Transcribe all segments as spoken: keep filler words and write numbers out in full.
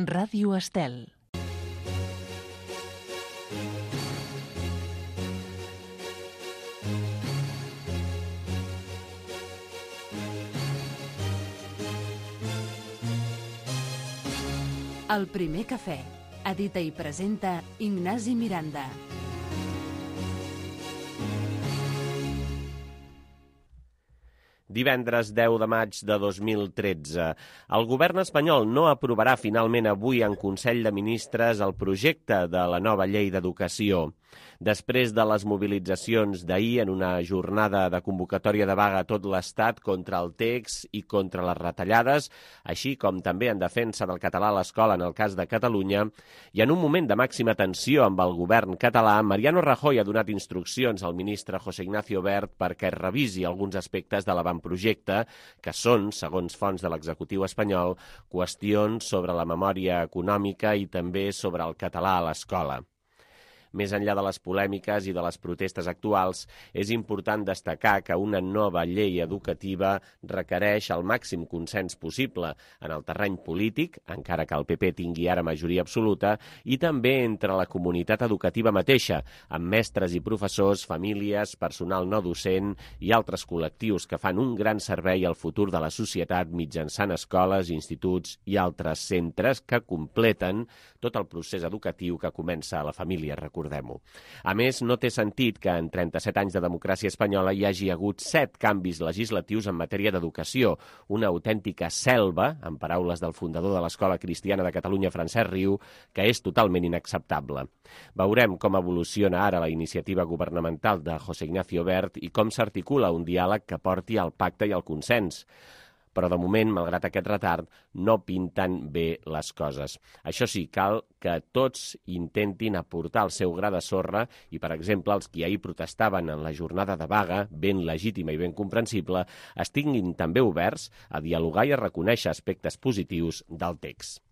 Ràdio Estel. El primer cafè. Edita i presenta Ignasi Miranda. Divendres deu de maig de dos mil tretze. El govern espanyol no aprovarà finalment avui en Consell de Ministres el projecte de la nova llei d'educació. Després de les mobilitzacions d'ahir en una jornada de convocatòria de vaga a tot l'Estat contra el text i contra les retallades, així com també en defensa del català a l'escola en el cas de Catalunya, i en un moment de màxima tensió amb el govern català, Mariano Rajoy ha donat instruccions al ministre José Ignacio Wert perquè revisi alguns aspectes de l'avantprojecte, que són, segons fonts de l'executiu espanyol, qüestions sobre la memòria econòmica i també sobre el català a l'escola. Més enllà de les polèmiques i de les protestes actuals, és important destacar que una nova llei educativa requereix el màxim consens possible en el terreny polític, encara que el P P tingui ara majoria absoluta, i també entre la comunitat educativa mateixa, amb mestres i professors, famílies, personal no docent i altres col·lectius que fan un gran servei al futur de la societat mitjançant escoles, instituts i altres centres que completen tot el procés educatiu que comença a la família, recordem-ho. A més, no té sentit que en trenta-set anys de democràcia espanyola hi hagi hagut set canvis legislatius en matèria d'educació, una autèntica selva, en paraules del fundador de l'Escola Cristiana de Catalunya, Francesc Riu, que és totalment inacceptable. Veurem com evoluciona ara la iniciativa governamental de José Ignacio Wert i com s'articula un diàleg que porti al pacte i al consens. Però de moment, malgrat aquest retard, no pinten bé les coses. Això sí, cal que tots intentin aportar el seu gra de sorra i, per exemple, els qui ahir protestaven en la jornada de vaga, ben legítima i ben comprensible, estiguin també oberts a dialogar i a reconèixer aspectes positius del text.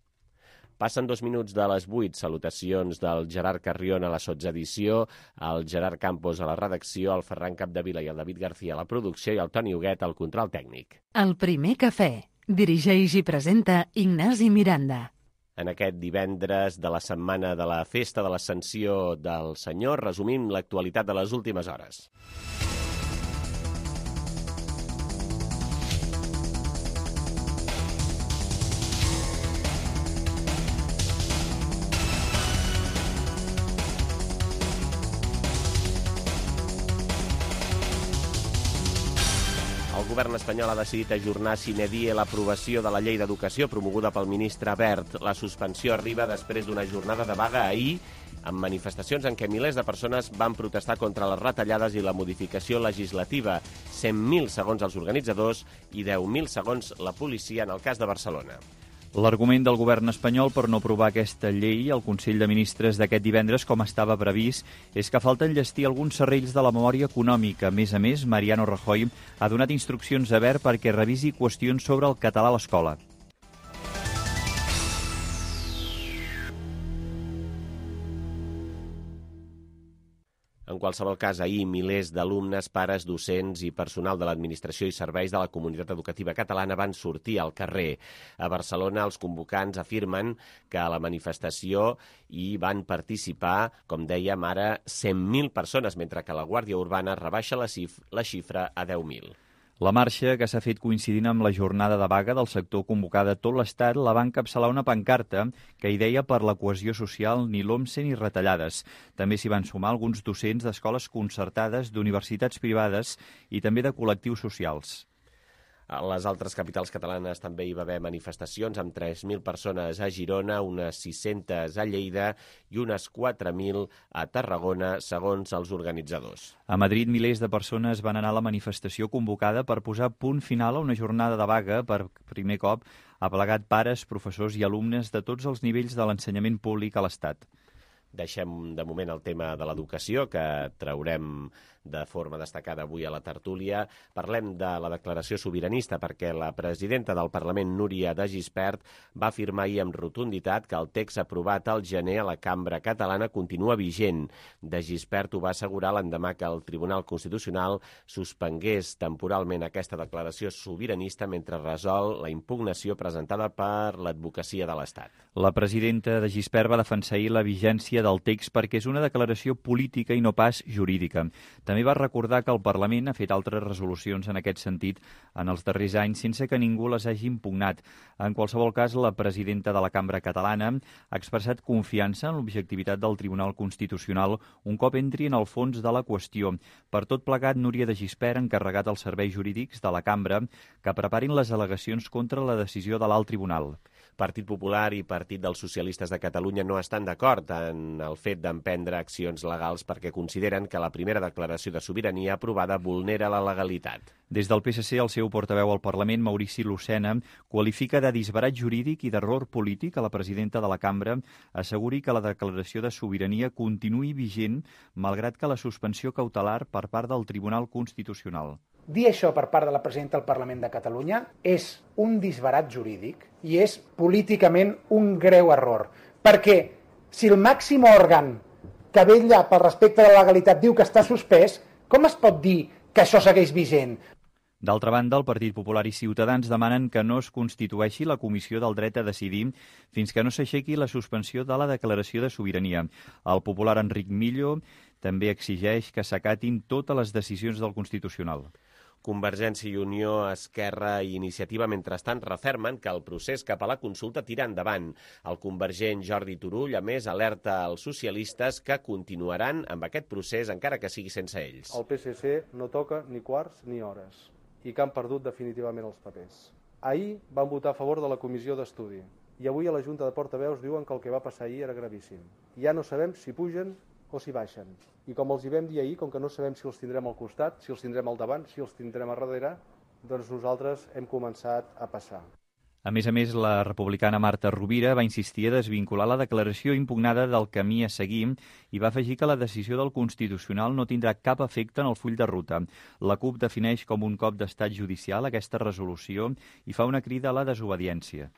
Passen dos minuts de les vuit. Salutacions del Gerard Carrion a la sotsedició, el Gerard Campos a la redacció, el Ferran Capdevila i el David García a la producció i el Toni Huguet al control tècnic. El primer cafè. Dirigeix i presenta Ignasi Miranda. En aquest divendres de la setmana de la Festa de l'Ascensió del Senyor, resumim l'actualitat de les últimes hores. El govern espanyol ha decidit ajornar sine die l'aprovació de la llei d'educació promoguda pel ministre Wert. La suspensió arriba després d'una jornada de vaga ahir, amb manifestacions en què milers de persones van protestar contra les retallades i la modificació legislativa. cent mil segons els organitzadors i deu mil segons la policia en el cas de Barcelona. L'argument del govern espanyol per no aprovar aquesta llei al Consell de Ministres d'aquest divendres, com estava previst, és que falta enllestir alguns serrells de la memòria econòmica. A més a més, Mariano Rajoy ha donat instruccions a Wert perquè revisi qüestions sobre el català a l'escola. En qualsevol cas, ahir milers d'alumnes, pares, docents i personal de l'administració i serveis de la comunitat educativa catalana van sortir al carrer. A Barcelona, els convocants afirmen que a la manifestació hi van participar, com dèiem ara, cent mil persones, mentre que la Guàrdia Urbana rebaixa la, xif la xifra a deu mil. La marxa, que s'ha fet coincidint amb la jornada de vaga del sector convocada a tot l'Estat, la va encapçalar una pancarta que hi deia per la cohesió social ni l'OMSE ni retallades. També s'hi van sumar alguns docents d'escoles concertades, d'universitats privades i també de col·lectius socials. A les altres capitals catalanes també hi va haver manifestacions amb tres mil persones a Girona, unes sis-centes a Lleida i unes quatre mil a Tarragona, segons els organitzadors. A Madrid, milers de persones van anar a la manifestació convocada per posar punt final a una jornada de vaga. Per primer cop ha plegat pares, professors i alumnes de tots els nivells de l'ensenyament públic a l'Estat. Deixem de moment el tema de l'educació, que traurem de forma destacada avui a la tertúlia. Parlem de la declaració sobiranista perquè la presidenta del Parlament, Núria de Gispert, va afirmar ahir amb rotunditat que el text aprovat al gener a la Cambra catalana continua vigent. De Gispert ho va assegurar l'endemà que el Tribunal Constitucional suspengués temporalment aquesta declaració sobiranista mentre resol la impugnació presentada per l'advocacia de l'Estat. La presidenta de Gispert va defensar ahir la vigència del text perquè és una declaració política i no pas jurídica. També va recordar que el Parlament ha fet altres resolucions en aquest sentit en els darrers anys sense que ningú les hagi impugnat. En qualsevol cas, la presidenta de la Cambra catalana ha expressat confiança en l'objectivitat del Tribunal Constitucional un cop entri en el fons de la qüestió. Per tot plegat, Núria de Gispert ha encarregat als serveis jurídics de la Cambra que preparin les al·legacions contra la decisió de l'Alt Tribunal. Partit Popular i Partit dels Socialistes de Catalunya no estan d'acord en el fet d'emprendre accions legals perquè consideren que la primera declaració de sobirania aprovada vulnera la legalitat. Des del P S C, el seu portaveu al Parlament, Maurici Lucena, qualifica de disbarat jurídic i d'error polític a la presidenta de la Cambra asseguri que la declaració de sobirania continuï vigent malgrat que la suspensió cautelar per part del Tribunal Constitucional. Dir això per part de la presidenta del Parlament de Catalunya és un disbarat jurídic i és políticament un greu error. Perquè si el màxim òrgan que vetlla pel respecte de la legalitat diu que està suspès, com es pot dir que això segueix vigent? D'altra banda, el Partit Popular i Ciutadans demanen que no es constitueixi la Comissió del Dret a Decidir fins que no s'aixequi la suspensió de la declaració de sobirania. El popular Enric Millo també exigeix que s'acatin totes les decisions del Constitucional. Convergència i Unió, Esquerra i Iniciativa, mentrestant, refermen que el procés cap a la consulta tira endavant. El convergent Jordi Turull, a més, alerta als socialistes que continuaran amb aquest procés encara que sigui sense ells. El P S C no toca ni quarts ni hores i que han perdut definitivament els papers. Ahir van votar a favor de la comissió d'estudi i avui a la Junta de Portaveus diuen que el que va passar ahir era gravíssim. Ja no sabem si pugen o si baixen. I com els hi vam dir ahir, com que no sabem si els tindrem al costat, si els tindrem al davant, si els tindrem a darrere, doncs nosaltres hem començat a passar. A més a més, la republicana Marta Rovira va insistir a desvincular la declaració impugnada del camí a seguir i va afegir que la decisió del Constitucional no tindrà cap efecte en el full de ruta. La CUP defineix com un cop d'estat judicial aquesta resolució i fa una crida a la desobediència.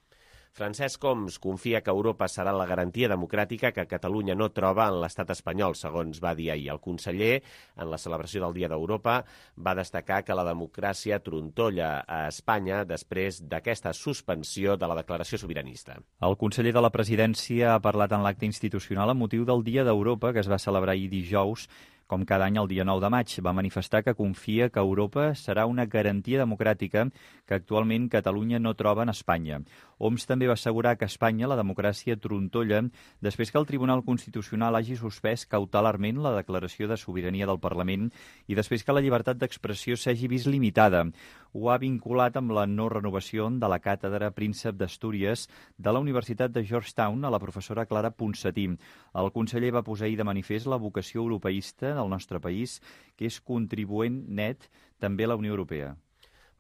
Francesc Homs confia que Europa serà la garantia democràtica que Catalunya no troba en l'estat espanyol, segons va dir ahir. El conseller, en la celebració del Dia d'Europa, va destacar que la democràcia trontolla a Espanya després d'aquesta suspensió de la declaració sobiranista. El conseller de la Presidència ha parlat en l'acte institucional amb motiu del Dia d'Europa, que es va celebrar ahir dijous, com cada any el dia nou de maig. Va manifestar que confia que Europa serà una garantia democràtica que actualment Catalunya no troba en Espanya. Homs també va assegurar que a Espanya la democràcia trontolla després que el Tribunal Constitucional hagi suspès cautelarment la declaració de sobirania del Parlament i després que la llibertat d'expressió s'hagi vist limitada. Ho ha vinculat amb la no renovació de la càtedra Príncep d'Astúries de la Universitat de Georgetown a la professora Clara Ponsatí. El conseller va posar ahir de manifest la vocació europeista del nostre país, que és contribuent net també a la Unió Europea.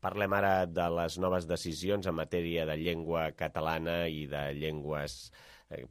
Parlem ara de les noves decisions en matèria de llengua catalana i de llengües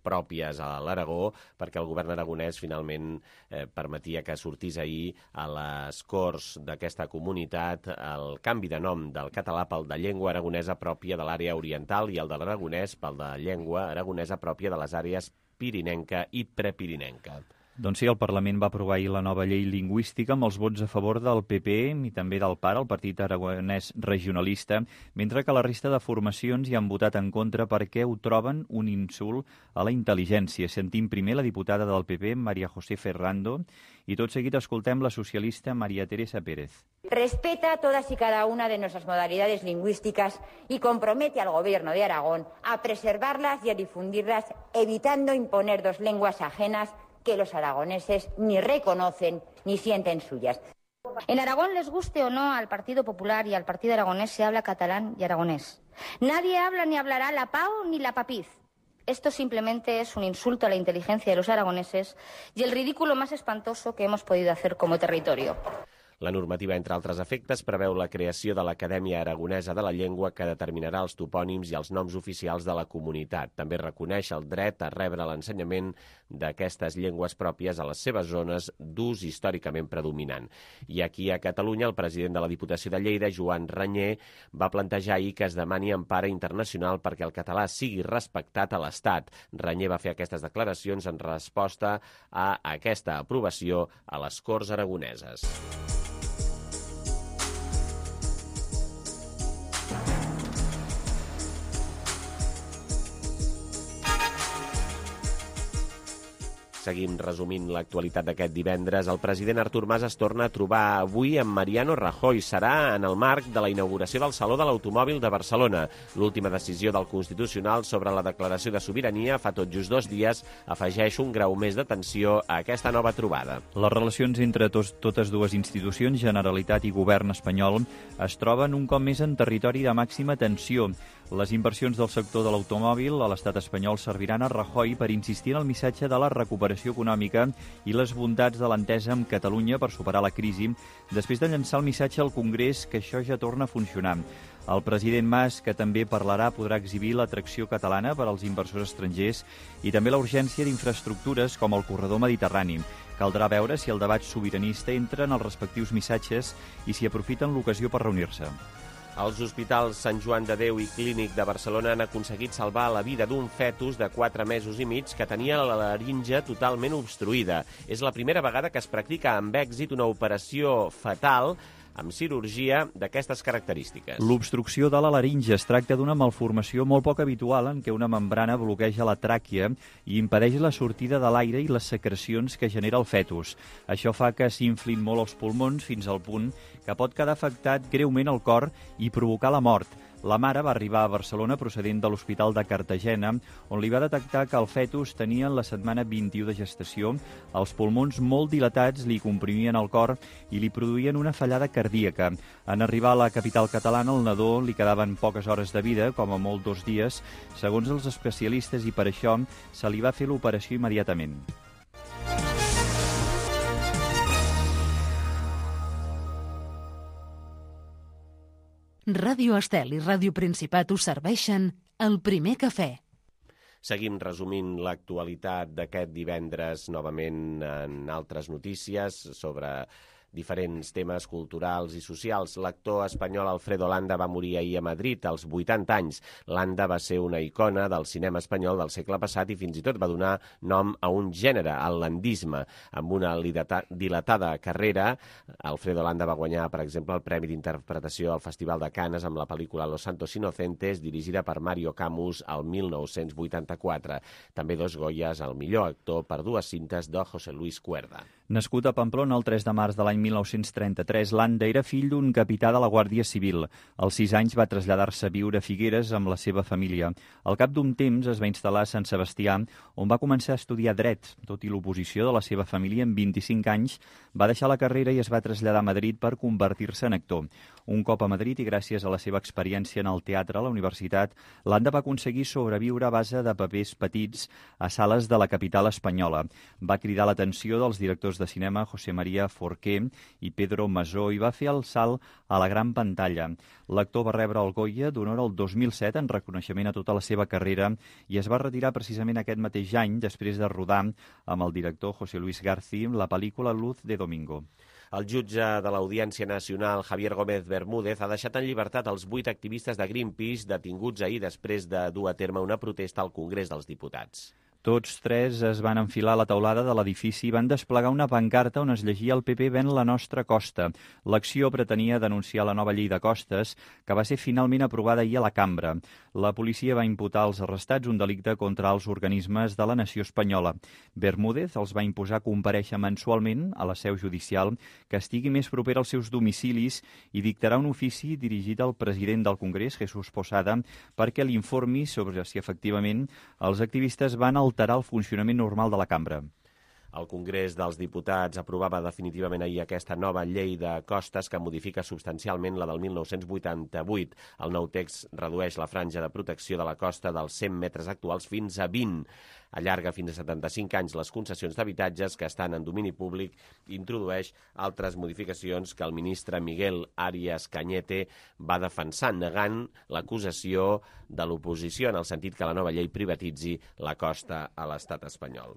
pròpies a l'Aragó, perquè el govern aragonès finalment eh, permetia que sortís ahir a les Corts d'aquesta comunitat el canvi de nom del català pel de llengua aragonesa pròpia de l'àrea oriental i el de l'aragonès pel de llengua aragonesa pròpia de les àrees pirinenca i prepirinenca. Doncs sí, el Parlament va aprovar ahir la nova llei lingüística amb els vots a favor del P P i també del P A R, el Partit Aragonès Regionalista, mentre que la resta de formacions hi han votat en contra perquè ho troben un insult a la intel·ligència. Sentim primer la diputada del P P, María José Ferrando, i tot seguit escoltem la socialista María Teresa Pérez. Respeta todas y cada una de nuestras modalidades lingüísticas y compromete al Gobierno de Aragón a preservarlas y a difundirlas, evitando imponer dos lenguas ajenas que los aragoneses ni reconocen ni sienten suyas. En Aragón, les guste o no al Partido Popular y al Partido Aragonés, se habla catalán y aragonés. Nadie habla ni hablará la PAO ni la papiz. Esto simplemente es un insulto a la inteligencia de los aragoneses y el ridículo más espantoso que hemos podido hacer como territorio. La normativa, entre altres efectes, preveu la creació de l'Acadèmia Aragonesa de la Llengua que determinarà els topònims i els noms oficials de la comunitat. També reconeix el dret a rebre l'ensenyament d'aquestes llengües pròpies a les seves zones d'ús històricament predominant. I aquí a Catalunya, el president de la Diputació de Lleida, Joan Ranyer, va plantejar ahir que es demani empara internacional perquè el català sigui respectat a l'Estat. Ranyer va fer aquestes declaracions en resposta a aquesta aprovació a les Corts Aragoneses. Seguim resumint l'actualitat d'aquest divendres. El president Artur Mas es torna a trobar avui amb Mariano Rajoy. Serà en el marc de la inauguració del Saló de l'Automòbil de Barcelona. L'última decisió del Constitucional sobre la declaració de sobirania fa tot just dos dies afegeix un grau més de tensió a aquesta nova trobada. Les relacions entre tos, totes dues institucions, Generalitat i Govern espanyol, es troben un cop més en territori de màxima tensió. Les inversions del sector de l'automòbil a l'estat espanyol serviran a Rajoy per insistir en el missatge de la recuperació econòmica i les bondats de l'entesa amb Catalunya per superar la crisi, després de llançar el missatge al Congrés que això ja torna a funcionar. El president Mas, que també parlarà, podrà exhibir l'atracció catalana per als inversors estrangers i també la urgència d'infraestructures com el corredor mediterrani. Caldrà veure si el debat sobiranista entra en els respectius missatges i si aprofiten l'ocasió per reunir-se. Els hospitals Sant Joan de Déu i Clínic de Barcelona han aconseguit salvar la vida d'un fetus de quatre mesos i mig que tenia la laringe totalment obstruïda. És la primera vegada que es practica amb èxit una operació fatal amb cirurgia d'aquestes característiques. L'obstrucció de la laringe es tracta d'una malformació molt poc habitual en què una membrana bloqueja la tràquea i impedeix la sortida de l'aire i les secrecions que genera el fetus. Això fa que s'inflin molt els pulmons fins al punt que pot quedar afectat greument el cor i provocar la mort. La mare va arribar a Barcelona procedent de l'Hospital de Cartagena, on li va detectar que el fetus tenia en la setmana vint-i-u de gestació, els pulmons molt dilatats li comprimien el cor i li produïen una fallada cardíaca. En arribar a la capital catalana, al nadó li quedaven poques hores de vida, com a molt dos dies, segons els especialistes, i per això se li va fer l'operació immediatament. Ràdio Estel i Ràdio Principat us serveixen el primer cafè. Seguim resumint l'actualitat d'aquest divendres novament en altres notícies sobre diferents temes culturals i socials. L'actor espanyol Alfredo Landa va morir ahir a Madrid als vuitanta anys. Landa va ser una icona del cinema espanyol del segle passat i fins i tot va donar nom a un gènere, el landisme. Amb una dilatada carrera, Alfredo Landa va guanyar, per exemple, el Premi d'Interpretació al Festival de Canes amb la pel·lícula Los Santos Inocentes, dirigida per Mario Camus al mil nou-cents vuitanta-quatre. També dos Goyes al millor actor per dues cintes de José Luis Cuerda. Nascut a Pamplona el tres de març de l'any mil nou-cents trenta-tres, Landa era fill d'un capità de la Guàrdia Civil. Als sis anys va traslladar-se a viure a Figueres amb la seva família. Al cap d'un temps es va instal·lar a Sant Sebastià, on va començar a estudiar dret. Tot i l'oposició de la seva família, amb vint-i-cinc anys, va deixar la carrera i es va traslladar a Madrid per convertir-se en actor. Un cop a Madrid i gràcies a la seva experiència en el teatre a la universitat, Landa va aconseguir sobreviure a base de papers petits a sales de la capital espanyola. Va cridar l'atenció dels directors de cinema José María Forqué i Pedro Masó i va fer el salt a la gran pantalla. L'actor va rebre el Goya d'honor el dos mil set en reconeixement a tota la seva carrera i es va retirar precisament aquest mateix any després de rodar amb el director José Luis García la pel·lícula Luz de Domingo. El jutge de l'Audiència Nacional, Javier Gómez Bermúdez, ha deixat en llibertat els vuit activistes de Greenpeace detinguts ahir després de dur a terme una protesta al Congrés dels Diputats. Tots tres es van enfilar a la teulada de l'edifici i van desplegar una pancarta on es llegia el P P ven la nostra costa. L'acció pretenia denunciar la nova llei de costes, que va ser finalment aprovada ahir a la cambra. La policia va imputar als arrestats un delicte contra els organismes de la nació espanyola. Bermúdez els va imposar comparèixer mensualment a la seu judicial que estigui més proper als seus domicilis i dictarà un ofici dirigit al president del Congrés, Jesús Posada, perquè l'informi sobre si efectivament els activistes van alterar el funcionament normal de la cambra. El Congrés dels Diputats aprovava definitivament ahir aquesta nova llei de costes que modifica substancialment la del mil nou-cents vuitanta-vuit. El nou text redueix la franja de protecció de la costa dels cent metres actuals fins a vint. Allarga fins a setanta-cinc anys les concessions d'habitatges que estan en domini públic i introdueix altres modificacions que el ministre Miguel Arias Cañete va defensar, negant l'acusació de l'oposició en el sentit que la nova llei privatitzi la costa a l'estat espanyol.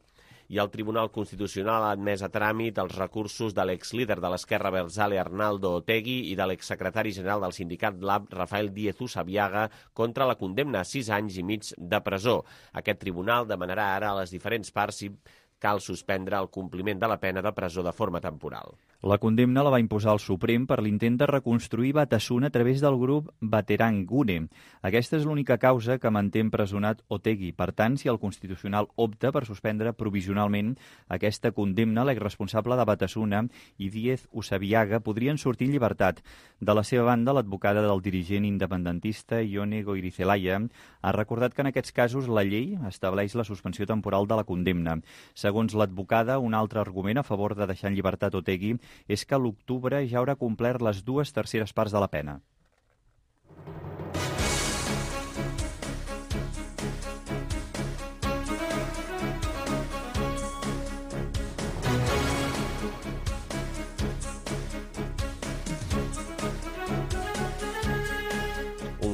I el Tribunal Constitucional ha admès a tràmit els recursos de l'exlíder de l'Esquerra Abertzale Arnaldo Otegi i de l'exsecretari general del sindicat Lab Rafael Díez Usabiaga contra la condemna a sis anys i mig de presó. Aquest tribunal demanarà ara a les diferents parts si cal suspendre el compliment de la pena de presó de forma temporal. La condemna la va imposar el Suprem per l'intent de reconstruir Batasuna a través del grup Baterang Gune. Aquesta és l'única causa que manté empresonat Otegi. Per tant, si el Constitucional opta per suspendre provisionalment aquesta condemna, l'exresponsable de Batasuna i Díez Usabiaga podrien sortir en llibertat. De la seva banda, l'advocada del dirigent independentista Ione Goirizelaya ha recordat que en aquests casos la llei estableix la suspensió temporal de la condemna. Segons l'advocada, un altre argument a favor de deixar en llibertat Otegi és que a l'octubre ja haurà complert les dues terceres parts de la pena.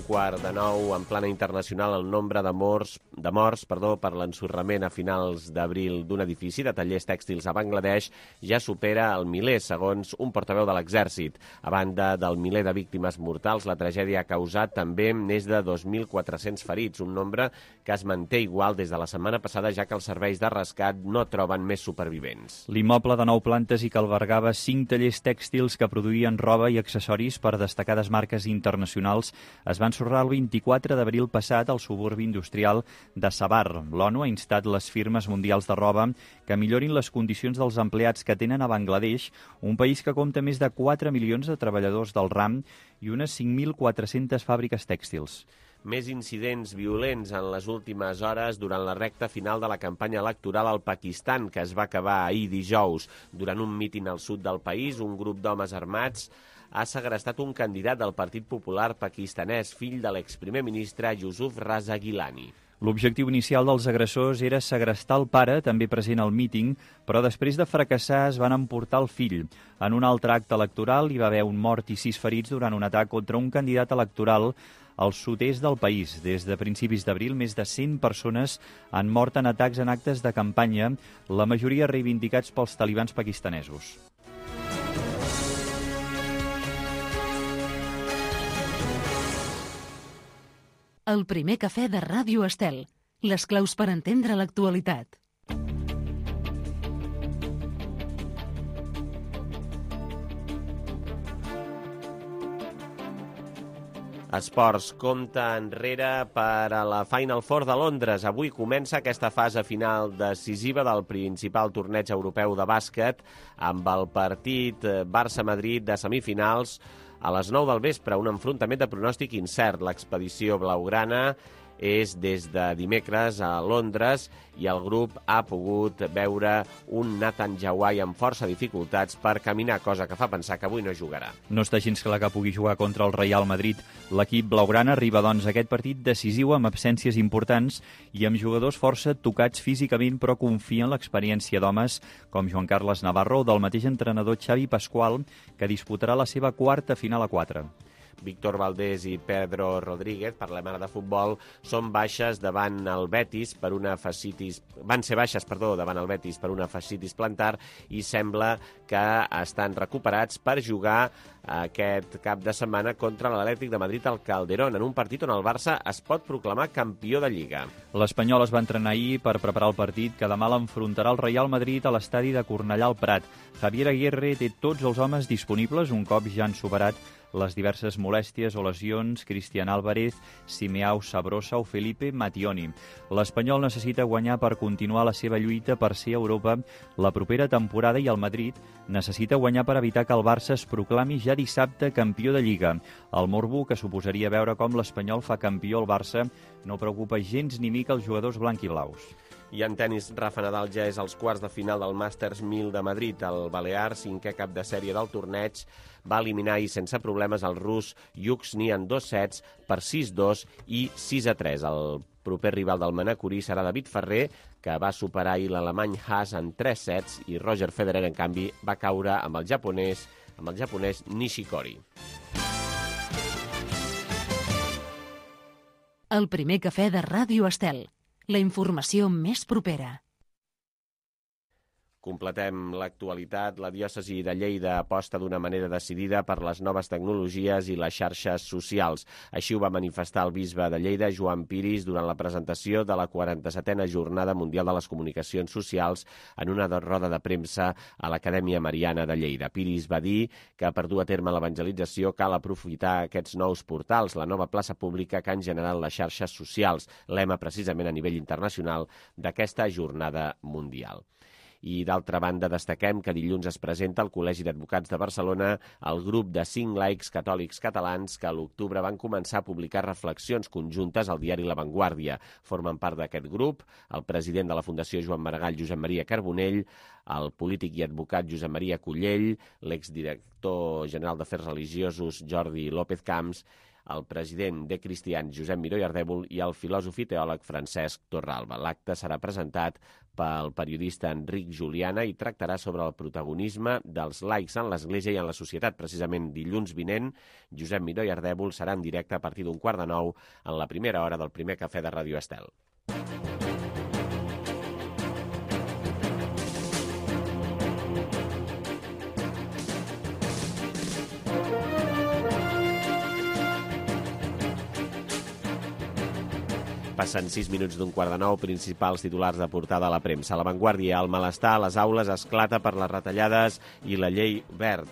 Quart de nou, en plana internacional, el nombre de morts, de morts perdó, per l'ensorrament a finals d'abril d'un edifici de tallers tèxtils a Bangladesh ja supera el miler, segons un portaveu de l'exèrcit. A banda del miler de víctimes mortals, la tragèdia ha causat també més de dos mil quatre-cents ferits, un nombre que es manté igual des de la setmana passada, ja que els serveis de rescat no troben més supervivents. L'immoble de nou plantes i que albergava cinc tallers tèxtils que produïen roba i accessoris per destacades marques internacionals es van ensorrar el vint-i-quatre d'abril passat al suburbi industrial de Sabar. L'ONU ha instat les firmes mundials de roba que millorin les condicions dels empleats que tenen a Bangladesh, un país que compta més de quatre milions de treballadors del ram i unes cinc mil quatre-centes fàbriques tèxtils. Més incidents violents en les últimes hores durant la recta final de la campanya electoral al Pakistan, que es va acabar ahir dijous. Durant un míting al sud del país, un grup d'homes armats ha segrestat un candidat del Partit Popular pakistanès, fill de l'exprimer ministre Yusuf Raza Gilani. L'objectiu inicial dels agressors era segrestar el pare, també present al míting, però després de fracassar es van emportar el fill. En un altre acte electoral hi va haver un mort i sis ferits durant un atac contra un candidat electoral al sud-est del país. Des de principis d'abril, més de cent persones han mort en atacs en actes de campanya, la majoria reivindicats pels talibans pakistanesos. El primer cafè de Ràdio Estel. Les claus per entendre l'actualitat. Esports, compte enrere per a la Final Four de Londres. Avui comença aquesta fase final decisiva del principal torneig europeu de bàsquet amb el partit Barça-Madrid de semifinals a les nou del vespre, un enfrontament de pronòstic incert. L'expedició blaugrana és des de dimecres a Londres i el grup ha pogut veure un Nathan Jawai amb força dificultats per caminar, cosa que fa pensar que avui no jugarà. No està gens clar que pugui jugar contra el Real Madrid. L'equip blaugrana arriba doncs a aquest partit decisiu amb absències importants i amb jugadors força tocats físicament, però confia en l'experiència d'homes com Joan Carles Navarro o del mateix entrenador Xavi Pasqual, que disputarà la seva quarta final a quatre. Víctor Valdés i Pedro Rodríguez, parlem ara de futbol, són baixes davant el Betis per una fascitis, van ser baixes, perdó, davant el Betis per una fascitis plantar i sembla que estan recuperats per jugar aquest cap de setmana contra l'Atlètic de Madrid al Calderón, en un partit on el Barça es pot proclamar campió de Lliga. L'Espanyol es va entrenar ahir per preparar el partit que demà l'enfrontarà el Real Madrid a l'estadi de Cornellà al Prat. Javier Aguirre té tots els homes disponibles un cop ja han superat les diverses molèsties o lesions Cristian Álvarez, Simeao Sabrosa o Felipe Mattioni. L'Espanyol necessita guanyar per continuar la seva lluita per ser a Europa la propera temporada i el Madrid necessita guanyar per evitar que el Barça es proclami ja dissabte campió de Lliga. El morbo que suposaria veure com l'Espanyol fa campió al Barça no preocupa gens ni mica els jugadors blanc i blaus. I en tenis, Rafa Nadal ja és als quarts de final del Masters mil de Madrid. El balear, cinquè cap de sèrie del torneig, va eliminar ahir sense problemes el rus Yuxni en dos sets per sis dos i sis a tres. El proper rival del manacorí serà David Ferrer, que va superar ahir l'alemany Haas en tres sets, i Roger Federer, en canvi, va caure amb el japonès, amb el japonès Nishikori. El primer cafè de Ràdio Estel. La informació més propera. Completem l'actualitat. La diòcesi de Lleida aposta d'una manera decidida per les noves tecnologies i les xarxes socials. Així ho va manifestar el bisbe de Lleida, Joan Piris, durant la presentació de la quaranta-setena Jornada Mundial de les Comunicacions Socials en una roda de premsa a l'Acadèmia Mariana de Lleida. Piris va dir que per dur a terme l'evangelització cal aprofitar aquests nous portals, la nova plaça pública que han generat les xarxes socials, lema precisament a nivell internacional d'aquesta Jornada Mundial. I, d'altra banda, destaquem que dilluns es presenta al Col·legi d'Advocats de Barcelona el grup de cinc laics catòlics catalans que a l'octubre van començar a publicar reflexions conjuntes al diari La Vanguardia. Formen part d'aquest grup el president de la Fundació Joan Maragall, Josep Maria Carbonell, el polític i advocat Josep Maria Cullell, l'exdirector general d'Afers Religiosos Jordi López Camps, el president de Cristians Josep Miró i Ardèvol i el filòsof i teòleg Francesc Torralba. L'acte serà presentat pel periodista Enric Juliana i tractarà sobre el protagonisme dels laics en l'Església i en la societat. Precisament dilluns vinent, Josep Miró i Ardèvol serà en directe a partir d'un quart de nou en la primera hora del primer cafè de Ràdio Estel. Passen sis minuts d'un quart de nou, principals titulars de portada a la premsa. A La Vanguardia, el malestar a les aules esclata per les retallades i la llei Wert.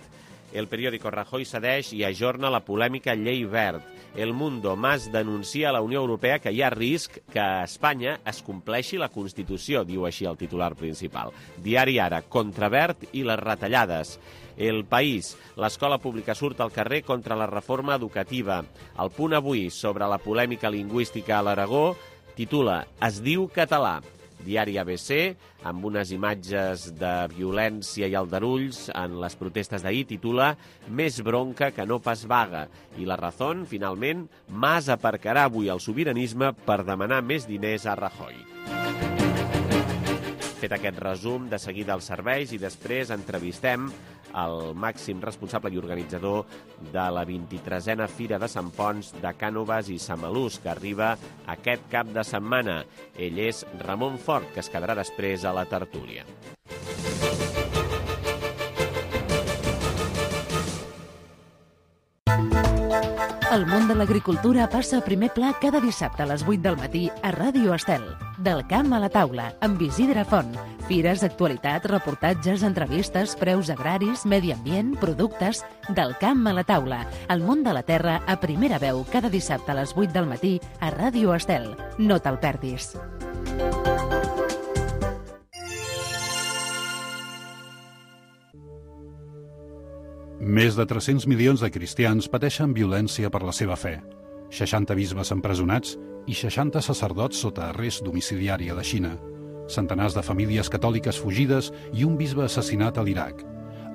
El periòdico Rajoy cedeix i ajorna la polèmica llei Wert. El Mundo, Mas denuncia a la Unió Europea que hi ha risc que a Espanya es compleixi la Constitució, diu així el titular principal. Diari Ara, contra Wert i les retallades. El País, l'escola pública surt al carrer contra la reforma educativa. El Punt Avui, sobre la polèmica lingüística a l'Aragó, titula Es diu català. Diari A B C, amb unes imatges de violència i aldarulls en les protestes d'ahir, titula Més bronca que no pas vaga. I La Razón, finalment, Mas aparcarà avui el sobiranisme per demanar més diners a Rajoy. Fet aquest resum, de seguida els serveis i després entrevistem el màxim responsable i organitzador de la vint-i-tresena Fira de Sant Ponç de Cànoves i Samalús, que arriba aquest cap de setmana. Ell és Ramon Fort, que es quedarà després a la tertúlia. El món de l'agricultura passa a primer pla cada dissabte a les vuit del matí a Ràdio Estel. Del camp a la taula, amb Isidre Font. Fires, actualitat, reportatges, entrevistes, preus agraris, medi ambient, productes... Del camp a la taula. El món de la terra a primera veu cada dissabte a les vuit del matí a Ràdio Estel. No te'l perdis. Més de tres-cents milions de cristians pateixen violència per la seva fe. seixanta bisbes empresonats i seixanta sacerdots sota arrest domiciliari a la Xina. Centenars de famílies catòliques fugides i un bisbe assassinat a l'Iraq.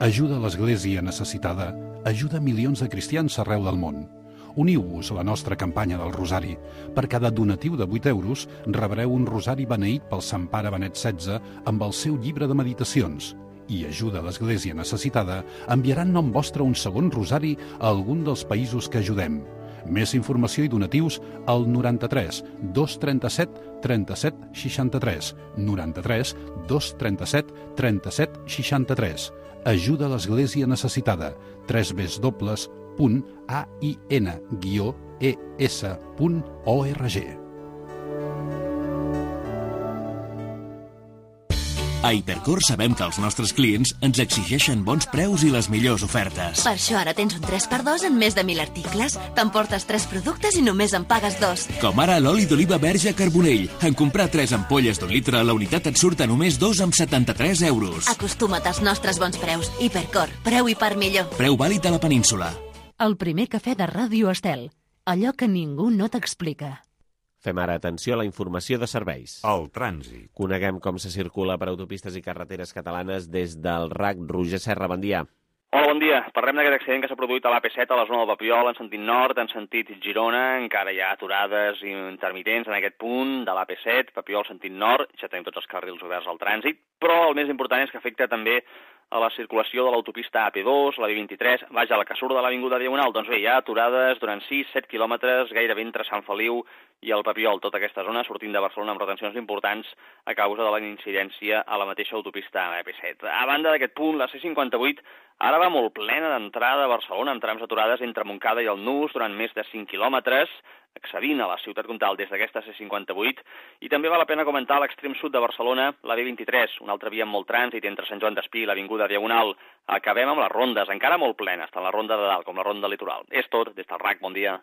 Ajuda a l'Església necessitada. Ajuda milions de cristians arreu del món. Uniu-vos a la nostra campanya del Rosari. Per cada donatiu de vuit euros rebreu un rosari beneït pel Sant Pare Benet setze amb el seu llibre de meditacions. I Ajuda a l'Església necessitada enviarà en nom vostre un segon rosari a algun dels països que ajudem. Més informació i donatius al noranta-tres dos trenta-set trenta-set seixanta-tres, noranta-tres dos trenta-set trenta-set seixanta-tres. Ajuda a l'Església necessitada. tres w punt a i n guió e s punt org. A Hipercor sabem que els nostres clients ens exigeixen bons preus i les millors ofertes. Per això ara tens un tres per dos en més de mil articles. T'emportes tres productes i només en pagues dos. Com ara l'oli d'oliva verge Carbonell. En comprar tres ampolles d'un litre, la unitat et surt a només dos amb setanta-tres euros. Acostuma't als nostres bons preus. Hipercor, preu i part millor. Preu vàlid a la península. El primer cafè de Ràdio Estel. Allò que ningú no t'explica. Fem ara atenció a la informació de serveis. El trànsit. Coneguem com se circula per autopistes i carreteres catalanes des del R A C. Roger Serra, bon dia. Hola, bon dia. Parlem d'aquest accident que s'ha produït a l'A P set a la zona del Papiol, en sentit nord, en sentit Girona. Encara hi ha aturades intermitents en aquest punt de l'A P set, Papiol, sentit nord. Ja tenim tots els carrils oberts al trànsit, però el més important és que afecta també a la circulació de l'autopista A P dos, la B vint-i-tres, vaja, la que surt de l'Avinguda Diagonal. Doncs bé, hi ha aturades durant sis a set quilòmetres, gairebé entre Sant Feliu i el Papiol, tota aquesta zona sortint de Barcelona amb retencions importants a causa de la incidència a la mateixa autopista A P set. A banda d'aquest punt, la C cinquanta-vuit ara va molt plena d'entrada a Barcelona, amb trams aturades entre Montcada i el Nus durant més de cinc quilòmetres, accedint a la ciutat comtal des d'aquesta C cinquanta-vuit, i també val la pena comentar a l'extrem sud de Barcelona la B vint-i-tres, una altra via amb molt trànsit entre Sant Joan d'Espí i l'Avinguda Diagonal. Acabem amb les rondes, encara molt plenes, tant la ronda de dalt com la ronda litoral. És tot, des del R A C, bon dia.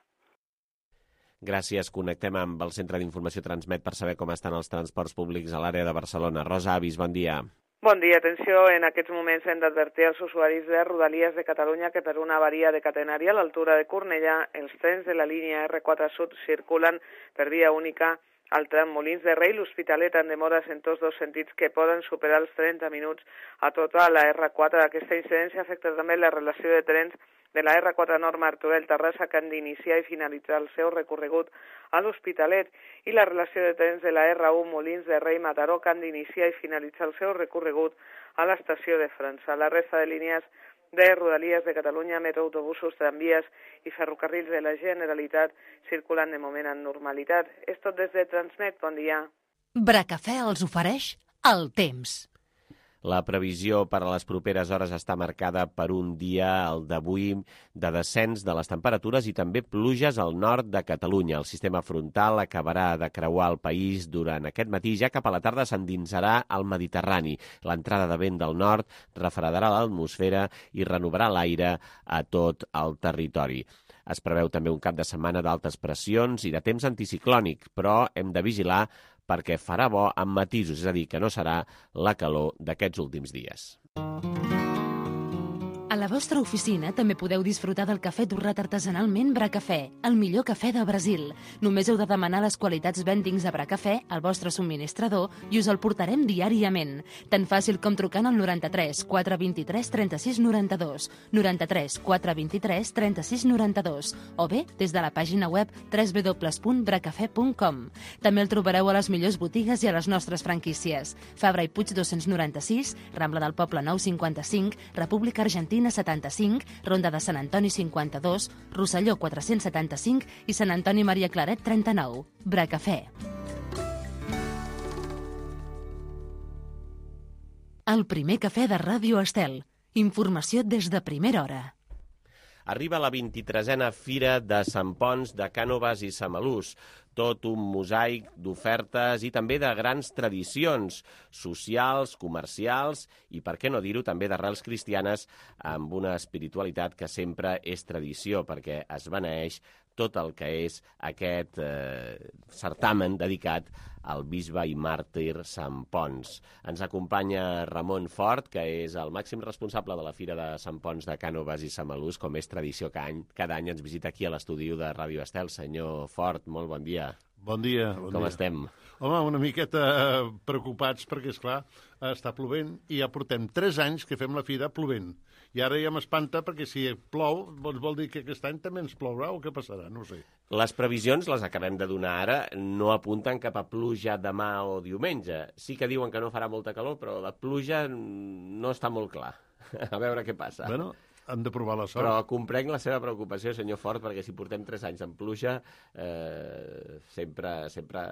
Gràcies. Connectem amb el Centre d'Informació Transmet per saber com estan els transports públics a l'àrea de Barcelona. Rosa Avis, bon dia. Bon dia, atenció. En aquests moments hem d'advertir als usuaris de Rodalies de Catalunya que per una avaria de catenària a l'altura de Cornellà, els trens de la línia R quatre Sud circulen per via única al tram Molins de Rei, l'Hospitalet en demores en tots dos sentits que poden superar els trenta minuts a tota la R quatre. Aquesta incidència afecta també la relació de trens de la R quatre Nord Martorell-Terrassa que han d'iniciar i finalitzar el seu recorregut a l'Hospitalet i la relació de trens de la R u Molins de Rei-Mataró que han d'iniciar i finalitzar el seu recorregut a l'estació de França. La resta de línies de Rodalies de Catalunya, metro, autobusos, tramvies i ferrocarrils de la Generalitat circulen de moment en normalitat. És tot des de Transmet. Bon dia. Bracafè els ofereix el temps. La previsió per a les properes hores està marcada per un dia, el d'avui, de descens de les temperatures i també pluges al nord de Catalunya. El sistema frontal acabarà de creuar el país durant aquest matí, ja cap a la tarda s'endinsarà al Mediterrani. L'entrada de vent del nord refredarà l'atmosfera i renovarà l'aire a tot el territori. Es preveu també un cap de setmana d'altes pressions i de temps anticiclònic, però hem de vigilar perquè farà bo amb matisos, és a dir, que no serà la calor d'aquests últims dies. A la vostra oficina també podeu disfrutar del cafè torrat artesanalment Bracafè, el millor cafè del Brasil. Només heu de demanar les qualitats Vendings a Bracafè al vostre subministrador i us el portarem diàriament. Tan fàcil com trucant al noranta-tres quatre vint-i-tres trenta-sis noranta-dos, noranta-tres quatre vint-i-tres trenta-sis noranta-dos o bé des de la pàgina web w w w punt bracafè punt com. També el trobareu a les millors botigues i a les nostres franquícies. Fabra i Puig dos-cents noranta-sis, Rambla del Poble nou cinquanta-cinc, República Argentina setanta-cinc, Ronda de Sant Antoni cinquanta-dos, Rosselló quatre-cents setanta-cinc i Sant Antoni Maria Claret trenta-nou. Bracafè. El primer cafè de Ràdio Estel. Informació des de primera hora. Arriba la vint-i-tresena Fira de Sant Ponç de Cànoves i Samalús. Tot un mosaic d'ofertes i també de grans tradicions socials, comercials i, per què no dir-ho, també d'arrels cristianes amb una espiritualitat que sempre és tradició perquè es beneeix tot el que és aquest eh, certamen dedicat al bisbe i màrtir Sant Ponç. Ens acompanya Ramon Fort, que és el màxim responsable de la Fira de Sant Ponç de Cànoves i Samalús, com és tradició cada any, cada any ens visita aquí a l'estudi de Ràdio Estel. Senyor Fort, molt bon dia. Bon dia. Bon Com dia. estem? Home, una miqueta preocupats perquè, esclar, està plovent i ja portem tres anys que fem la fira plovent. I ara ja m'espanta perquè si plou, doncs vol dir que aquest any també ens plourà o què passarà, no ho sé. Les previsions, les acabem de donar ara, no apunten cap a pluja demà o diumenge. Sí que diuen que no farà molta calor, però la pluja no està molt clar. A veure què passa. Bueno, hem de provar la sort. Però comprenc la seva preocupació, senyor Fort, perquè si portem tres anys en pluja, eh, sempre, sempre,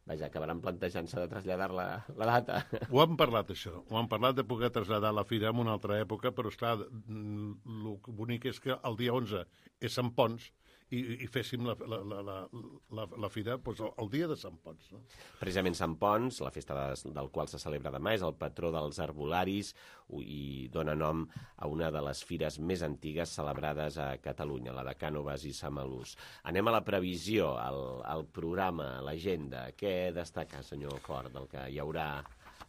vaja, acabaran plantejant-se de traslladar la, la data. Ho hem parlat, això. Ho hem parlat de poder traslladar la fira en una altra època, però, esclar, el bonic és que el dia onze és Sant Ponç, i, i féssim la, la, la, la, la fira doncs, el, el dia de Sant Ponç. No? Precisament Sant Ponç, la festa de, del qual se celebra demà, és el patró dels arbolaris i dona nom a una de les fires més antigues celebrades a Catalunya, la de Cànoves i Samalús. Anem a la previsió, al, al programa, a l'agenda. Què destaca, senyor Fort, del que hi haurà,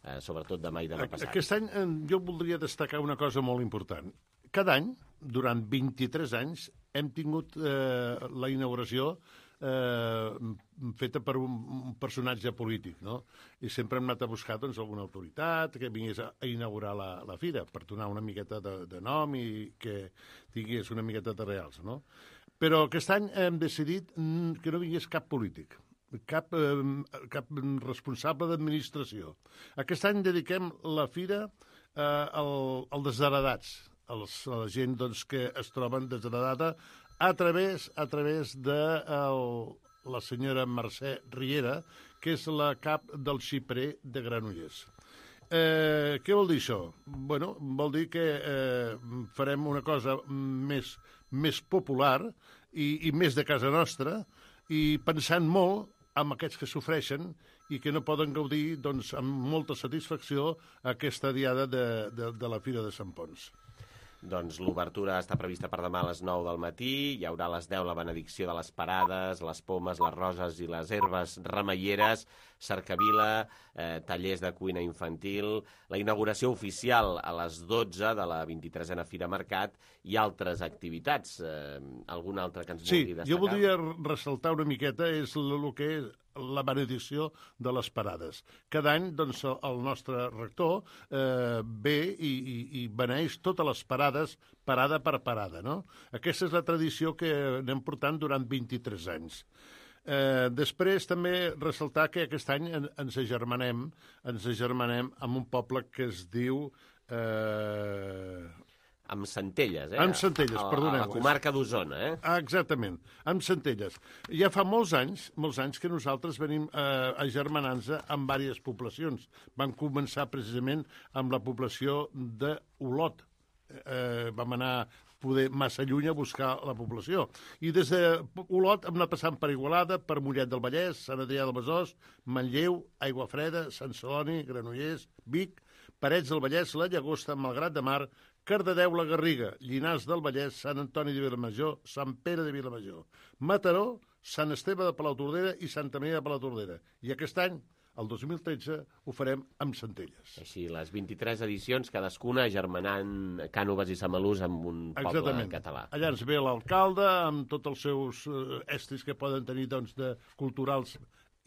eh, sobretot demà i demà passat? Aquest any eh, jo voldria destacar una cosa molt important. Cada any, durant vint-i-tres anys, hem tingut eh, la inauguració eh, feta per un, un personatge polític, no? I sempre hem anat a buscar doncs, alguna autoritat que vingués a, a inaugurar la, la fira per donar una miqueta de, de nom i que tingués una miqueta de reals, no? Però aquest any hem decidit que no vingués cap polític, cap, eh, cap responsable d'administració. Aquest any dediquem la fira eh, al, al desheredats, als, a la gent doncs, que es troben desheredada a través, a través de el, la senyora Mercè Riera, que és la cap del xiprer de Granollers. Eh, què vol dir això? Bueno, vol dir que eh, farem una cosa més, més popular i, i més de casa nostra i pensant molt amb aquests que sofreixen i que no poden gaudir doncs, amb molta satisfacció aquesta diada de, de, de la Fira de Sant Ponç. Doncs l'obertura està prevista per demà a les nou del matí, hi haurà a les deu la benedicció de les parades, les pomes, les roses i les herbes remeieres, cercavila, eh, tallers de cuina infantil, la inauguració oficial a les dotze de la vint-i-tresena Fira Mercat i altres activitats. Eh, algun altre que ens sí, vulgui destacar? Sí, jo voldria ressaltar una miqueta és el que és la benedicció de les parades. Cada any doncs, el nostre rector eh, ve i, i, i beneix totes les parades, parada per parada. No? Aquesta és la tradició que anem portant durant vint-i-tres anys. Eh, després també ressaltar que aquest any ens agermanem, ens agermanem amb un poble que es diu... Eh... Amb Centelles, eh? Amb Centelles, perdoneu. A la comarca d'Osona, eh? Ah, exactament, amb Centelles. Ja fa molts anys, molts anys que nosaltres venim eh, agermanant-nos amb diverses poblacions. Vam començar precisament amb la població d'Olot. Eh, vam anar poder massa lluny a buscar la població. I des d'Olot hem anat passant per Igualada, per Mollet del Vallès, Sant Adrià del Besòs, Manlleu, Aiguafreda, Sant Celoni, Granollers, Vic, Parets del Vallès, la Llagosta, Malgrat de Mar, Cardedeu, la Garriga, Llinars del Vallès, Sant Antoni de Vilamajor, Sant Pere de Vilamajor, Mataró, Sant Esteve de Palautordera i Santa Maria de Palautordera. I aquest any, el dos mil tretze, ho farem amb Centelles. Així, les vint-i-tres edicions, cadascuna germanant Cànoves i Samalús amb un poble Exactament. Català. Allà ens ve l'alcalde amb tots els seus eh, estris que poden tenir doncs, de culturals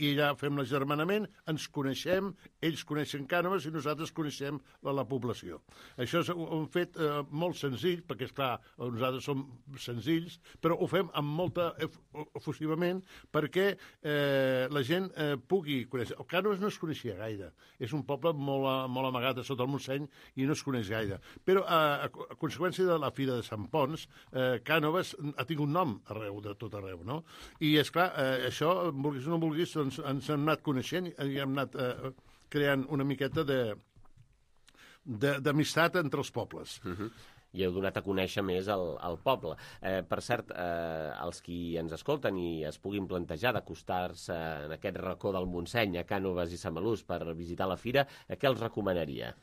i allà fem l'agermanament, ens coneixem, ells coneixen Cànoves i nosaltres coneixem la, la població. Això és un fet eh, molt senzill, perquè, esclar, nosaltres som senzills, però ho fem amb molta efusivament perquè eh, la gent eh, pugui conèixer. El Cànoves no es coneixia gaire. És un poble molt, molt amagat a sota el Montseny i no es coneix gaire. Però a, a conseqüència de la Fira de Sant Ponç, eh, Cànoves ha tingut nom arreu, de tot arreu, no? I, esclar, eh, això, vulguis o no vulguis, doncs ens hem anat coneixent i hem anat eh, creant una miqueta d'amistat entre els pobles. Uh-huh. I heu donat a conèixer més el, el poble. Eh, per cert, eh, els qui ens escolten i es puguin plantejar d'acostar-se en aquest racó del Montseny, a Cànoves i Samalús, per visitar la fira, eh, què els recomanaria?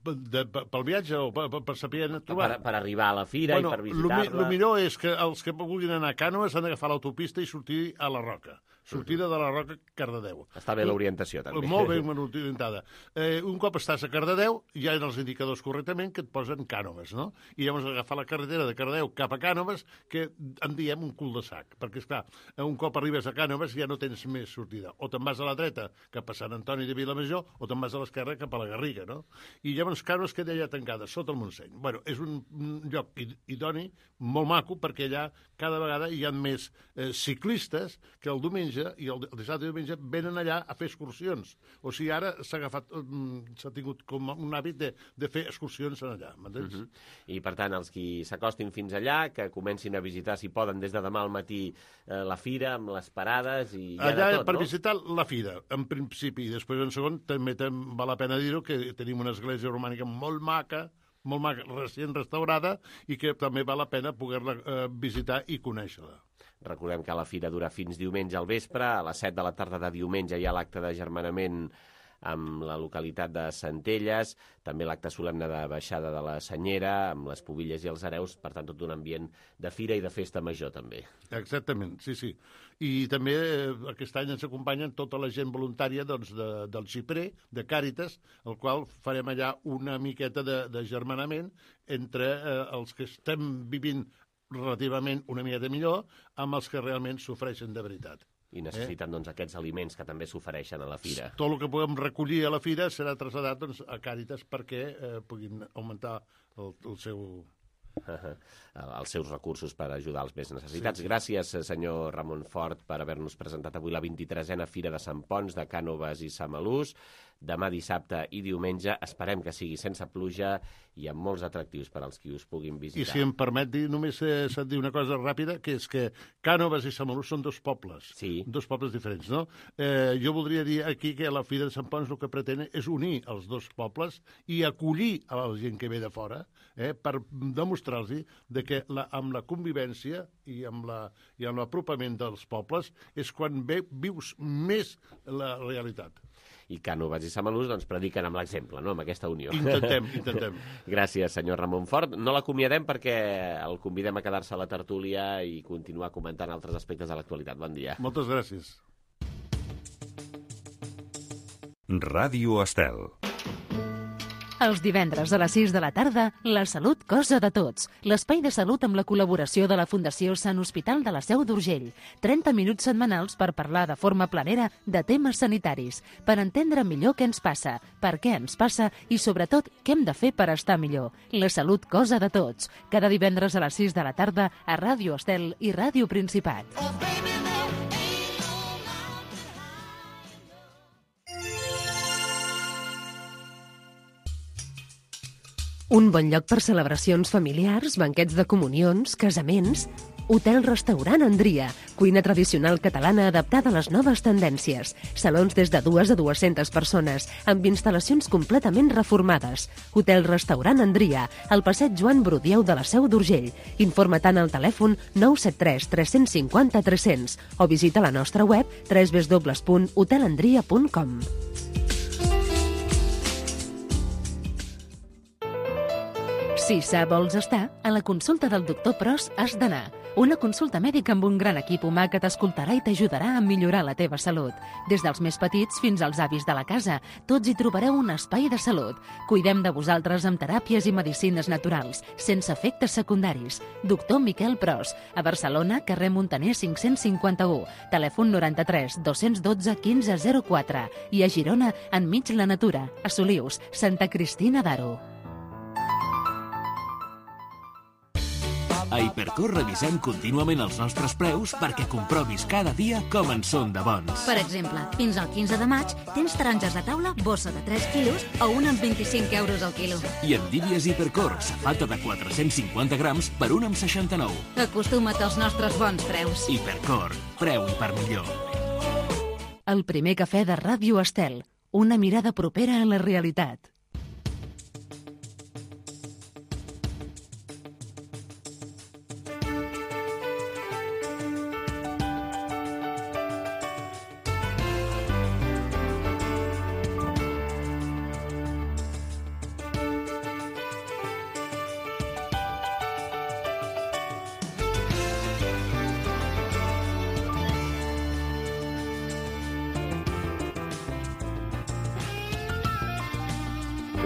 De, pel viatge o per, per saber trobar? Per, per arribar a la fira bueno, i per visitar-la. El millor és que els que vulguin anar a Cànoves han d'agafar l'autopista i sortir a la Roca. Sortida de la Roca, Cardedeu. Està bé l'orientació, també. Molt ben orientada. Eh, un cop estàs a Cardedeu, hi ha els indicadors correctament que et posen Cànoves, no? I llavors agafar la carretera de Cardedeu cap a Cànoves, que en diem un cul de sac. Perquè, esclar, un cop arribes a Cànoves ja no tens més sortida. O te'n vas a la dreta cap a Sant Antoni de Vilamajor, o te'n vas a l'esquerra cap a la Garriga, no? I llavors Cànoves queda allà tancada, sota el Montseny. Bueno, és un lloc idoni, molt maco, perquè allà cada vegada hi ha més eh, ciclistes que el diumenge i el dissabte i diumenge venen allà a fer excursions. O sigui, ara s'ha agafat, s'ha tingut com un hàbit de, de fer excursions allà, m'entens? Uh -huh. I, per tant, els qui s'acostin fins allà, que comencin a visitar, si poden, des de demà al matí eh, la fira, amb les parades i ja allà, de tot, per no? visitar la fira, en principi, i després, en segon, també val la pena dir-ho, que tenim una església romànica molt maca, molt maca, recient restaurada, i que també val la pena poder-la eh, visitar i conèixer-la. Recordem que la fira dura fins diumenge al vespre. A les set de la tarda de diumenge hi ha l'acte d'agermanament amb la localitat de Centelles, també l'acte solemne de baixada de la Senyera, amb les pubilles i els hereus, per tant, tot un ambient de fira i de festa major, també. Exactament, sí, sí. I també eh, aquest any ens acompanyen tota la gent voluntària doncs, de, del xiprer, de Càritas, el qual farem allà una miqueta d'agermanament entre eh, els que estem vivint relativament una miqueta millor amb els que realment s'ofereixen de veritat. I necessiten, eh? doncs, aquests aliments que també s'ofereixen a la fira. Tot el que puguem recollir a la fira serà traslladat doncs, a Càritas perquè eh, puguin augmentar el, el seu... Uh-huh. els seus recursos per ajudar els més necessitats. Sí, sí. Gràcies, senyor Ramon Fort, per haver-nos presentat avui la vint-i-tresena Fira de Sant Ponç de Cànoves i Samalús. Demà dissabte i diumenge esperem que sigui sense pluja i amb molts atractius per als qui us puguin visitar. I si em permet dir, només eh, s'ha de dir una cosa ràpida, que és que Cànoves i Samalús són dos pobles, sí. dos pobles diferents, no? Eh, jo voldria dir aquí que la Fira de Sant Ponç el que pretén és unir els dos pobles i acollir a la gent que ve de fora, eh, per demostrar-los de que la, amb la convivència i amb la, i amb l'apropament dels pobles és quan ve, vius més la realitat. I Cànoves i Samalús doncs, prediquen amb l'exemple, no?, amb aquesta unió. Intentem, intentem. Gràcies, senyor Ramon Fort. No l'acomiadem perquè el convidem a quedar-se a la tertúlia i continuar comentant altres aspectes de l'actualitat. Bon dia. Moltes gràcies. Ràdio Estel. Els divendres a les sis de la tarda, La Salut, cosa de tots. L'espai de salut amb la col·laboració de la Fundació Sant Hospital de la Seu d'Urgell. trenta minuts setmanals per parlar de forma planera de temes sanitaris, per entendre millor què ens passa, per què ens passa i, sobretot, què hem de fer per estar millor. La Salut, cosa de tots. Cada divendres a les sis de la tarda a Ràdio Estel i Ràdio Principat. Un bon lloc per celebracions familiars, banquets de comunions, casaments... Hotel-restaurant Andria, cuina tradicional catalana adaptada a les noves tendències. Salons des de dues a dues-centes persones, amb instal·lacions completament reformades. Hotel-restaurant Andria, al passeig Joan Brudieu de la Seu d'Urgell. Informa tant al telèfon nou set tres tres cinc zero tres cents o visita la nostra web w w w punt hotel andria punt com. Si sa vols estar, a la consulta del doctor Pros has d'anar. Una consulta mèdica amb un gran equip humà que t'escoltarà i t'ajudarà a millorar la teva salut. Des dels més petits fins als avis de la casa, tots hi trobareu un espai de salut. Cuidem de vosaltres amb teràpies i medicines naturals, sense efectes secundaris. Doctor Miquel Pros, a Barcelona, carrer Muntaner cinc-cents cinquanta-u, telèfon noranta-tres dos-cents dotze quinze zero quatre i a Girona, enmig la natura, a Solius, Santa Cristina d'Aro. A Hipercor revisem contínuament els nostres preus perquè comprovis cada dia com en són de bons. Per exemple, fins al quinze de maig tens taronges de taula, bossa de tres quilos o una amb vint-i-cinc euros al quilo. I en Dívies Hipercor, safata de quatre-cents cinquanta grams per un amb seixanta-nou. Acostuma't als nostres bons preus. Hipercor, preu i per millor. El primer cafè de Ràdio Estel, una mirada propera a la realitat.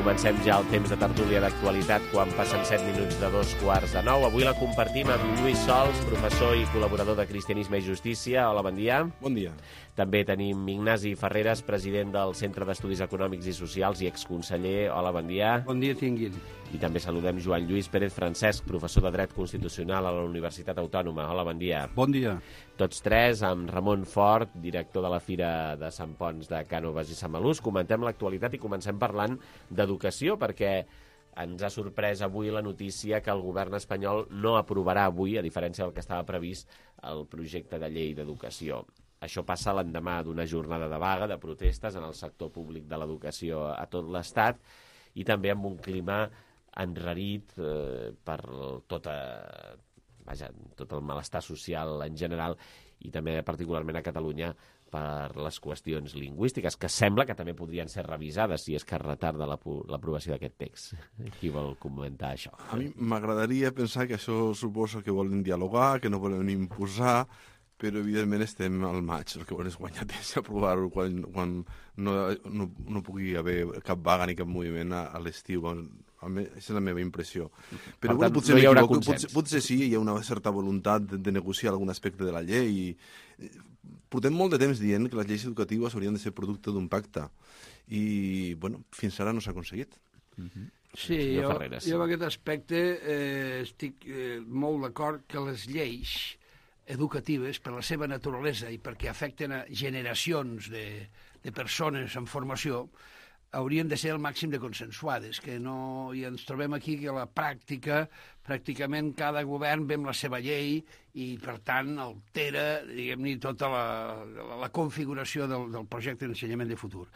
Comencem ja el temps de tertúlia d'actualitat quan passen set minuts de dos quarts de nou. Avui la compartim amb Lluís Sols, professor i col·laborador de Cristianisme i Justícia. Hola, bon dia. Bon dia. També tenim Ignasi Ferreres, president del Centre d'Estudis Econòmics i Socials i exconseller. Hola, bon dia. Bon dia, tinguin. I també saludem Joan Lluís Pérez Francesc, professor de Dret Constitucional a la Universitat Autònoma. Hola, bon dia. Bon dia. Tots tres, amb Ramon Fort, director de la Fira de Sant Ponç de Cànoves i Samalús. Comentem l'actualitat i comencem parlant d'educació, perquè ens ha sorprès avui la notícia que el govern espanyol no aprovarà avui, a diferència del que estava previst, el projecte de llei d'educació. Això passa l'endemà d'una jornada de vaga, de protestes en el sector públic de l'educació a tot l'Estat i també amb un clima enrarit eh, per tota, vaja, tot el malestar social en general i també particularment a Catalunya per les qüestions lingüístiques, que sembla que també podrien ser revisades si és que es retarda l'aprovació d'aquest text. Qui vol comentar això? A mi m'agradaria pensar que això suposa que volen dialogar, que no volen imposar, però evidentment estem al maig, el que volen és guanyar temps i aprovar-ho quan, quan no, no, no pugui haver cap vaga ni cap moviment a, a l'estiu. Aquesta és la meva impressió. Però Per bueno, tant, potser no hi haurà m'equivoco, consens. potser, potser sí, hi ha una certa voluntat de, de negociar algun aspecte de la llei. Portem molt de temps dient que les lleis educatives haurien de ser producte d'un pacte. I, bueno, fins ara no s'ha aconseguit. Mm-hmm. Sí, jo, jo en aquest aspecte eh, estic eh, molt d'acord que les lleis educatives, per la seva naturalesa i perquè afecten a generacions de, de persones en formació, haurien de ser el màxim de consensuades, que no... I ens trobem aquí que a la pràctica, pràcticament cada govern ve amb la seva llei i, per tant, altera, diguem-ne, tota la, la, la configuració del, del projecte d'ensenyament de futur.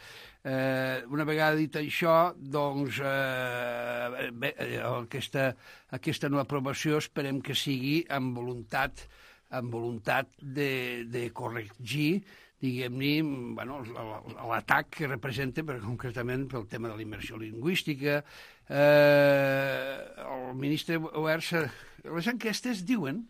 Eh, una vegada dit això, doncs, eh, bé, aquesta, aquesta no aprovació esperem que sigui amb voluntat, amb voluntat de, de corregir, diguem-ne, bueno, l'atac que representa, per, concretament pel tema de la immersió lingüística. Eh, el ministre Wert, les enquestes diuen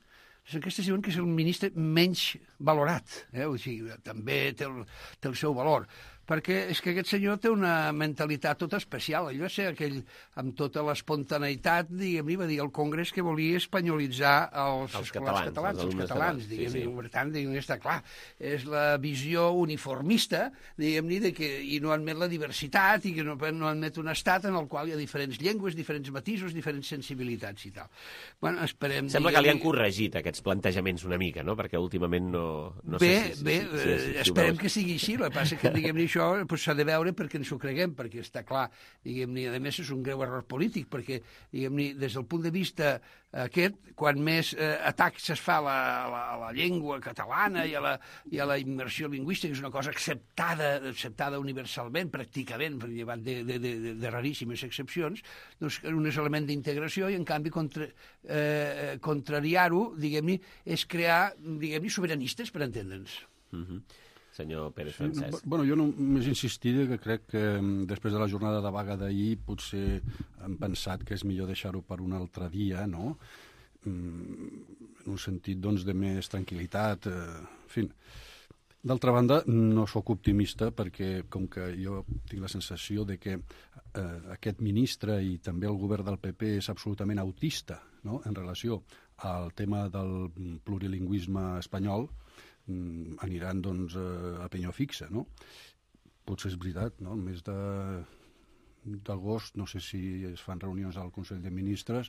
les enquestes diuen que és el ministre menys valorat. Eh? O sigui, també té el, té el seu valor. Perquè és que aquest senyor té una mentalitat tota especial. Allò és aquell, amb tota l'espontaneïtat, diguem-ne, va dir al Congrés que volia espanyolitzar els, els catalans, catalans, els, els catalans, diguem-ne. Sí, sí. Per tant, diguem està clar. És la visió uniformista, diguem-ne, de que i no admet la diversitat i que no, no admet un estat en el qual hi ha diferents llengües, diferents matisos, diferents sensibilitats i tal. Bueno, esperem... Sembla que li han corregit aquests plantejaments una mica, no? Perquè últimament no... no bé, sé si, bé, si, si, si, si esperem que sigui així. El que passa que, diguem-ne, això s'ha de veure perquè ens ho creguem, perquè està clar, diguem-ne, a més és un greu error polític, perquè, diguem-ne, des del punt de vista aquest, quan més eh, atacs es fa a la, a, la, a la llengua catalana i a, la, i a la immersió lingüística, que és una cosa acceptada, acceptada universalment, pràcticament, llevat de, de, de, de raríssimes excepcions, doncs un és element d'integració i, en canvi, contra, eh, contrariar-ho, diguem-ne, és crear, diguem-ne, sobiranistes, per entendre'ns. Mm-hmm. Senyor Pérez sí, Francesc. Bueno, jo només insistiré que crec que després de la jornada de vaga d'ahir potser hem pensat que és millor deixar-ho per un altre dia, no? En un sentit, doncs, de més tranquil·litat, eh, en fi. D'altra banda, no sóc optimista perquè, com que jo tinc la sensació de que eh, aquest ministre i també el govern del P P és absolutament autista, no?, en relació al tema del plurilingüisme espanyol, aniran, doncs, a penyó fixa, no? Potser és veritat, no? El mes de d'agost, no sé si es fan reunions al Consell de Ministres...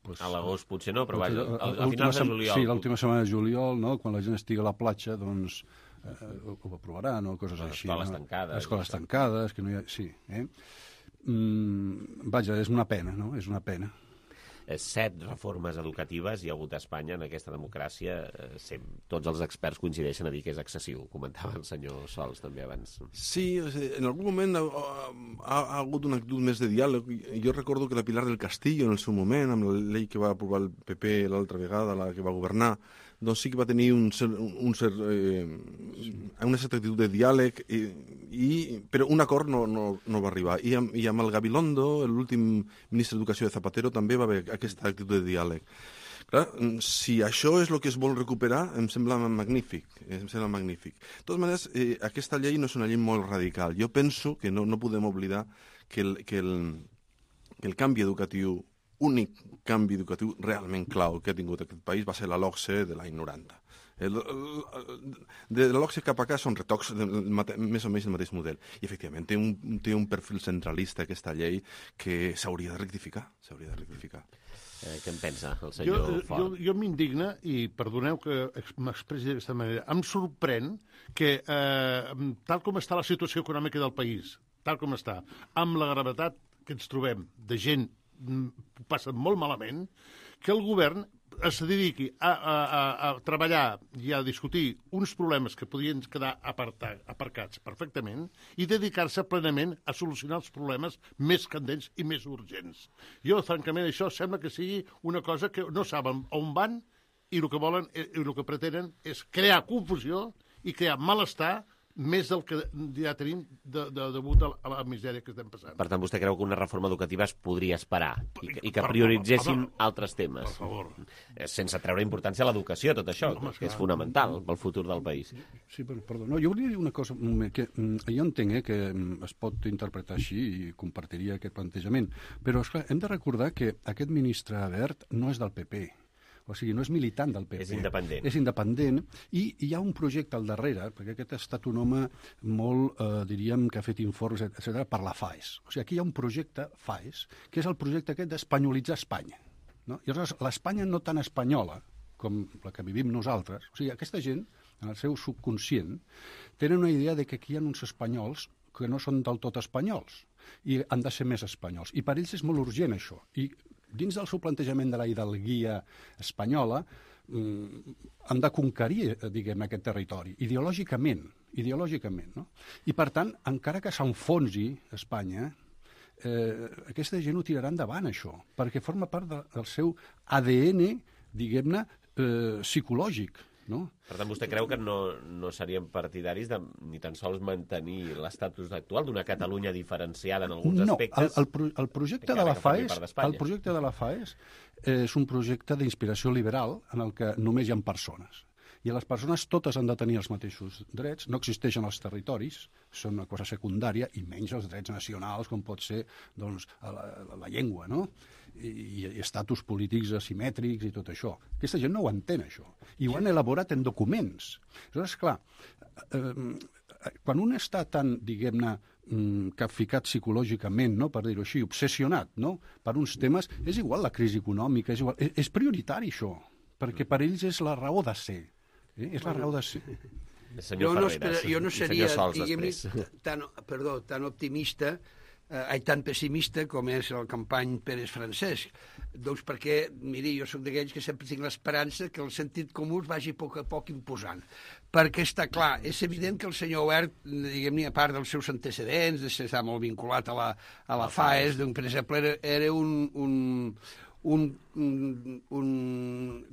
Pues, a l'agost potser no, però vaja, a, a finals de juliol... Sí, l'última setmana de juliol, no? Quan la gent estigui a la platja, doncs eh, ho, ho aprovaran, o coses les així. Les escoles no? tancades. Les escoles tancades, que no hi ha... Sí, eh? Mm, vaja, és una pena, no? És una pena. Set reformes educatives hi ha hagut a Espanya en aquesta democràcia. Tots els experts coincideixen a dir que és excessiu. Comentava el senyor Sols també abans. Sí, en algun moment ha, ha, ha hagut una actitud més de diàleg. Jo recordo que la Pilar del Castillo, en el seu moment, amb la llei que va aprovar el P P l'altra vegada, la que va governar, doncs sí que va tenir un cert, un cert, eh, una certa actitud de diàleg, i, i, però un acord no, no, no va arribar. I amb, i amb el Gabilondo, l'últim ministre d'Educació de Zapatero, també va haver aquesta actitud de diàleg. Clar, si això és el que es vol recuperar, em sembla magnífic. Em sembla magnífic. De totes maneres, eh, aquesta llei no és una llei molt radical. Jo penso que no, no podem oblidar que el, que el, que el canvi educatiu únic canvi educatiu realment clau que ha tingut aquest país va ser la LOCSE de l'any noranta. El, el, el, de la LOCSE cap acá són retocs de, mate, més o menys del mateix model. I, efectivament, té un, té un perfil centralista aquesta llei que s'hauria de rectificar. S'hauria de rectificar. Eh, què en pensa el senyor jo, Font? Jo, jo m'indigna, i perdoneu que m'expressi d'aquesta manera, em sorprèn que, eh, tal com està la situació econòmica del país, tal com està, amb la gravetat que ens trobem de gent passa molt malament, que el govern es dediqui a, a, a, a treballar i a discutir uns problemes que podien quedar apartar, aparcats perfectament i dedicar-se plenament a solucionar els problemes més candents i més urgents. Jo, francament, això sembla que sigui una cosa que no saben on van i el que volen i el que pretenen és crear confusió i crear malestar més del que ja tenim de, de, degut a la misèria que estem passant. Per tant, vostè creu que una reforma educativa es podria esperar i que, i que prioritzessin altres temes? Per favor. Sense treure importància a l'educació, tot això, no, que és fonamental pel futur del país. Sí, però, perdó, no, jo volia dir una cosa, que jo entenc eh, que es pot interpretar així i compartiria aquest plantejament, però esclar, hem de recordar que aquest ministre Wert no és del P P. O sigui, no és militant del P P. És independent. És independent i hi ha un projecte al darrere, perquè aquest ha estat un home molt, eh, diríem, que ha fet informes, etcètera, per la FAES. O sigui, aquí hi ha un projecte FAES, que és el projecte aquest d'espanyolitzar Espanya. No? I aleshores, l'Espanya no tan espanyola com la que vivim nosaltres, o sigui, aquesta gent, en el seu subconscient, tenen una idea de que aquí hi ha uns espanyols que no són del tot espanyols i han de ser més espanyols. I per ells és molt urgent això. I dins del seu plantejament de la hidalguia espanyola, eh, han de conquerir, diguem, aquest territori, ideològicament, ideològicament, no? I, per tant, encara que s'enfonsi Espanya, eh, aquesta gent ho tirarà endavant, això, perquè forma part de, del seu A D N, diguem-ne, eh, psicològic, no? Per tant, vostè creu que no, no serien partidaris de ni tan sols mantenir l'estatus actual d'una Catalunya diferenciada en alguns no, aspectes? No, el, el, el projecte de la FAES, el projecte de la FAES eh, és un projecte d'inspiració liberal en el que només hi ha persones. I les persones totes han de tenir els mateixos drets, no existeixen els territoris, són una cosa secundària, i menys els drets nacionals, com pot ser doncs, la, la, la llengua, no? I, i estatus polítics asimètrics i tot això. Aquesta gent no ho entén, això. I ho han elaborat en documents. Aleshores, clar, eh, quan un està tan, diguem-ne, capficat psicològicament, no, per dir-ho així, obsessionat, no, per uns temes, és igual la crisi econòmica, és igual, és, és prioritari això, perquè per ells és la raó de ser. Eh? És la raó de ser. Senyor jo no, Ferreras, espera, jo no seria, Sols, tan, perdó, tan optimista, eh, tan pessimista com és el company Pérez Francesc. Doncs perquè, miri, jo soc d'aquells que sempre tinc l'esperança que el sentit comú es vagi a poc a poc imposant. Perquè està clar, és evident que el senyor Wert, diguem-ne, a part dels seus antecedents, de ser molt vinculat a la, a la FAES, doncs, per exemple, era, era un... un Un, un, un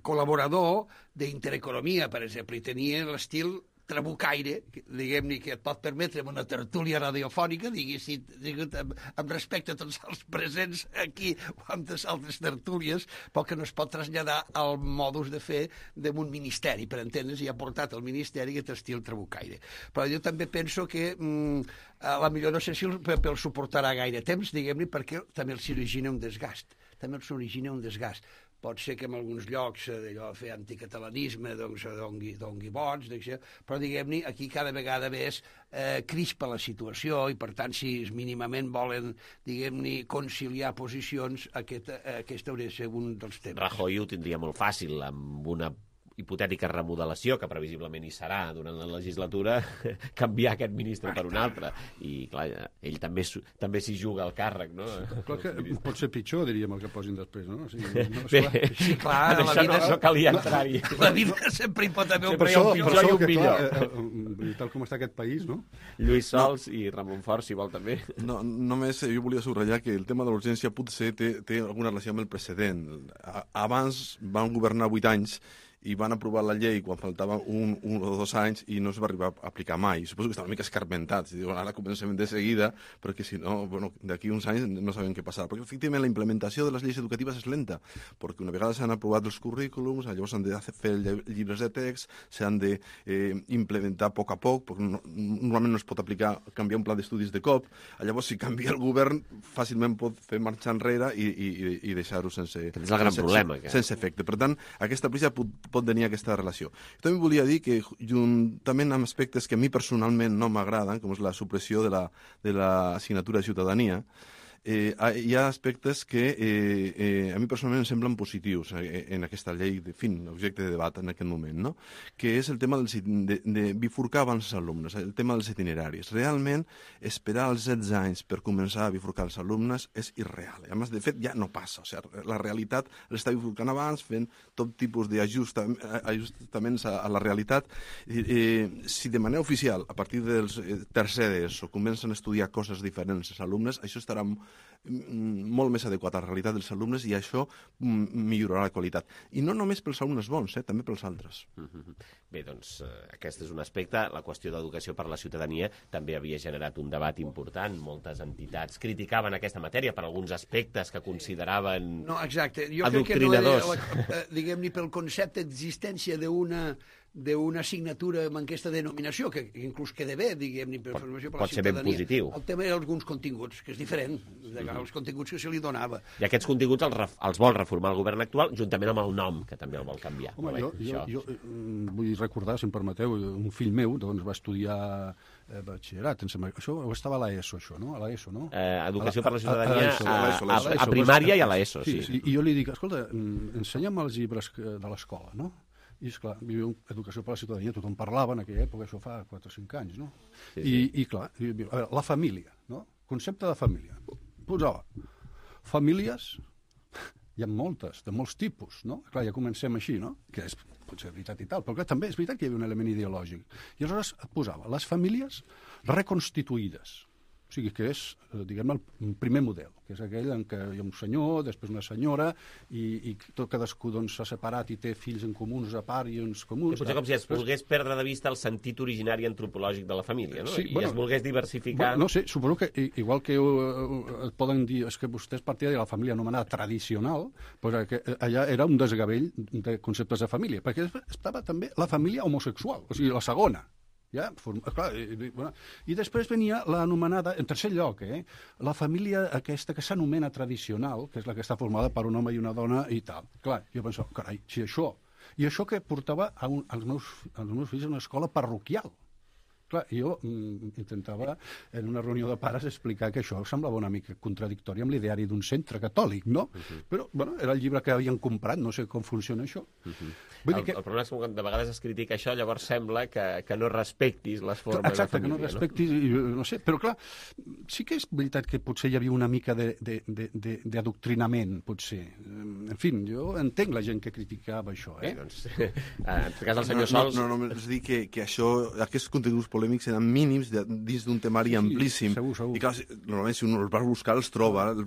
col·laborador d'Intereconomia, per exemple, i tenia l'estil trabucaire, diguem-ne, que et pot permetre en una tertúlia radiofònica, diguéssim, amb, amb respecte a tots els presents aquí o amb les altres tertúlies, però que no es pot traslladar al modus de fer d'un ministeri, per entendre's, i ha portat al ministeri aquest estil trabucaire. Però jo també penso que mm, a la millor no sé si el P P el suportarà gaire temps, diguem-ne, perquè també els origina un desgast. també els origina un desgast. Pot ser que en alguns llocs d'allò fer anticatalanisme doncs, dongui, dongui vots, però diguem-ne, aquí cada vegada més eh, crispa la situació i per tant si mínimament volen, diguem-ne, conciliar posicions, aquest, eh, aquest hauria de ser un dels temes. Rajoy ho tindria molt fàcil amb una hipotètica remodelació, que previsiblement hi serà durant la legislatura, canviar aquest ministre per un altre. I, clar, ell també, també s'hi juga al càrrec, no? Clar que pot ser pitjor, diríem, el que posin després, no? O sigui, no Bé, sí, clar, en la això vida, no, no calia entrar-hi. La vida sempre hi pot haver un sempre hi ha un pitjor i un que, millor. Clar, eh, tal com està aquest país, no? Lluís Sols no. i Ramon Fort, si vol, també. No, només jo volia subratllar que el tema de l'urgència potser té, té alguna relació amb el precedent. Abans van governar vuit anys i van aprovar la llei quan faltava un, un o dos anys i no es va arribar a aplicar mai. Suposo que estaven una mica escarmentats. Diuen, ara comencem de seguida, perquè si no, bueno, d'aquí uns anys no sabem què passarà. Perquè, efectivament, la implementació de les lleis educatives és lenta, perquè una vegada s'han aprovat els currículums, llavors s'han de fer llibres de text, s'han de eh, implementar a poc a poc, perquè no, normalment no es pot aplicar, canviar un pla d'estudis de cop. Llavors, si canvia el govern, fàcilment pot fer marxar enrere i, i, i deixar-ho sense, és el gran sense, problema, que... sense efecte. Per tant, aquesta prisa pot, pot tenir aquesta relació. Jo també volia dir que, juntament amb aspectes que a mi personalment no m'agraden, com és la supressió de la, de l'assignatura de ciutadania, eh, hi ha aspectes que eh, eh, a mi personalment em semblen positius eh, en aquesta llei, de fin, objecte de debat en aquest moment, no? Que és el tema dels, de, de bifurcar abans els alumnes, el tema dels itineraris. Realment, esperar els setze anys per començar a bifurcar els alumnes és irreal. A més, de fet, ja no passa. O sigui, la realitat l'està bifurcant abans, fent tot tipus d'ajustaments a, a la realitat. Eh, eh, si de manera oficial, a partir dels eh, tercer d'ESO, comencen a estudiar coses diferents els alumnes, això estarà molt més adequat a la realitat dels alumnes i això millorarà la qualitat. I no només pels alumnes bons, eh, també pels altres. Mm-hmm. Bé, doncs, eh, aquest és un aspecte. La qüestió d'educació per la ciutadania també havia generat un debat important. Moltes entitats criticaven aquesta matèria per alguns aspectes que consideraven no, exacte. Jo adoctrinadors. Crec que no era, diguem-ne, pel concepte d'existència d'una d'una assignatura amb aquesta denominació, que inclús queda bé, diguem-ne, per formació per la ciutadania. Pot ser ben positiu. El tema era alguns continguts, que és diferent, mm-hmm. els continguts que se li donava. I aquests continguts els, ref, els vol reformar el govern actual, juntament amb el nom, que també el vol canviar. Home, bé, jo, jo, jo vull recordar, si em permeteu, un fill meu doncs, va estudiar eh, batxillerat, això estava a l'ESO, això, no? A l'ESO, no? Eh, educació per la ciutadania a, a, a, a, a, a primària i a l'ESO, sí. sí. I jo li dic, escolta, ensenya'm els llibres de l'escola, no? I, esclar, viu educació per la ciutadania, tothom parlava en aquella època, això fa quatre o cinc anys, no? Sí, sí. I, i clar, la família, no? Concepte de família. Posava, famílies, hi ha moltes, de molts tipus, no? Clar, ja comencem així, no? Que és potser veritat i tal, però clar, també és veritat que hi havia un element ideològic. I aleshores posava les famílies reconstituïdes. O sigui, que és, diguem, el primer model, que és aquell en què hi ha un senyor, després una senyora, i, i tot cadascú doncs, s'ha separat i té fills en comuns a part i uns comuns. Que potser com si es volgués perdre de vista el sentit originari antropològic de la família, no? Sí, I bueno, es volgués diversificar... Bueno, no sé, suposo que igual que uh, et poden dir és que vostè és partidari de la família anomenada tradicional, doncs que allà era un desgavell de conceptes de família, perquè estava també la família homosexual, o sigui, la segona. Ja, clar, i, bueno, i després venia l'anomenada, en tercer lloc, eh, la família aquesta que s'anomena tradicional, que és la que està formada per un home i una dona i tal. Clar, jo pensava, carai, si això... I això que portava a un, als, meus, als meus fills a una escola parroquial. Clar, jo mm, intentava en una reunió de pares explicar que això semblava una mica contradictori amb l'ideari d'un centre catòlic, no? Uh-huh. Però, bueno, era el llibre que havien comprat, no sé com funciona això. Uh-huh. El, que... el problema és que de vegades es critica això, llavors sembla que, que no respectis les formes clar, exacte, de família. Exacte, que no respectis, no? no sé, però clar, sí que és veritat que potser hi havia una mica d'adoctrinament, potser. En fi, jo entenc la gent que criticava això, eh? Bé, doncs, en el cas del senyor Sols... No, no, no, només dir que, que això, aquests continguts polèmics eren mínims de, dins d'un temari sí, amplíssim. Segur, segur. I clar, normalment si un els va buscar els troba, els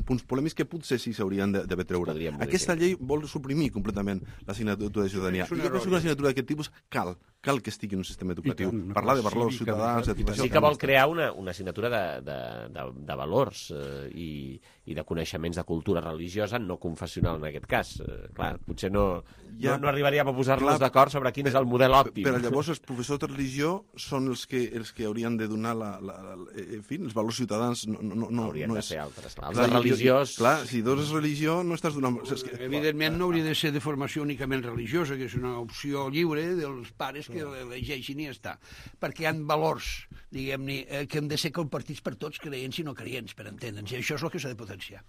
punts polèmics que potser sí s'haurien d'haver treure. Aquesta llei vol suprimir completament l'assignatura de ciutadania. I jo penso que una assignatura d'aquest tipus cal, cal que estigui en un sistema educatiu. Tant, parlar de valors ciutadans... Sí que vol crear una, una assignatura de, de, de, de valors eh, i, i de coneixements de cultura religiosa no confessional en aquest cas. Eh, clar, potser no, ja, no, no arribaríem a posar-nos d'acord sobre quin és el model òptim. Però llavors els professors de religió són els que, els que haurien de donar la, la, la, en fi, els valors ciutadans no, no, no, haurien no de és... ser altres. Clar, els clar, de religiós... Clar, si dones religió no estàs donant... És que, evidentment no hauria de ser de formació únicament religiosa, que és una opció lliure dels pares que elegeixin i ja està. Perquè hi ha valors, diguem-ne, eh, que han de ser compartits per tots, creients i no creients, per entendre'ns. I això és el que s'ha de potenciar.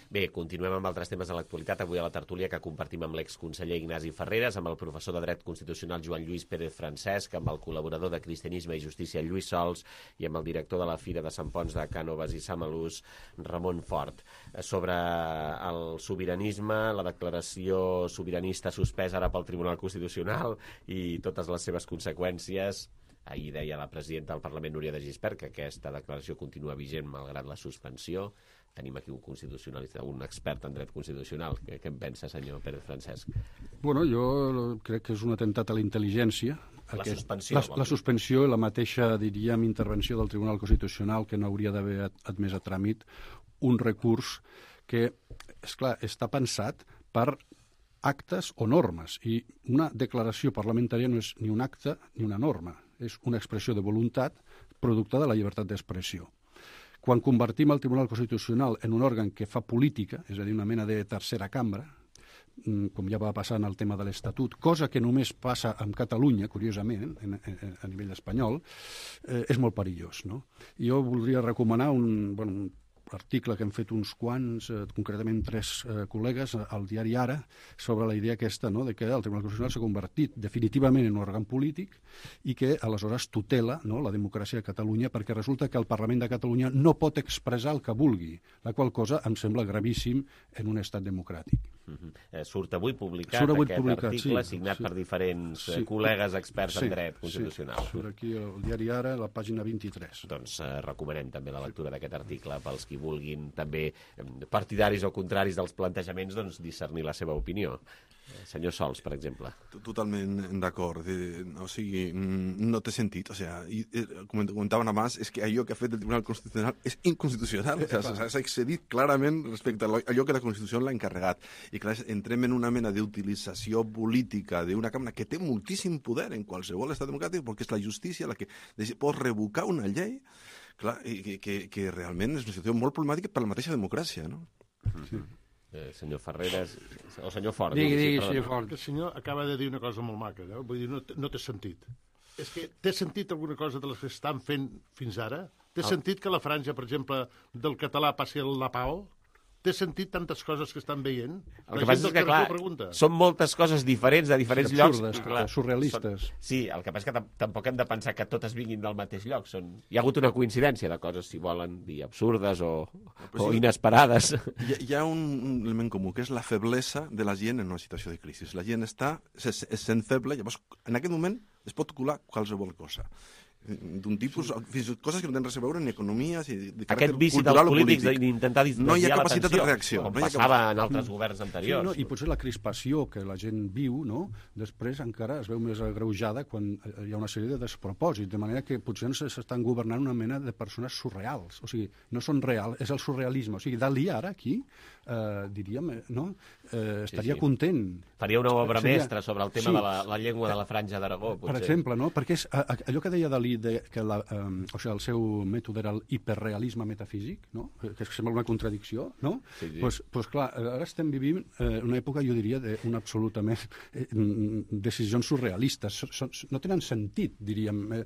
Bé, continuem amb altres temes de l'actualitat. Avui a la tertúlia que compartim amb l'exconseller Ignasi Ferreres, amb el professor de Dret Constitucional Joan Lluís Pérez Francesc, amb el col·laborador de Cristianisme i Justícia Lluís Sols i amb el director de la Fira de Sant Ponç de Cànoves i Samalús, Ramon Fort, sobre el sobiranisme, la declaració sobiranista suspesa ara pel Tribunal Constitucional i totes les seves conseqüències. Ahir deia la presidenta del Parlament, Núria de Gispert, que aquesta declaració continua vigent malgrat la suspensió. Tenim aquí un constitucionalista, un expert en dret constitucional. Què, què en pensa, senyor Pérez Francesc? Bueno, jo crec que és un atemptat a la intel·ligència. La aquest, suspensió. La, la suspensió i la mateixa, diríem, intervenció del Tribunal Constitucional que no hauria d'haver admès a tràmit un recurs que, esclar, està pensat per actes o normes. I una declaració parlamentària no és ni un acte ni una norma. És una expressió de voluntat producte de la llibertat d'expressió. Quan convertim el Tribunal Constitucional en un òrgan que fa política, és a dir, una mena de tercera cambra, com ja va passar en el tema de l'Estatut, cosa que només passa amb Catalunya, curiosament, en, en, a nivell espanyol, eh, és molt perillós, no? Jo voldria recomanar un, bueno, un article que han fet uns quants, eh, concretament tres eh, col·legues al diari Ara, sobre la idea aquesta, no?, de que el Tribunal Constitucional s'ha convertit definitivament en un òrgan polític i que aleshores tutela, no?, la democràcia de Catalunya, perquè resulta que el Parlament de Catalunya no pot expressar el que vulgui, la qual cosa em sembla gravíssim en un estat democràtic. Uh-huh. Eh, surt avui publicat surt avui aquest publicat, article sí, signat sí. per diferents sí. col·legues experts sí, en dret constitucional. Sí, surt aquí el diari Ara, la pàgina vint-i-tres. Doncs eh, recomanem també la lectura d'aquest article pels qui vulguin també partidaris o contraris dels plantejaments doncs, discernir la seva opinió. Senyor Sols, per exemple. Totalment d'acord. O sigui, no té sentit. O sigui, com comentaven abans, és que allò que ha fet el Tribunal Constitucional és inconstitucional. O sigui, s'ha excedit clarament respecte a allò que la Constitució l'ha encarregat. I clar, entrem en una mena d'utilització política d'una cambra que té moltíssim poder en qualsevol estat democràtic, perquè és la justícia la que pot revocar una llei, clar, i que, que, que realment és una situació molt problemàtica per la mateixa democràcia, no? Sí. Eh, senyor Ferreres, o senyor Fort. Digui, digui, sí, senyor Fort. El senyor acaba de dir una cosa molt maca, no? Vull dir, no, no té sentit. És que té sentit alguna cosa de les que estan fent fins ara? Té oh. sentit que la franja, per exemple, del català passi a la P A O? Té sentit tantes coses que estan veient? El que passa és que, clar, són moltes coses diferents de diferents sí, llocs. Absurdes, clar, surrealistes. Són, sí, el que passa és que tampoc hem de pensar que totes vinguin del mateix lloc. Són... Hi ha hagut una coincidència de coses, si volen dir, absurdes o, o inesperades. Hi ha, hi ha un element comú, que és la feblesa de la gent en una situació de crisi. La gent està és, és sent feble, llavors en aquest moment es pot colar qualsevol cosa. D'un tipus, fins coses que no tenen res a veure ni economia, ni de caràcter Aquest vici cultural dels o polítics polític. d'intentar desviar no hi ha capacitat l'atenció, de reacció. Com no hi ha passava cap... en altres governs anteriors. Sí, no, I potser la crispació que la gent viu, no? Després encara es veu més agreujada quan hi ha una sèrie de despropòsits, de manera que potser s'estan governant una mena de persones surreals. O sigui, no són reals, és el surrealisme. O sigui, Dalí ara aquí, eh, diríem, no? Eh, estaria sí, sí. content. Faria una obra Seria... mestra sobre el tema sí. de la, la llengua de la Franja d'Aragó, potser. Per exemple, no? Perquè és, allò que deia Dalí, de, que la, eh, o sigui, el seu mètode era el hiperrealisme metafísic, no? Que sembla una contradicció, no? Sí, sí. Pues, pues clar, ara estem vivint eh, una època, jo diria, d'una absolutament eh, decisions surrealistes. So, so, no tenen sentit, diríem, eh,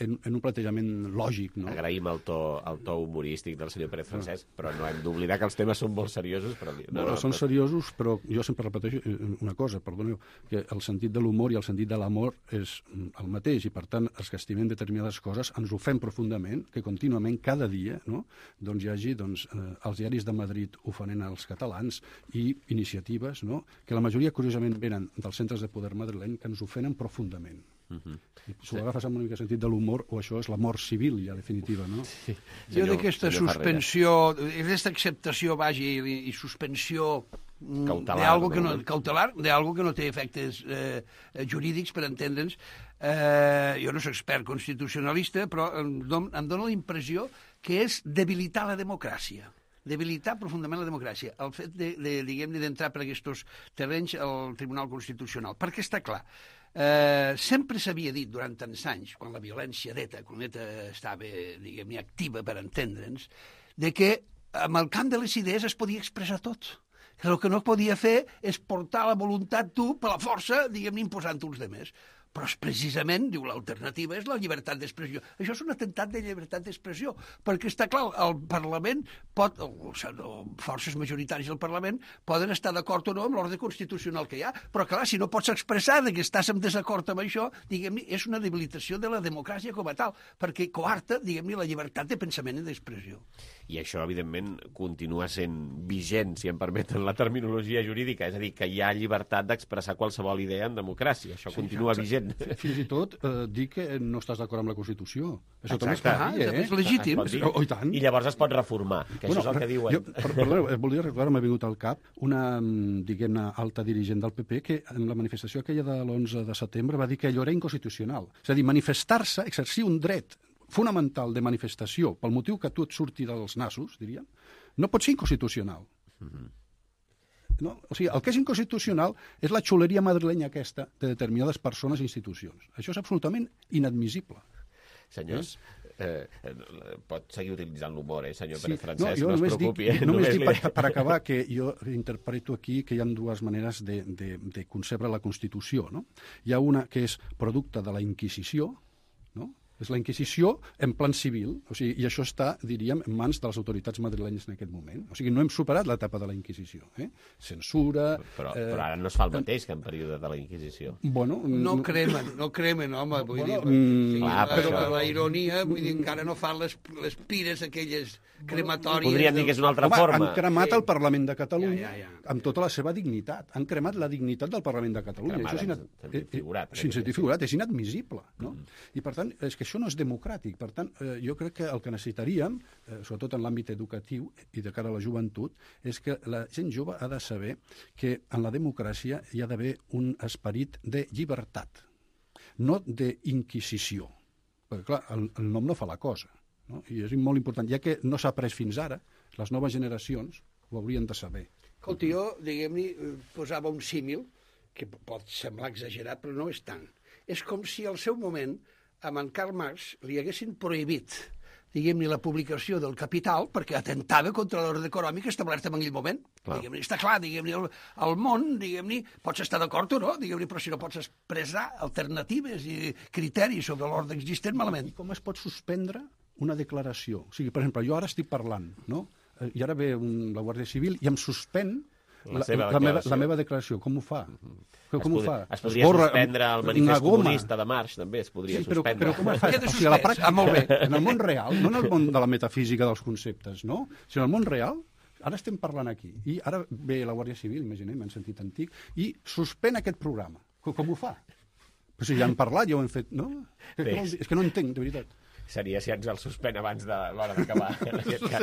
en, en un plantejament lògic, no? Agraïm el to, el to humorístic del senyor Pérez Francesc, no. però no hem d'oblidar que els temes són molt seriosos. Però... No, no, no, són però... seriosos, però jo sempre repeteixo una cosa, perdoneu, que el sentit de l'humor i el sentit de l'amor és el mateix, i per tant, els que estimem determinades coses ens ho fem profundament, que contínuament, cada dia, no? doncs hi hagi doncs, eh, els diaris de Madrid ofenent als catalans i iniciatives, no? que la majoria, curiosament, venen dels centres de poder madrileny, que ens ofenen profundament. Uh -huh. Si ho agafes amb una mica sentit de l'humor, o això és la mort civil, ja definitiva, no? Sí. Jo d'aquesta suspensió, d'aquesta acceptació, vagi, i, i suspensió cautelar, de algo que no, no? cautelar, de algo que no té efectes eh, jurídics, per entendre'ns. Eh, jo no soc expert constitucionalista, però em, don, em dóna la impressió que és debilitar la democràcia. Debilitar profundament la democràcia. El fet de, de diguem-ne, d'entrar per aquests terrenys al Tribunal Constitucional. Perquè està clar, eh, sempre s'havia dit durant tants anys, quan la violència d'ETA, quan ETA estava, diguem-ne, activa, per entendre'ns, de que amb el camp de les idees es podia expressar tot. El que no podia fer és portar la voluntat tu per la força, diguem-ne, imposant uns demés. Però és precisament, diu, l'alternativa és la llibertat d'expressió. Això és un atemptat de llibertat d'expressió, perquè està clar, el Parlament pot, o, o forces majoritàries del Parlament, poden estar d'acord o no amb l'ordre constitucional que hi ha, però clar, si no pots expressar que estàs en desacord amb això, diguem-ne, és una debilitació de la democràcia com a tal, perquè coarta, diguem-ne, la llibertat de pensament i d'expressió. I això, evidentment, continua sent vigent, si em permeten la terminologia jurídica, és a dir, que hi ha llibertat d'expressar qualsevol idea en democràcia. Això sí, continua vigent. Fins i tot eh, dir que no estàs d'acord amb la Constitució. Això Exacte. també es pot dir, eh? És legítim. Oh, oh, i tant. I llavors es pot reformar, que bueno, això és el que diuen. Jo, perdoneu, volia recordar, m'ha vingut al cap una, diguem-ne, alta dirigent del P P que en la manifestació aquella de l'onze de setembre va dir que allò era inconstitucional. És a dir, manifestar-se, exercir un dret fonamental de manifestació pel motiu que tu et surti dels nassos, diríem, no pot ser inconstitucional. Mm-hmm. No? O sigui, el que és inconstitucional és la xuleria madrilenya aquesta de determinades persones i institucions. Això és absolutament inadmissible. Senyors, eh, pot seguir utilitzant l'humor, eh, senyor sí. Pérez Francesc, no, no es preocupi. Dic, eh? Només, només dic per, per acabar que jo interpreto aquí que hi ha dues maneres de, de, de concebre la Constitució. No? Hi ha una que és producte de la Inquisició, no? És la Inquisició en plan civil, o sigui, i això està, diríem, en mans de les autoritats madrilenyes en aquest moment. O sigui, no hem superat l'etapa de la Inquisició. Eh? Censura... Però, eh, però ara no es fa el mateix que en període de la Inquisició. Bueno, no cremen, no cremen, home, vull bueno, dir... Mm, sí, clar, però això... la ironia, vull dir, encara no fan les, les pires aquelles crematòries... Podríem dir que és una altra home, forma. Han cremat el Parlament de Catalunya ja, ja, ja. amb tota la seva dignitat. Han cremat la dignitat del Parlament de Catalunya. Cremada, això és inad... sentit figurat, eh, sentit figurat, és inadmissible. No? Mm. I, per tant, és que això no és democràtic. Per tant, eh, jo crec que el que necessitaríem, eh, sobretot en l'àmbit educatiu i de cara a la joventut, és que la gent jove ha de saber que en la democràcia hi ha d'haver un esperit de llibertat, no d'inquisició. Perquè, clar, el, el nom no fa la cosa. No? I és molt important, ja que no s'ha après fins ara, les noves generacions ho haurien de saber. Escolta, jo, diguem-ne, posava un símil, que pot semblar exagerat, però no és tant. És com si al seu moment, a en Karl Marx, li haguessin prohibit, diguem-ne, la publicació del Capital perquè atentava contra l'ordre econòmic establert en aquell moment. Diguem-ne, està clar, diguem-ne, el, el món, diguem-ne, pots estar d'acord o no, diguem-ne, però si no pots expressar alternatives i criteris sobre l'ordre existent, malament. I com es pot suspendre una declaració? O sigui, per exemple, jo ara estic parlant, no? I ara ve un, la Guàrdia Civil i em suspèn la, la, la, meva, la meva declaració. Com ho fa? Mm-hmm. Com es ho fa? Es podria Esborra, suspendre el manifest comunista de març, també es podria sí, però, suspendre. Però com es fa? O sigui, a la pràctica, ah, molt bé. En el món real, no en el món de la metafísica dels conceptes, no? Sinó en el món real, ara estem parlant aquí, i ara ve la Guàrdia Civil, imaginem, en sentit antic, i suspèn aquest programa. Com, com ho fa? Però si ja han parlat, ja ho hem fet, no? És que no entenc, de veritat. Seria si ens el suspèn abans de l'hora d'acabar, en aquest cas.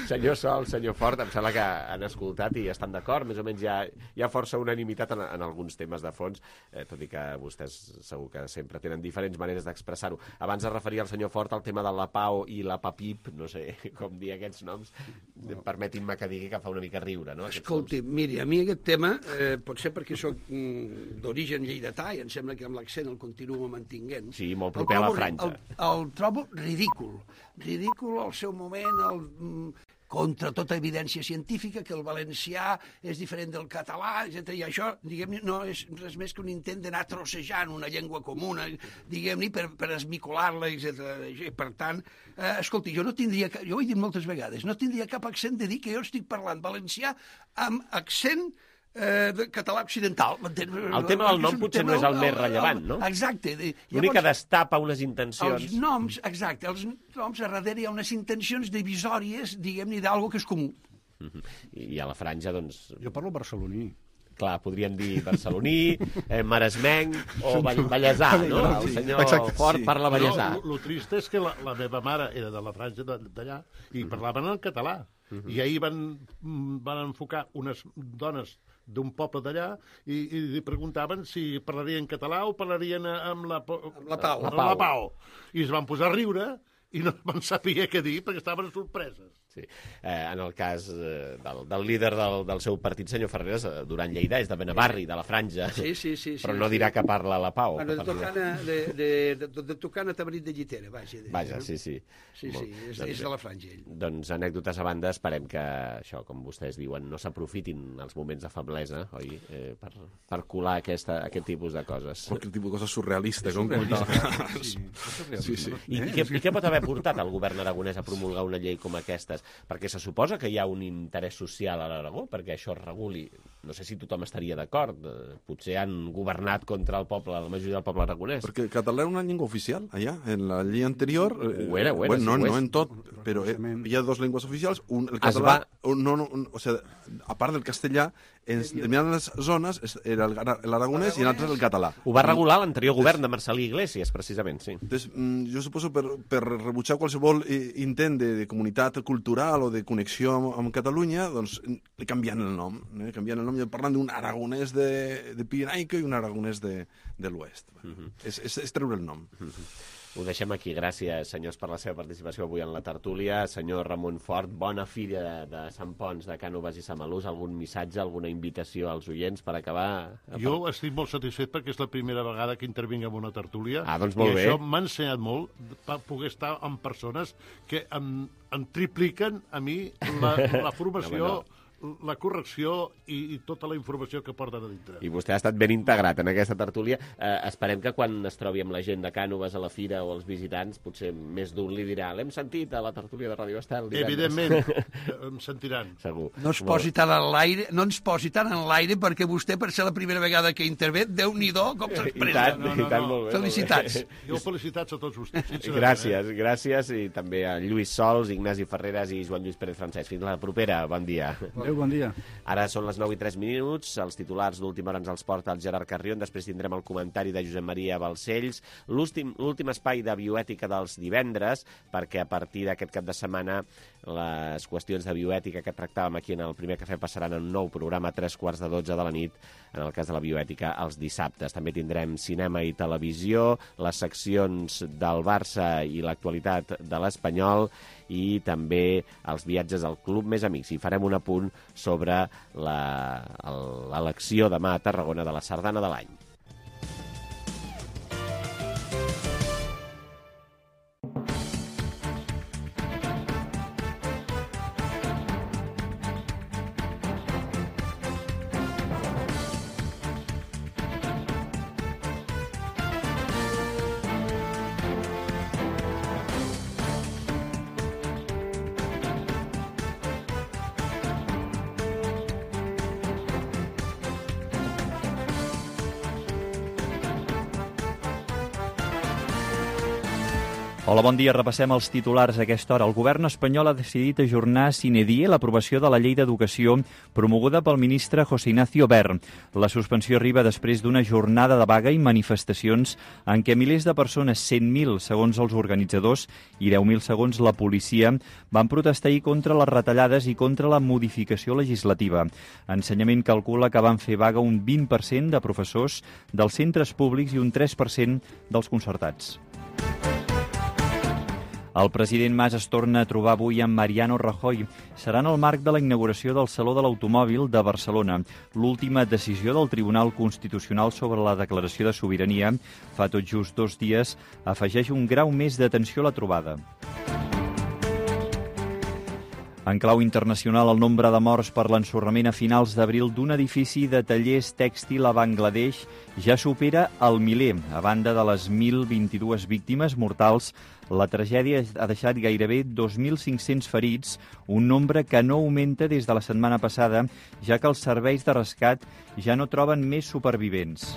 Senyor Sol, senyor Fort, em sembla que han escoltat i estan d'acord, més o menys hi ha, hi ha força unanimitat en, en alguns temes de fons, eh, tot i que vostès segur que sempre tenen diferents maneres d'expressar-ho. Abans es referia el senyor Fort al tema de la Pau i la Papip, no sé com dir aquests noms, permetin-me que digui que fa una mica riure, no? Escolti, miri, a mi aquest tema, eh, potser perquè soc mm, d'origen lleidatà i em sembla que amb l'accent el continuo mantinguent. Sí, molt proper a la franja. El, el trobo ridícul. Ridícul al seu moment, el, contra tota evidència científica, que el valencià és diferent del català, etcètera. I això, diguem-ne, no és res més que un intent d'anar trossejant una llengua comuna, diguem-ne, per, per esmicolar-la, etcètera. I, per tant, eh, escolti, jo no tindria, jo ho he dit moltes vegades, no tindria cap accent de dir que jo estic parlant valencià amb accent Eh, de català occidental. El tema del nom potser no és el més rellevant, no? Exacte. L'únic que destapa unes intencions... Els noms, exacte, els noms a darrere hi ha unes intencions divisòries, diguem-ne, d'algo que és comú. I a la franja, doncs... Jo parlo barceloní. Clar, podríem dir barceloní, eh, maresmenc o vallesà, no? El senyor Exacte, Fort sí. parla vallesà. El no, trist és que la, la meva mare era de la franja d'allà i parlaven en català. Uh -huh. I ahir van, van enfocar unes dones d'un poble d'allà i, i li preguntaven si parlarien català o parlarien amb la, amb la Pau. Amb la Pau. I es van posar a riure i no van saber què dir perquè estaven sorpreses. Sí. Eh, en el cas eh, del, del líder del, del seu partit, senyor Ferreres, eh, Duran Lleida, és de Benavarri, de la franja, sí, sí, sí, però sí, no dirà sí. que parla la Pau. Bueno, de Tocana, de, de, de, de Tocana Tabrit de Llitera, vaja. De, vaja, sí, sí. Sí, sí, és, és de la franja, ell. Doncs, anècdotes a banda, esperem que això, com vostès diuen, no s'aprofitin els moments de feblesa, oi? Eh, per, per colar aquesta, aquest tipus de coses. Qualque tipus de cosa surrealista, com surrealista. Sí, sí, sí. I, i, què, I què pot haver portat el govern aragonès a promulgar una llei com aquestes? Perquè se suposa que hi ha un interès social a l'Aragó, perquè això es reguli. No sé si tothom estaria d'acord. Potser han governat contra el poble, la majoria del poble aragonès. Perquè el català era una llengua oficial, allà. En la llei anterior... Ho era, ho era. Bueno, no, sí, ho no en tot, però hi ha dues llengües oficials. Un, el català... Va... No, no, o sigui, a part del castellà, en determinades zones era l'aragonès i en altres el català. Ho va regular l'anterior govern de Marcelí Iglesias, precisament, sí. Entonces, jo suposo per, per rebutjar qualsevol intent de, de comunitat cultural o de connexió amb, amb Catalunya, doncs li canviant el nom. Eh? Canviant el nom i parlant d'un aragonès de, de Pirenaica i un aragonès de, de l'oest. Uh -huh. és, és, és treure el nom. Uh -huh. Ho deixem aquí. Gràcies, senyors, per la seva participació avui en la tertúlia. Senyor Ramon Fort, bona fira de Sant Pons, de Cànoves i Samalús. Algun missatge, alguna invitació als oients per acabar? Jo estic molt satisfet perquè és la primera vegada que intervinc en una tertúlia. Ah, doncs molt I bé. això m'ha ensenyat molt per poder estar amb persones que em, em tripliquen a mi la, la formació... No, no. la correcció i, i tota la informació que porten a dintre. I vostè ha estat ben integrat en aquesta tertúlia. Eh, esperem que quan es trobi amb la gent de Cànoves a la fira o els visitants, potser més d'un li dirà l'hem sentit a la tertúlia de Ràdio Estel. Evidentment, em sentiran. Segur. No es posi tant en l'aire, no ens posi tant en l'aire, perquè vostè, per ser la primera vegada que intervé, Déu-n'hi-do com s'expressa. I tant, no, no, i tant, molt bé. Felicitats. Jo felicitats a tots vostès. Gràcies, eh? gràcies, i també a Lluís Sols, Ignasi Ferreres i Joan Lluís Pérez Francesc. Fins la propera, bon dia. Adéu, bon dia. Ara són les nou i tres minuts, els titulars d'última hora ens els porta el Gerard Carrion, després tindrem el comentari de Josep Maria Balcells, l'últim espai de bioètica dels divendres, perquè a partir d'aquest cap de setmana les qüestions de bioètica que tractàvem aquí en el primer cafè passaran en un nou programa a tres quarts de dotze de la nit, en el cas de la bioètica, els dissabtes. També tindrem cinema i televisió, les seccions del Barça i l'actualitat de l'Espanyol, i també els viatges al Club Més Amics. I farem un apunt sobre l'elecció demà a Tarragona de la Sardana de l'any. Hola, bon dia. Repassem els titulars a aquesta hora. El govern espanyol ha decidit ajornar sine die l'aprovació de la llei d'educació promoguda pel ministre José Ignacio Wert. La suspensió arriba després d'una jornada de vaga i manifestacions en què milers de persones, cent mil segons els organitzadors i deu mil segons la policia, van protestar ahir contra les retallades i contra la modificació legislativa. Ensenyament calcula que van fer vaga un vint per cent de professors dels centres públics i un tres per cent dels concertats. El president Mas es torna a trobar avui amb Mariano Rajoy. Serà en el marc de la inauguració del Saló de l'Automòbil de Barcelona. L'última decisió del Tribunal Constitucional sobre la declaració de sobirania, fa tot just dos dies, afegeix un grau més d'atenció a la trobada. En clau internacional, el nombre de morts per l'ensorrament a finals d'abril d'un edifici de tallers tèxtil a Bangladesh ja supera el miler. A banda de les mil vint-i-dues víctimes mortals, la tragèdia ha deixat gairebé dos mil cinc-cents ferits, un nombre que no augmenta des de la setmana passada, ja que els serveis de rescat ja no troben més supervivents.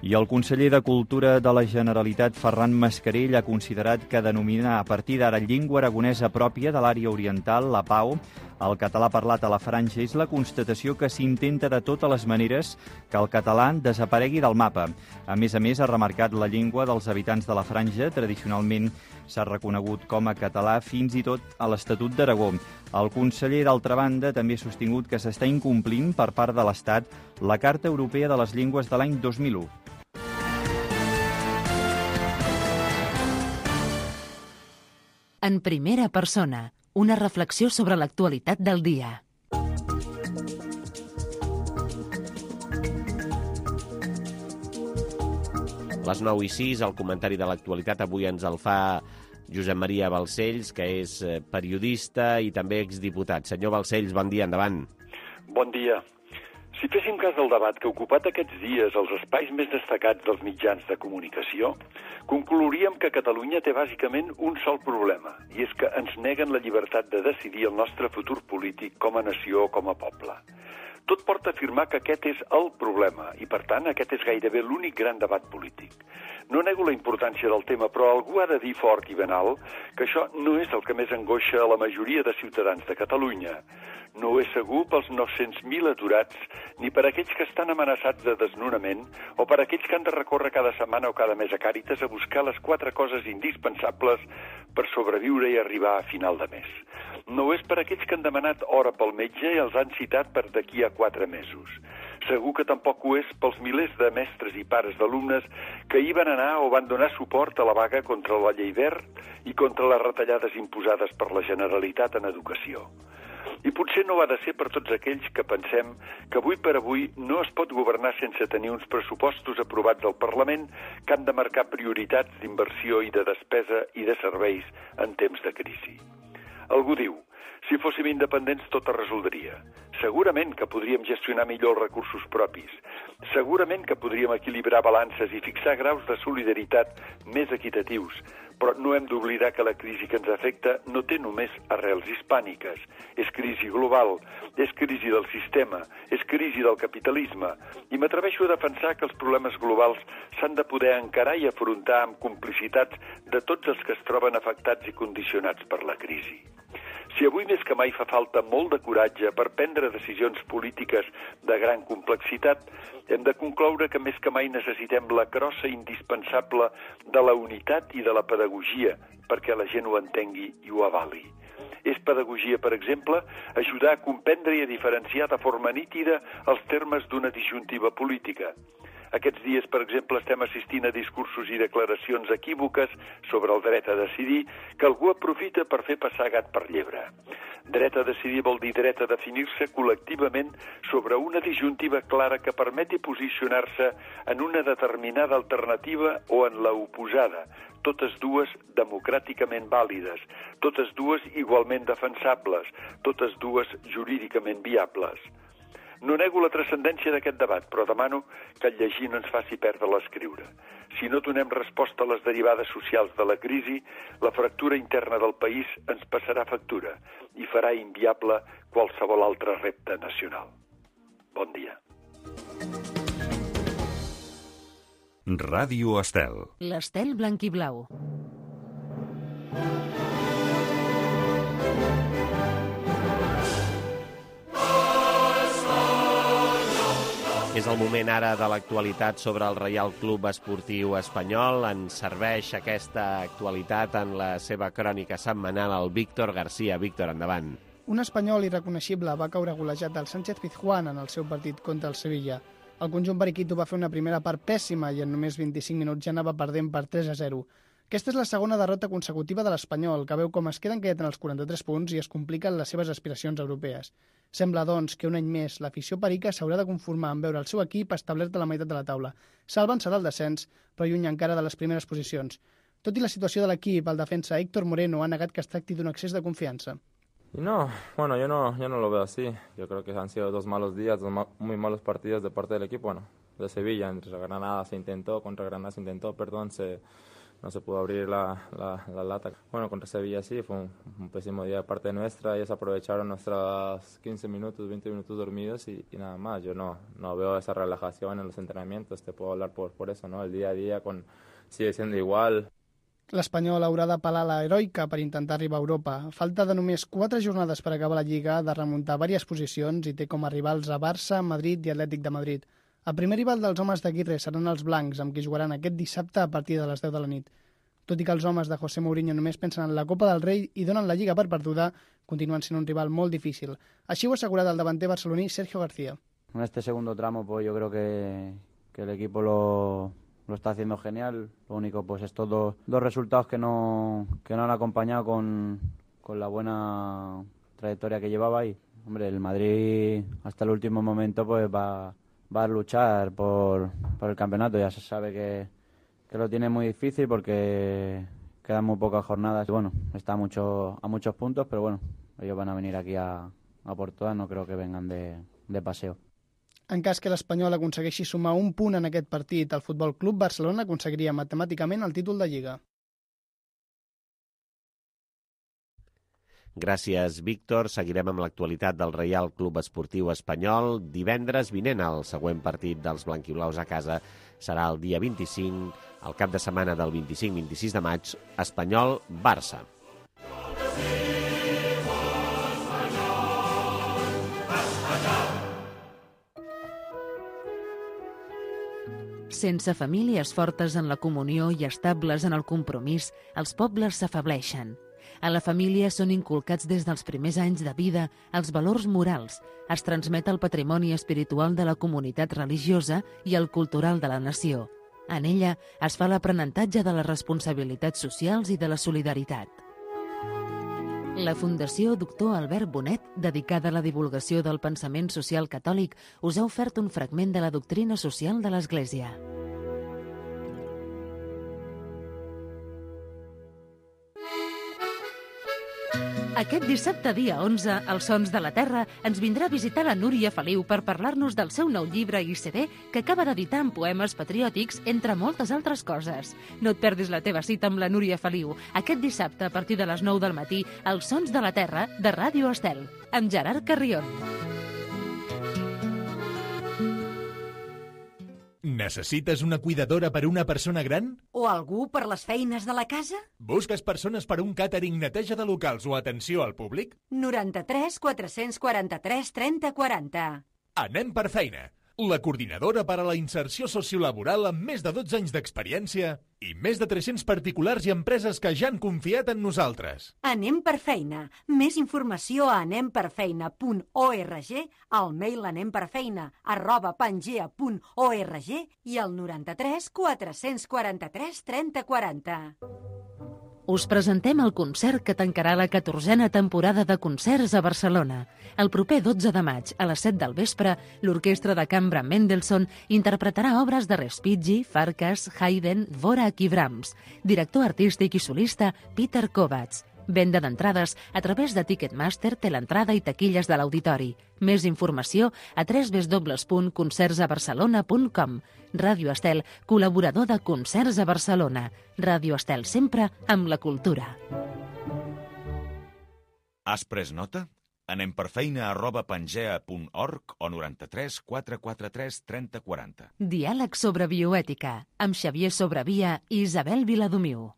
I el conseller de Cultura de la Generalitat, Ferran Mascarell, ha considerat que denominar a partir d'ara llengua aragonesa pròpia de l'àrea oriental, la Pau, el català parlat a la Franja, és la constatació que s'intenta de totes les maneres que el català desaparegui del mapa. A més a més, ha remarcat la llengua dels habitants de la Franja. Tradicionalment s'ha reconegut com a català fins i tot a l'Estatut d'Aragó. El conseller, d'altra banda, també ha sostingut que s'està incomplint per part de l'Estat la Carta Europea de les Llengües de l'any dos mil u. En primera persona, una reflexió sobre l'actualitat del dia. Les nou i sis, el comentari de l'actualitat avui ens el fa Josep Maria Balcells, que és periodista i també exdiputat. Senyor Balcells, bon dia, endavant. Bon dia. Si féssim cas del debat que ha ocupat aquests dies els espais més destacats dels mitjans de comunicació, conclouríem que Catalunya té bàsicament un sol problema, i és que ens neguen la llibertat de decidir el nostre futur polític com a nació o com a poble. Tot porta a afirmar que aquest és el problema, i per tant aquest és gairebé l'únic gran debat polític. No nego la importància del tema, però algú ha de dir fort i ben alt que això no és el que més angoixa a la majoria de ciutadans de Catalunya. No ho és segur pels nou-cents mil aturats, ni per aquells que estan amenaçats de desnonament, o per aquells que han de recórrer cada setmana o cada mes a Càritas a buscar les quatre coses indispensables per sobreviure i arribar a final de mes. No ho és per aquells que han demanat hora pel metge i els han citat per d'aquí a quatre mesos. Segur que tampoc ho és pels milers de mestres i pares d'alumnes que hi van anar o van donar suport a la vaga contra la llei Wert i contra les retallades imposades per la Generalitat en educació. I potser no ha de ser per tots aquells que pensem que avui per avui no es pot governar sense tenir uns pressupostos aprovats al Parlament que han de marcar prioritats d'inversió i de despesa i de serveis en temps de crisi. Algú diu, si fóssim independents tot es resoldria. Segurament que podríem gestionar millor els recursos propis. Segurament que podríem equilibrar balances i fixar graus de solidaritat més equitatius. Però no hem d'oblidar que la crisi que ens afecta no té només arrels hispàniques. És crisi global, és crisi del sistema, és crisi del capitalisme. I m'atreveixo a defensar que els problemes globals s'han de poder encarar i afrontar amb complicitats de tots els que es troben afectats i condicionats per la crisi. Si avui més que mai fa falta molt de coratge per prendre decisions polítiques de gran complexitat, hem de concloure que més que mai necessitem la crossa indispensable de la unitat i de la pedagogia perquè la gent ho entengui i ho avali. És pedagogia, per exemple, ajudar a comprendre i a diferenciar de forma nítida els termes d'una disjuntiva política. Aquests dies, per exemple, estem assistint a discursos i declaracions equívoques sobre el dret a decidir que algú aprofita per fer passar gat per llebre. Dret a decidir vol dir dret a definir-se col·lectivament sobre una disjuntiva clara que permeti posicionar-se en una determinada alternativa o en la oposada, totes dues democràticament vàlides, totes dues igualment defensables, totes dues jurídicament viables. No nego la transcendència d'aquest debat, però demano que el llegir no ens faci perdre l'escriure. Si no donem resposta a les derivades socials de la crisi, la fractura interna del país ens passarà factura i farà inviable qualsevol altre repte nacional. Bon dia. Ràdio Estel. L'Estel blanc i blau. És el moment ara de l'actualitat sobre el Reial Club Esportiu Espanyol. Ens serveix aquesta actualitat en la seva crònica setmanal el Víctor García. Víctor, endavant. Un espanyol irreconeixible va caure golejat del Sánchez-Pizjuán en el seu partit contra el Sevilla. El conjunt periquito va fer una primera part pèssima i en només vint-i-cinc minuts ja anava perdent per tres a zero. Aquesta és la segona derrota consecutiva de l'Espanyol, que veu com es queden quietet en els quaranta-tres punts i es compliquen les seves aspiracions europees. Sembla, doncs, que un any més l'afició perica s'haurà de conformar amb veure el seu equip establert a la meitat de la taula. Salven serà el descens, però lluny encara de les primeres posicions. Tot i la situació de l'equip, el defensa Héctor Moreno ha negat que es tracti d'un excés de confiança. No, bueno, yo no, yo no lo veo así. Yo creo que han sido dos malos días, dos ma muy malos partidos de parte del equipo. Bueno, de Sevilla, entre Granada se intentó, contra Granada se intentó, perdón, se... no se pudo abrir la, la, la lata. Bueno, contra Sevilla sí, fue un, un pésimo día de parte nuestra. Ellos aprovecharon nuestros quince minutos, veinte minutos dormidos y, y nada más. Yo no, no veo esa relajación en los entrenamientos, te puedo hablar por, por eso, ¿no? El día a día con, sigue siendo igual. L'Espanyol haurà d'apel·lar a la heroica per intentar arribar a Europa. A falta de només quatre jornades per acabar la Lliga, ha de remuntar diverses posicions i té com a rivals a Barça, Madrid i Atlètic de Madrid. El primer rival dels homes d'Aguirre seran els blancs, amb qui jugaran aquest dissabte a partir de les deu de la nit. Tot i que els homes de José Mourinho només pensen en la Copa del Rei i donen la Lliga per perduda, continuen sent un rival molt difícil. Així ho ha assegurat el davanter barceloní Sergio García. En este segundo tramo pues yo creo que, que el equipo lo, lo está haciendo genial. Lo único pues estos dos, dos resultados que no, que no han acompañado con, con la buena trayectoria que llevaba y hombre, el Madrid hasta el último momento pues va, va a luchar por, por el campeonato. Ya se sabe que, que lo tiene muy difícil porque quedan muy pocas jornadas. Y bueno, está mucho, a muchos puntos, pero bueno, ellos van a venir aquí a, a por todas, no creo que vengan de, de paseo. En cas que l'Espanyol aconsegueixi sumar un punt en aquest partit, el Futbol Club Barcelona aconseguiria matemàticament el títol de Lliga. Gràcies, Víctor. Seguirem amb l'actualitat del Reial Club Esportiu Espanyol. Divendres vinent, el següent partit dels blanquiblaus a casa serà el dia vint-i-cinc, el cap de setmana del vint-i-cinc vint-i-sis de maig, Espanyol-Barça. Sense famílies fortes en la comunió i estables en el compromís, els pobles s'afableixen. A la família són inculcats des dels primers anys de vida els valors morals, es transmet el patrimoni espiritual de la comunitat religiosa i el cultural de la nació. En ella es fa l'aprenentatge de les responsabilitats socials i de la solidaritat. La Fundació Doctor Albert Bonet, dedicada a la divulgació del pensament social catòlic, us ha ofert un fragment de la doctrina social de l'Església. Aquest dissabte, dia onze, als Sons de la Terra, ens vindrà a visitar la Núria Feliu per parlar-nos del seu nou llibre i C D que acaba d'editar amb poemes patriòtics, entre moltes altres coses. No et perdis la teva cita amb la Núria Feliu aquest dissabte a partir de les nou del matí als Sons de la Terra de Ràdio Estel, amb Gerard Carrion. Necessites una cuidadora per una persona gran? O algú per les feines de la casa? Busques persones per un càtering, neteja de locals o atenció al públic? noranta-tres quatre-cents quaranta-tres trenta quaranta. Anem per feina. La coordinadora per a la inserció sociolaboral amb més de dotze anys d'experiència i més de tres-cents particulars i empreses que ja han confiat en nosaltres. Anem per feina. Més informació a anem per feina punt org, al mail anemperfeina arroba pangea punt org i al noranta-tres quatre-cents quaranta-tres trenta quaranta. Us presentem el concert que tancarà la catorzena temporada de concerts a Barcelona. El proper dotze de maig, a les set del vespre, l'Orquestra de Cambra Mendelssohn interpretarà obres de Respighi, Farkas, Haydn, Dvorak i Brahms. Director artístic i solista, Peter Kovacs. Venda d'entrades a través de Ticketmaster, Teleentrada i taquilles de l'auditori. Més informació a w w w punt concerts a barcelona punt com. Ràdio Estel, col·laborador de Concerts a Barcelona. Ràdio Estel, sempre amb la cultura. Has pres nota? Anem per feina arroba pangea punt org o noranta-tres quatre quaranta-tres trenta quaranta. Diàleg sobre bioètica, amb Xavier Sobravia i Isabel Viladomiu.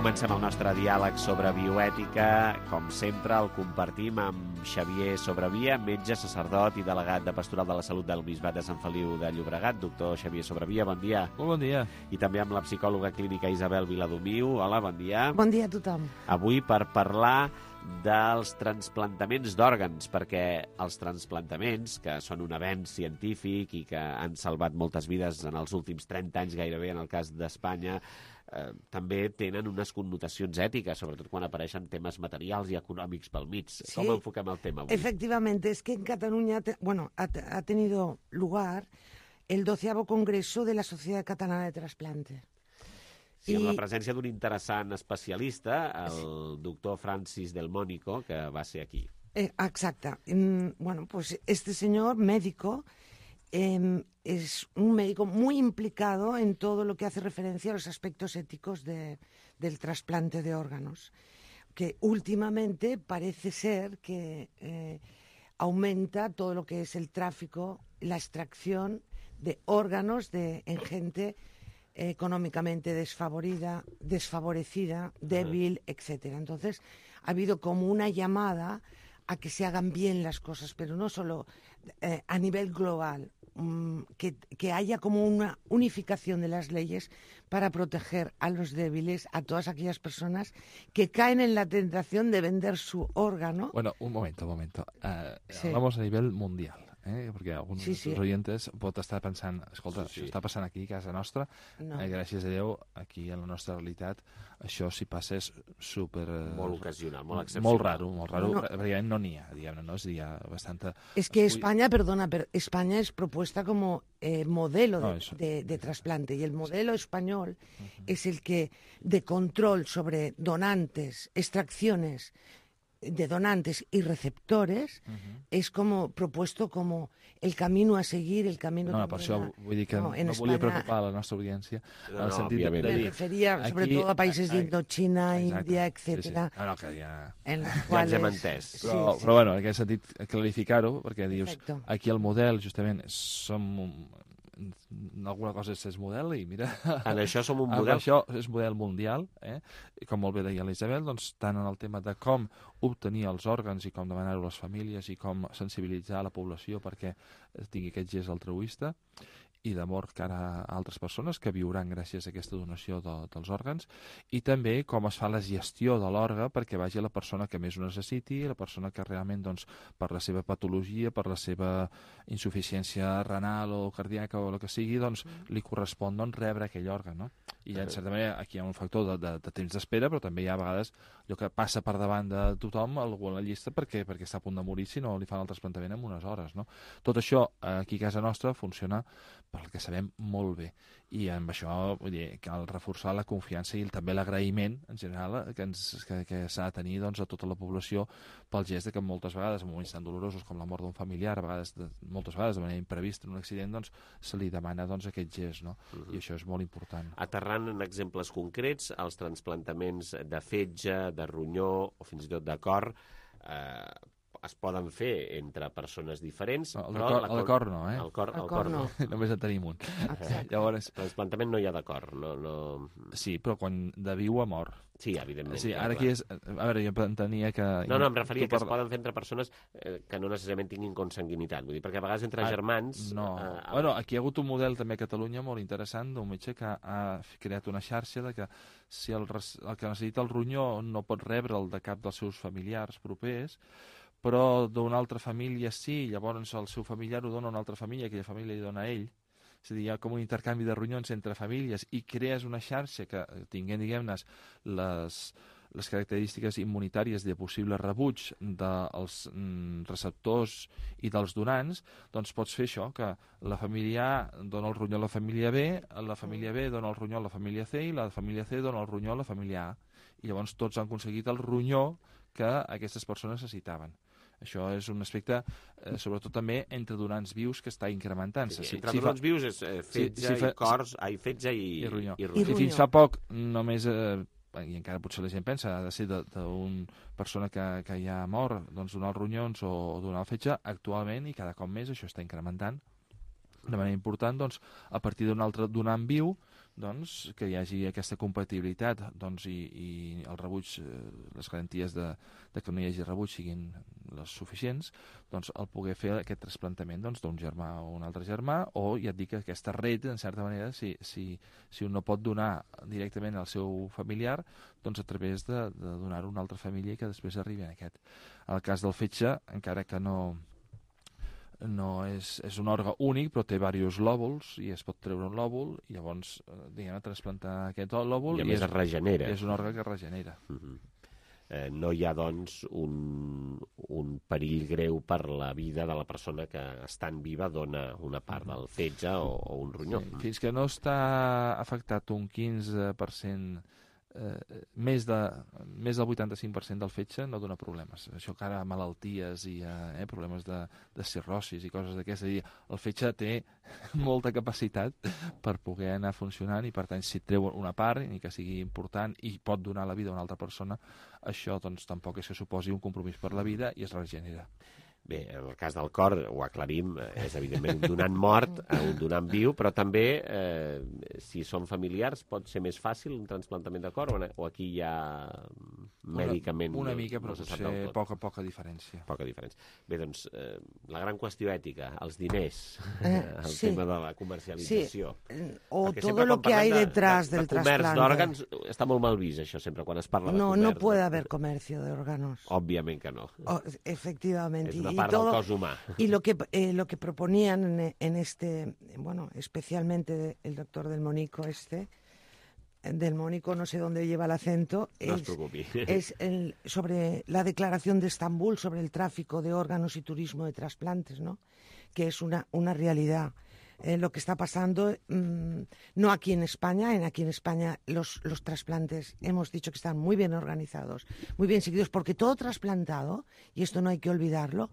Comencem el nostre diàleg sobre bioètica. Com sempre, el compartim amb Xavier Sobravia, metge, sacerdot i delegat de Pastoral de la Salut del Bisbat de Sant Feliu de Llobregat. Doctor Xavier Sobravia, bon dia. Molt bon dia. I també amb la psicòloga clínica Isabel Viladomiu. Hola, bon dia. Bon dia a tothom. Avui per parlar dels transplantaments d'òrgans, perquè els transplantaments, que són un avenç científic i que han salvat moltes vides en els últims trenta anys gairebé, en el cas d'Espanya, eh, també tenen unes connotacions ètiques, sobretot quan apareixen temes materials i econòmics pel mig. Sí. Com enfoquem el tema avui? Efectivamente, es que en Cataluña, te, bueno, ha, ha tenido lugar el doceavo Congreso de la Sociedad Catalana de Trasplante. Sí, amb la presència d'un interessant especialista, el doctor Francis Del Mónico, que va ser aquí. Eh, exacte. Mm, bueno, pues este señor médico eh, es un médico muy implicado en todo lo que hace referencia a los aspectos éticos de, del trasplante de órganos, que últimamente parece ser que eh, aumenta todo lo que es el tráfico, la extracción de órganos de, en gente económicamente desfavorida, desfavorecida, débil, etcétera. Entonces, ha habido como una llamada a que se hagan bien las cosas, pero no solo eh, a nivel global, um, que, que haya como una unificación de las leyes para proteger a los débiles, a todas aquellas personas que caen en la tentación de vender su órgano. Bueno, un momento, un momento. Uh, sí. Hablamos a nivel mundial. Eh? Perquè alguns sí, sí. dels oyentes pot estar pensant, escolta, sí, sí. això està passant aquí a casa nostra, no. eh, gràcies a Déu, aquí en la nostra realitat, això si passa és super... Eh, molt ocasional, molt excepcional. Molt raro, molt raro, no, no. perquè no n'hi ha, diguem-ne, no? És, hi ha bastanta... Es que España, perdona, pero España es propuesta como eh, modelo de, no, de, de trasplante, y el modelo español uh-huh. es el que, de control sobre donantes, extracciones de donantes y receptores, uh-huh. es como propuesto como el camino a seguir, el camino... No, no per això vull dir que no, no España... volia preocupar la nostra audiència en el no, sentit de, de dir... Me referia aquí, sobre todo a países de Indochina, exacte, Índia, etcètera. Sí, sí. No, no, que ja... En los ja cuales... ens hem entès. Però, sí, sí. però bueno, en aquest sentit, clarificar-ho, perquè dius, Perfecto. Aquí el model, justament, som... alguna cosa és, és model i mira... En això som un model. Això és model mundial, eh? I com molt bé deia l'Isabel, doncs tant en el tema de com obtenir els òrgans i com demanar-ho a les famílies i com sensibilitzar la població perquè tingui aquest gest altruista i d'amor cara a altres persones que viuran gràcies a aquesta donació de, dels òrgans, i també com es fa la gestió de l'òrgan perquè vagi a la persona que més ho necessiti, la persona que realment, doncs, per la seva patologia, per la seva insuficiència renal o cardíaca o el que sigui, doncs, li correspon doncs, rebre aquell òrgan, no? I, en certa manera, aquí hi ha un factor de, de, de temps d'espera, però també hi ha a vegades allò que passa per davant de tothom, algú a la llista, perquè, perquè està a punt de morir si no li fan el trasplantament en unes hores, no? Tot això, aquí a casa nostra, funciona, pel que sabem, molt bé. I amb això, vull dir, cal reforçar la confiança i també l'agraïment, en general, que, ens, que, que s'ha de tenir doncs, a tota la població pel gest de que moltes vegades, en moments tan dolorosos com la mort d'un familiar, a vegades, de, moltes vegades de manera imprevista en un accident, doncs, se li demana doncs, aquest gest, no? Uh-huh. I això és molt important. Aterrant en exemples concrets, els transplantaments de fetge, de ronyó o fins i tot de cor, eh, es poden fer entre persones diferents. El de cor, el de cor no, eh? El cor, el el cor cor no. no. Només en tenim un. Llavors... Transplantament no hi ha de cor, no, no... Sí, però quan de viu a mort. Sí, evidentment. Sí, ara aquí és... A veure, jo entenia que... No, no, em referia que parla... es poden fer entre persones eh, que no necessàriament tinguin consanguinitat. Vull dir, perquè a vegades entre ah, germans... No. Eh, bueno, aquí hi ha hagut un model també a Catalunya molt interessant d'un metge que ha creat una xarxa de que si el, el que necessita el ronyó no pot rebre'l de cap dels seus familiars propers, però d'una altra família sí, llavors el seu familiar ho dona a una altra família, aquella família li dona a ell. És a dir, hi ha com un intercanvi de ronyons entre famílies i crees una xarxa que tinguent, diguem-ne, les, les característiques immunitàries de possible rebuig dels mm, receptors i dels donants, doncs pots fer això, que la família A dona el ronyó a la família B, la família B dona el ronyó a la família C i la família C dona el ronyó a la família A. I llavors tots han aconseguit el ronyó que aquestes persones necessitaven. Això és un aspecte, eh, sobretot també entre donants vius, que està incrementant-se. Sí, entre si donants fa... vius és eh, fetge si, si fa... i cors, ai, fetge i, i ronyó. I ronyó. I fins fa poc, només, eh, i encara potser la gent pensa, ha de ser d'una persona que, que ja ha mort, doncs donar els ronyons o donar el fetge, actualment, i cada cop més això està incrementant de manera important, doncs, a partir d'un altre donant viu, doncs, que hi hagi aquesta compatibilitat, doncs, i, i el rebuig, eh, les garanties de, de que no hi hagi rebuig siguin les suficients, doncs el poder fer aquest trasplantament doncs, d'un germà o un altre germà, o ja et dic que aquesta red, en certa manera, si, si, si un no pot donar directament al seu familiar, doncs a través de, de donar-ho a una altra família i que després arribi en aquest. En el cas del fetge, encara que no... no és, és un òrgan únic, però té diversos lòbuls i es pot treure un lòbul i llavors, diguem, trasplantar aquest lòbul i a més és, es regenera. És un òrgan que es regenera. Uh-huh. eh, no hi ha, doncs, un, un perill greu per la vida de la persona que, estant viva, dona una part del fetge o, o un ronyó. Sí, fins que no està afectat un quinze per cent Eh, més, de, més del vuitanta-cinc per cent del fetge no dona problemes. Això que ara malalties i eh, problemes de, de cirrosis i coses d'aquestes. El fetge té molta capacitat per poder anar funcionant i, per tant, si treu una part, ni que sigui important, i pot donar la vida a una altra persona, això doncs, tampoc és que suposi un compromís per la vida i es regenera. Bé, en el cas del cor, ho aclarim, és evidentment un donant mort, un donant viu, però també, eh, si són familiars, pot ser més fàcil un trasplantament de cor, o aquí hi ha mèdicament... Una, una mica, però no potser poca, poca diferència. Poca diferència. Bé, doncs, eh, la gran qüestió ètica, els diners, eh, el sí. tema de la comercialització. Sí. O todo lo que hay detrás de, del de trasplante. Comerç d'òrgans està molt mal vist, això, sempre, quan es parla de no, comerç. No puede haber comercio de órganos. Òbviament que no. Oh, efectivamente. És una y part todo, del cos humà. Y lo que, eh, lo que proponían en, en este, bueno, especialmente el doctor del Mónico este, del Mónico, no sé dónde lleva el acento, no es, es el, sobre la declaración de Estambul sobre el tráfico de órganos y turismo de trasplantes, ¿no? Que es una, una realidad. Eh, lo que está pasando, mmm, no aquí en España, en aquí en España los, los trasplantes hemos dicho que están muy bien organizados, muy bien seguidos, porque todo trasplantado, y esto no hay que olvidarlo,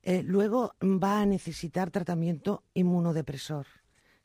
eh, luego va a necesitar tratamiento inmunodepresor,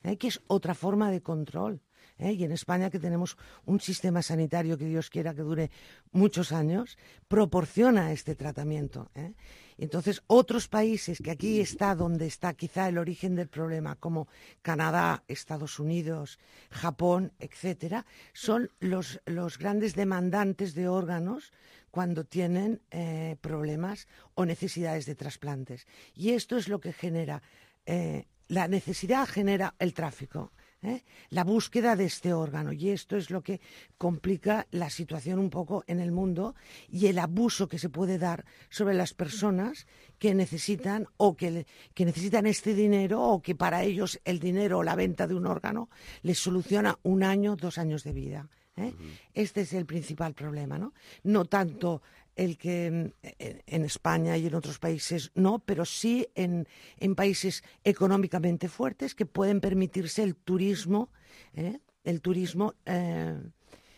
eh, que es otra forma de control. ¿Eh? Y en España, que tenemos un sistema sanitario que Dios quiera que dure muchos años, proporciona este tratamiento. ¿eh? Entonces, otros países, que aquí está donde está quizá el origen del problema, como Canadá, Estados Unidos, Japón, etcétera, son los, los grandes demandantes de órganos cuando tienen eh, problemas o necesidades de trasplantes. Y esto es lo que genera, eh, la necesidad genera el tráfico. ¿eh? La búsqueda de este órgano. Y esto es lo que complica la situación un poco en el mundo y el abuso que se puede dar sobre las personas que necesitan o que, que necesitan este dinero, o que para ellos el dinero o la venta de un órgano les soluciona un año, dos años de vida. ¿eh? Uh-huh. Este es el principal problema, ¿no? No tanto el que en España y en otros países no, pero sí en, en países económicamente fuertes que pueden permitirse el turismo, ¿eh? el turismo, eh,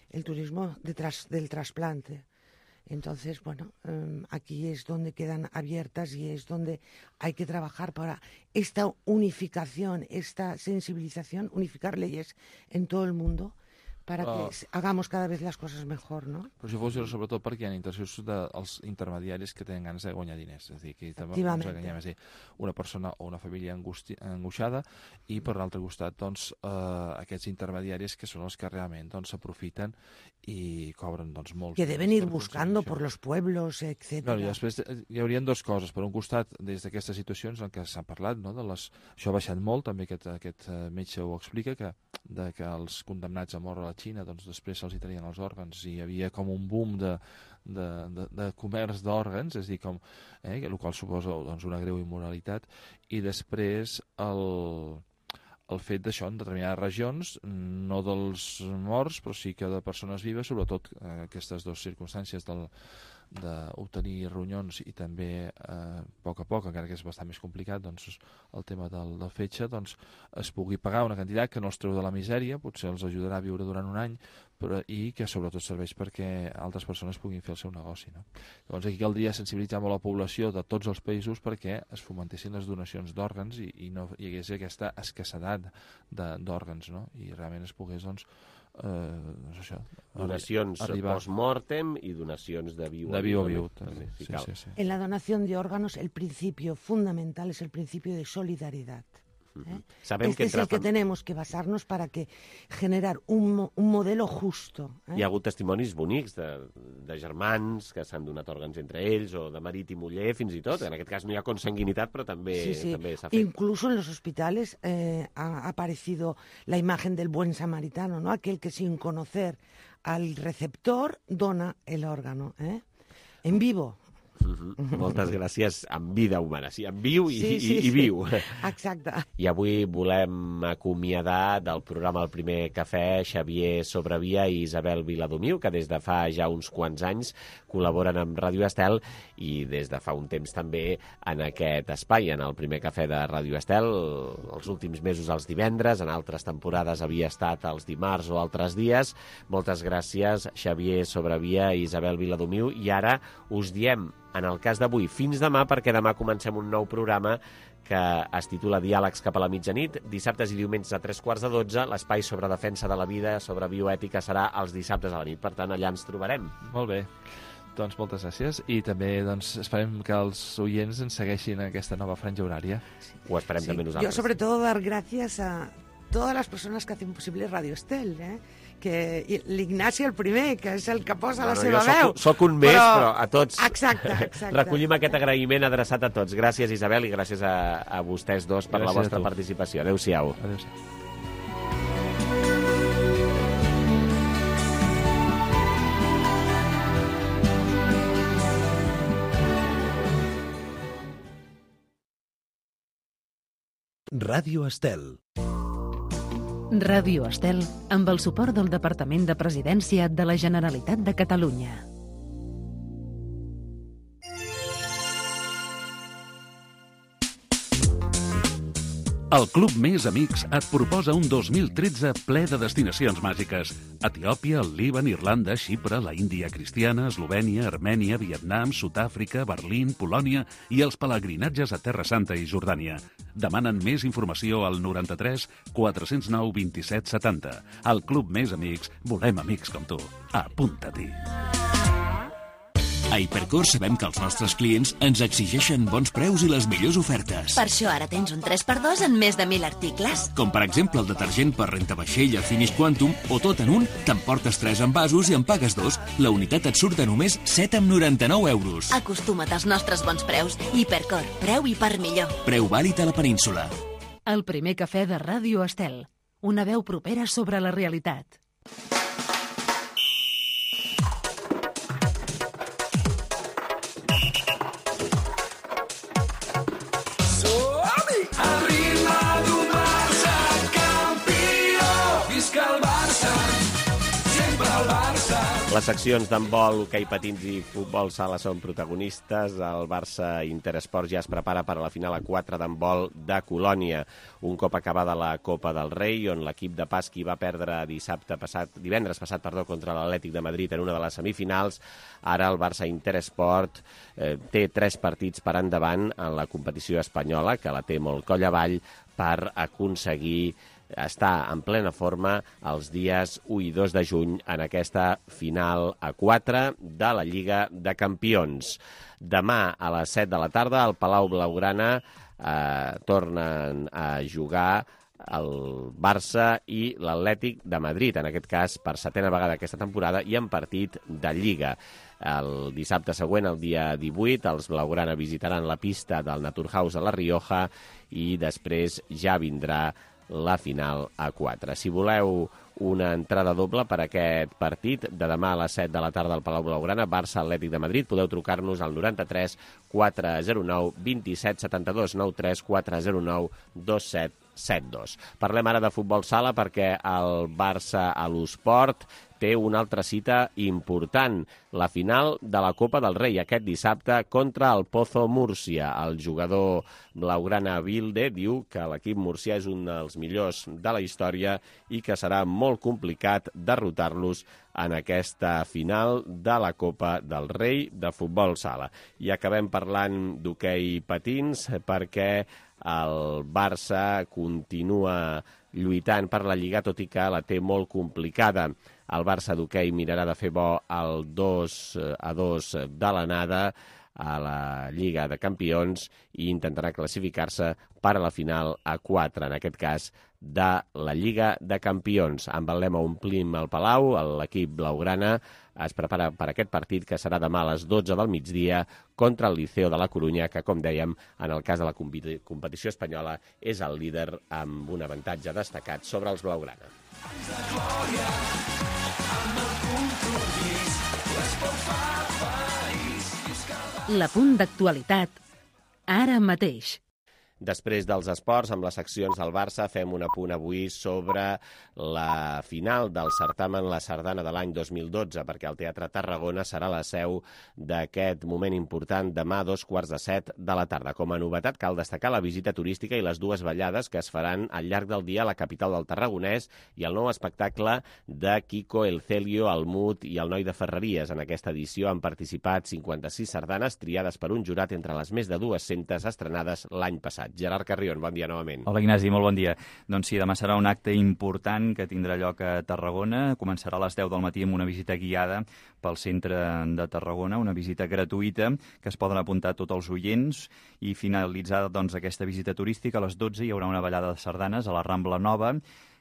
el turismo de tras, del trasplante. Entonces, bueno, eh, aquí es donde quedan abiertas y es donde hay que trabajar para esta unificación, esta sensibilización, unificar leyes en todo el mundo, para que uh, hagamos cada vez les coses millor, no? Però això funciona sobretot perquè hi ha interessos dels intermediaris que tenen ganes de guanyar diners. És a dir, que també ens enganyem, és a dir, una persona o una família angoixada i, per l'altre costat, doncs, eh, aquests intermediaris que són els que realment s'aprofiten i cobren doncs, molts... Que deben ir buscando por los pueblos, etcétera. Bueno, i després hi haurien dues coses. Per un costat, des d'aquestes situacions en què s'ha parlat, no? de les... això ha baixat molt, també aquest, aquest metge ho explica, que, de, que els condemnats a mort a la Xina, doncs després se'ls hi traien els òrgans i hi havia com un boom de, de, de, de comerç d'òrgans, és a dir, com, eh, el qual suposa doncs, una greu immoralitat, i després el, el fet d'això en determinades regions, no dels morts, però sí que de persones vives, sobretot eh, aquestes dues circumstàncies del d'obtenir ronyons i també eh, a poc a poc, encara que és bastant més complicat, doncs el tema del, del fetge, doncs es pugui pagar una quantitat que no els treu de la misèria, potser els ajudarà a viure durant un any, però, i que sobretot serveix perquè altres persones puguin fer el seu negoci. No? Llavors aquí caldria sensibilitzar molt la població de tots els països perquè es fomentessin les donacions d'òrgans i, i no hi hagués aquesta escassedat d'òrgans, no? I realment es pogués, doncs, Eh, no sé això, donacions post-mortem y donacions de viu de viu a viu. Sí, sí, sí, sí. En la donación de órganos el principio fundamental es el principio de solidaridad. ¿eh? Sabem este que es el que tenemos que basarnos para que generar un, un modelo justo. ¿eh? Hi ha hagut testimonis bonics de, de germans que s'han donat òrgans entre ells, o de marit i muller, fins i tot. En aquest cas no hi ha consanguinitat, però també sí, sí. també s'ha fet. Incluso en los hospitales eh, ha aparecido la imagen del buen samaritano, ¿no? Aquel que sin conocer al receptor dona el órgano, ¿eh? En vivo. Uh-huh. Moltes gràcies, en vida humana, sí, en viu i, sí, sí, i, i viu. Sí. Exacte. I avui volem acomiadar del programa El Primer Cafè Xavier Sobrevia i Isabel Viladomiu, que des de fa ja uns quants anys col·laboren amb Ràdio Estel i des de fa un temps també en aquest espai, en El Primer Cafè de Ràdio Estel, els últims mesos els divendres, en altres temporades havia estat els dimarts o altres dies. Moltes gràcies, Xavier Sobrevia i Isabel Viladomiu, i ara us diem, en el cas d'avui, fins demà, perquè demà comencem un nou programa que es titula Diàlegs cap a la mitjanit, dissabtes i diumenges a tres quarts de dotze. L'espai sobre defensa de la vida, sobre bioètica, serà els dissabtes a la nit. Per tant, allà ens trobarem. Molt bé. Doncs moltes gràcies i també doncs, esperem que els oients ens segueixin en aquesta nova franja horària. Ho esperem sí. també nosaltres. Yo sobre todo dar gracias a todas las personas que hacen posible Radio Estel, eh? Que l'Ignasi el primer, que és el que posa no, la no, seva veu. Soc, soc un més, però, però a tots exacte, exacte. recollim aquest agraïment adreçat a tots. Gràcies, Isabel, i gràcies a, a vostès dos per gràcies la vostra participació. Adéu-siau. Adéu-siau. Ràdio Estel. Ràdio Estel, amb el suport del Departament de Presidència de la Generalitat de Catalunya. El Club Més Amics et proposa un dos mil tretze ple de destinacions màgiques. Etiòpia, el Líban, Irlanda, Xipre, la Índia cristiana, Eslovènia, Armènia, Vietnam, Sud-àfrica, Berlín, Polònia i els pelegrinatges a Terra Santa i Jordània. Demanen més informació al noranta-tres quatre-cents nou vint-i-set setanta. Al Club Més Amics volem amics com tu. Apunta-t'hi. A Hipercor sabem que els nostres clients ens exigeixen bons preus i les millors ofertes. Per això ara tens un tres per dos en més de mil articles. Com per exemple el detergent per rentavaixella Finish Quantum, o tot en un, t'emportes tres envasos i en pagues dos. La unitat et surt a només set coma noranta-nou euros. Acostuma't als nostres bons preus. Hipercor, preu i per millor. Preu vàlid a la península. El primer cafè de Ràdio Estel. una veu propera sobre la realitat. Les seccions d'handbol, hoquei patins i futbol sala són protagonistes. El Barça Interesport ja es prepara per a la final a quatre d'handbol de Colònia. Un cop acabada la Copa del Rei, on l'equip de Pasqui va perdre dissabte passat, divendres passat perdó, contra l'Atlètic de Madrid en una de les semifinals, ara el Barça Interesport eh, té tres partits per endavant en la competició espanyola, que la té molt coll avall, per aconseguir està en plena forma els dies u i dos de juny en aquesta final a quatre de la Lliga de Campions. Demà a les set de la tarda al Palau Blaugrana eh, tornen a jugar el Barça i l'Atlètic de Madrid, en aquest cas per setena vegada aquesta temporada i en partit de Lliga. El dissabte següent, el dia divuit, els Blaugrana visitaran la pista del Naturhaus a La Rioja i després ja vindrà la final a quatre. Si voleu una entrada doble per a aquest partit de demà a les set de la tarda al Palau Blaugrana, Barça Atlètic de Madrid, podeu trucar-nos al noranta-tres quatre zero nou vint-i-set setanta-dos, noranta-tres quatre zero nou dos set set dos. Parlem ara de futbol sala perquè el Barça a l'Esport té una altra cita important, la final de la Copa del Rei aquest dissabte contra el Pozo Múrcia. El jugador blaugrana Vilde diu que l'equip murcià és un dels millors de la història i que serà molt complicat derrotar-los en aquesta final de la Copa del Rei de futbol sala. I acabem parlant d'hoquei patins perquè el Barça continua lluitant per la Lliga, tot i que la té molt complicada. El Barça d'hoquei mirarà de fer bo el dos a dos de l'anada a la Lliga de Campions i intentarà classificar-se per a la final a quatre, en aquest cas de la Lliga de Campions. Amb el lema Omplim el Palau, l'equip blaugrana es prepara per aquest partit que serà demà a les dotze del migdia contra el Liceo de la Corunya, que, com dèiem, en el cas de la competició espanyola és el líder amb un avantatge destacat sobre els blaugrana. L'apunt d'actualitat, ara mateix. Després dels esports, amb les seccions del Barça, fem un apunt avui sobre la final del certamen La Sardana de l'any dos mil dotze, perquè el Teatre Tarragona serà la seu d'aquest moment important demà a dos quarts de set de la tarda. Com a novetat, cal destacar la visita turística i les dues ballades que es faran al llarg del dia a la capital del Tarragonès i el nou espectacle de Kiko, el Celio, el Mut i el Noi de Ferreries. En aquesta edició han participat cinquanta-sis sardanes triades per un jurat entre les més de dues-centes estrenades l'any passat. Gerard Carrion, bon dia novament. Hola Ignasi, molt bon dia. Doncs sí, demà serà un acte important que tindrà lloc a Tarragona. Començarà a les deu del matí amb una visita guiada pel centre de Tarragona, una visita gratuïta que es poden apuntar tots els oients i finalitzada doncs, aquesta visita turística a les dotze hi haurà una ballada de sardanes a la Rambla Nova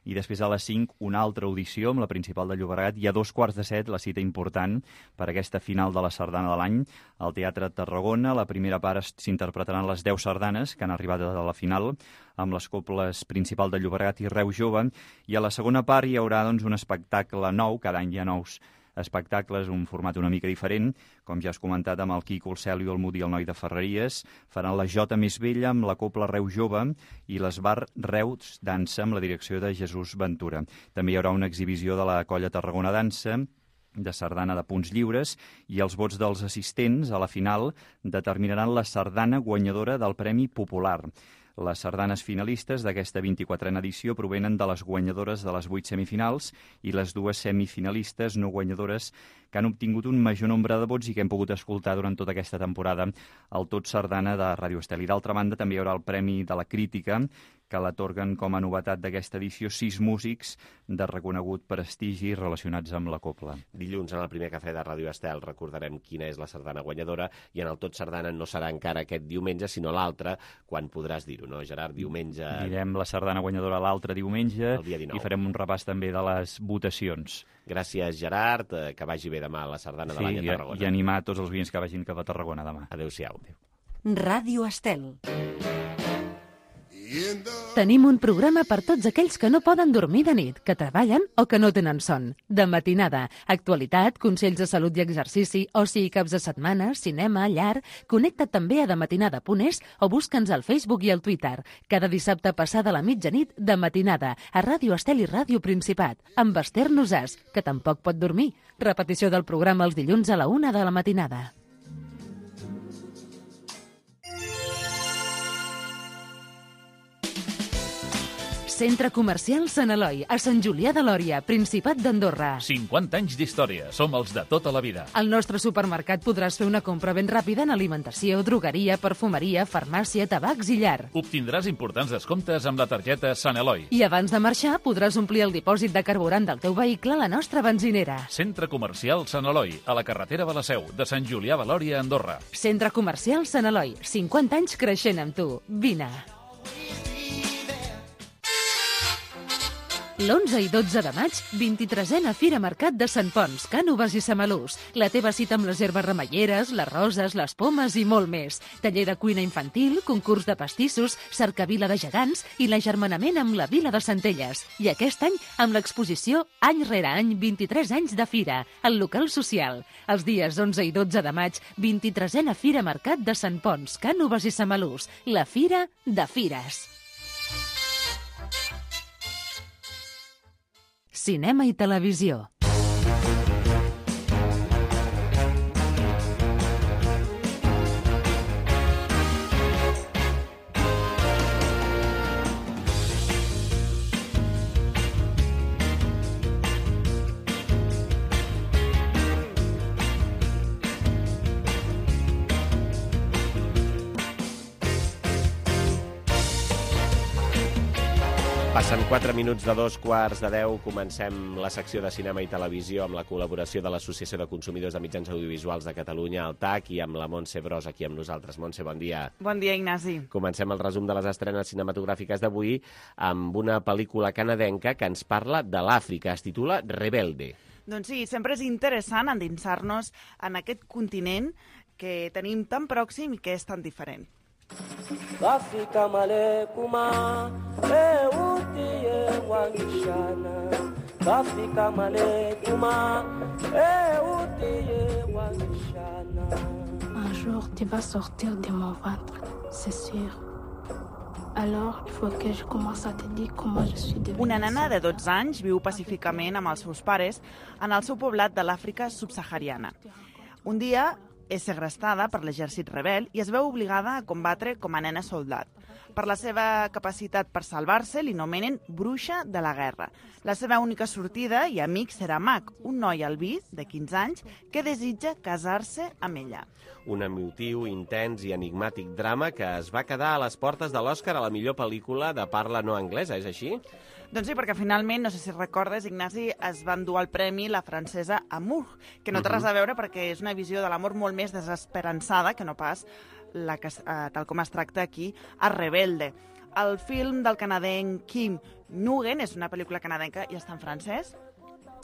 i després a les cinc una altra audició amb la principal de Llobregat i a dos quarts de set la cita important per aquesta final de la sardana de l'any al Teatre Tarragona. La primera part s'interpretaran les deu sardanes que han arribat a la final amb les coples principal de Llobregat i Reus Jove i a la segona part hi haurà doncs, un espectacle nou, cada any hi ha nous espectacles, un format una mica diferent, com ja has comentat amb el Quico, el Celio, el Mut i el Noi de Ferreries. Faran la Jota més vella amb la Copla Reus Jove i l'Esbar Reus Dansa amb la direcció de Jesús Ventura. També hi haurà una exhibició de la Colla Tarragona Dansa, de sardana de punts lliures, i els vots dels assistents a la final determinaran la sardana guanyadora del Premi Popular. Les sardanes finalistes d'aquesta vint-i-quatrena edició provenen de les guanyadores de les vuit semifinals i les dues semifinalistes no guanyadores que han obtingut un major nombre de vots i que hem pogut escoltar durant tota aquesta temporada al Tot Sardana de Ràdio Estel. I d'altra banda també hi haurà el Premi de la Crítica, que l'atorguen com a novetat d'aquesta edició sis músics de reconegut prestigi relacionats amb la copla. Dilluns, en el primer cafè de Ràdio Estel, recordarem quina és la sardana guanyadora i en el Tot Sardana no serà encara aquest diumenge, sinó l'altre, quan podràs dir-ho, no, Gerard? Diumenge... Direm la sardana guanyadora l'altre diumenge i farem un repàs també de les votacions. Gràcies, Gerard, que vagi bé demà a la sardana de l'any a Tarragona. Sí, i animar tots els oients que vagin cap a Tarragona demà. Adéu-siau. Ràdio Estel. Tenim un programa per tots aquells que no poden dormir de nit, que treballen o que no tenen son. De matinada, actualitat, consells de salut i exercici, oci i caps de setmana, cinema, llar... Connecta't també a dematinada punt es o busca'ns al Facebook i al Twitter. Cada dissabte passada la mitjanit, de matinada, a Ràdio Estel i Ràdio Principat, amb Esther Nosàs, que tampoc pot dormir. Repetició del programa els dilluns a la una de la matinada. Centre Comercial Sant Eloi, a Sant Julià de Lòria, Principat d'Andorra. cinquanta anys d'història. Som els de tota la vida. Al nostre supermercat podràs fer una compra ben ràpida en alimentació, drogueria, perfumeria, farmàcia, tabacs i llar. Obtindràs importants descomptes amb la targeta Sant Eloi. I abans de marxar podràs omplir el dipòsit de carburant del teu vehicle a la nostra benzinera. Centre Comercial Sant Eloi, a la carretera de la Seu, de Sant Julià de Lòria, Andorra. Centre Comercial Sant Eloi, cinquanta anys creixent amb tu. Vine. l'onze i dotze de maig, vint-i-tresena Fira Mercat de Sant Ponç, Cànoves i Samalús. La teva cita amb les herbes remeieres, les roses, les pomes i molt més. Taller de cuina infantil, concurs de pastissos, cercavila de gegants i l'agermanament amb la Vila de Centelles. I aquest any, amb l'exposició Any rere any, vint-i-tres anys de Fira, al local social. Els dies onze i dotze de maig, vint-i-tresena Fira Mercat de Sant Ponç, Cànoves i Samalús. La Fira de Fires. Cinema i televisió. Passen quatre minuts de dos quarts de deu. Comencem la secció de cinema i televisió amb la col·laboració de l'Associació de Consumidors de Mitjans Audiovisuals de Catalunya, el T A C, i amb la Montse Bros aquí amb nosaltres. Montse, bon dia. Bon dia, Ignasi. Comencem el resum de les estrenes cinematogràfiques d'avui amb una pel·lícula canadenca que ens parla de l'Àfrica. Es titula Rebelde. Doncs sí, sempre és interessant endinsar-nos en aquest continent que tenim tan pròxim i que és tan diferent. Afrika malekuma eutie wangishana Afrika malekuma eutie wangishana. Un jour tu vas sortir de mon ventre, c'est sûr. Alors il faut que je commence à te dire comment je suis devenue. Una nena de dotze anys viu pacíficament amb els seus pares en el seu poblat de l'Àfrica subsahariana. Un dia és segrestada per l'exèrcit rebel i es veu obligada a combatre com a nena soldat. Per la seva capacitat per salvar-se, li nomenen bruixa de la guerra. La seva única sortida i amic serà Mac, un noi albí de quinze anys que desitja casar-se amb ella. Un emotiu, intens i enigmàtic drama que es va quedar a les portes de l'Oscar a la millor pel·lícula de parla no anglesa, és així? Doncs sí, perquè finalment, no sé si recordes, Ignasi, es va endur el premi la francesa Amour, que no té res a veure perquè és una visió de l'amor molt més desesperançada que no pas la que, eh, tal com es tracta aquí, a Rebelde. El film del canadenc Kim Nguyen, és una pel·lícula canadenca i està en francès,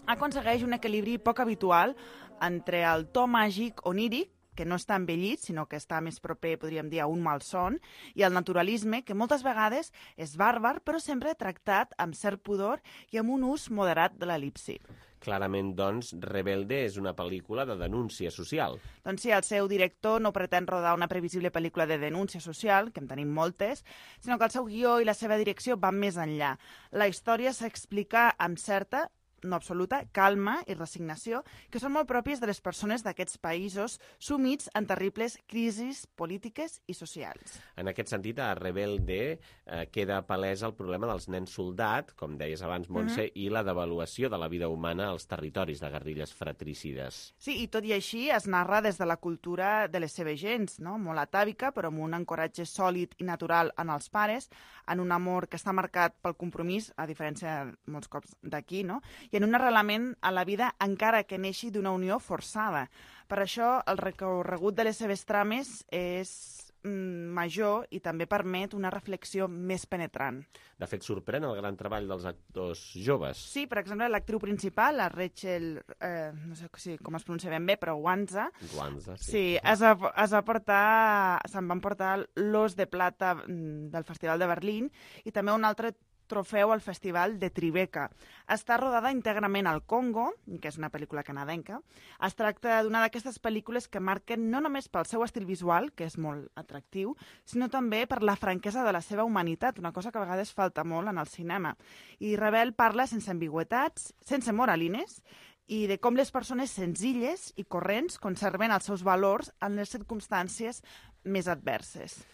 aconsegueix un equilibri poc habitual entre el to màgic oníric, que no està envellit, sinó que està més proper, podríem dir, a un malson, i el naturalisme, que moltes vegades és bàrbar, però sempre tractat amb cert pudor i amb un ús moderat de l'elipsi. Clarament, doncs, Rebelde és una pel·lícula de denúncia social. Doncs sí, el seu director no pretén rodar una previsible pel·lícula de denúncia social, que en tenim moltes, sinó que el seu guió i la seva direcció van més enllà. La història s'explica amb certa, no absoluta, calma i resignació, que són molt pròpies de les persones d'aquests països sumits en terribles crisis polítiques i socials. En aquest sentit, a Rebelde eh, queda palès el problema dels nens soldat, com deies abans, Montse, mm-hmm. i la devaluació de la vida humana als territoris de guerrilles fratricides. Sí, i tot i així es narra des de la cultura de les seves gens, no? Molt atàvica, però amb un ancoratge sòlid i natural en els pares, en un amor que està marcat pel compromís, a diferència molts cops d'aquí, no? I en un arrelament a la vida encara que neixi d'una unió forçada. Per això, el recorregut de les seves trames és mm, major i també permet una reflexió més penetrant. De fet, sorprèn el gran treball dels actors joves. Sí, per exemple, l'actriu principal, la Rachel, eh, no sé si, com es pronuncia ben bé, però Wanza, Wanza, sí. sí, es va, es va portar, se'n van portar l'Os de Plata del Festival de Berlín i també un altre trofeu al Festival de Tribeca. Està rodada íntegrament al Congo, que és una pel·lícula canadenca. Es tracta d'una d'aquestes pel·lícules que marquen no només pel seu estil visual, que és molt atractiu, sinó també per la franquesa de la seva humanitat, una cosa que a vegades falta molt en el cinema. I Rebel parla sense ambigüetats, sense moralines, i de com les persones senzilles i corrents conserven els seus valors en les circumstàncies més adverses.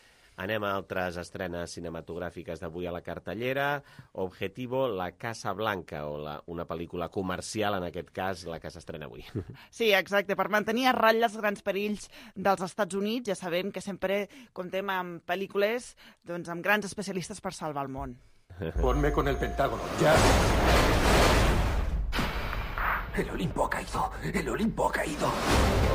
Anem a altres estrenes cinematogràfiques d'avui a la cartellera. Objetivo, La Casa Blanca, o la, una pel·lícula comercial, en aquest cas, la que s'estrena avui. Sí, exacte, per mantenir a ratlla els grans perills dels Estats Units. Ja sabem que sempre comptem amb pel·lícules doncs, amb grans especialistes per salvar el món. Ponme con el Pentágono, ya. El Olimpo ha caído, el Olimpo ha caído.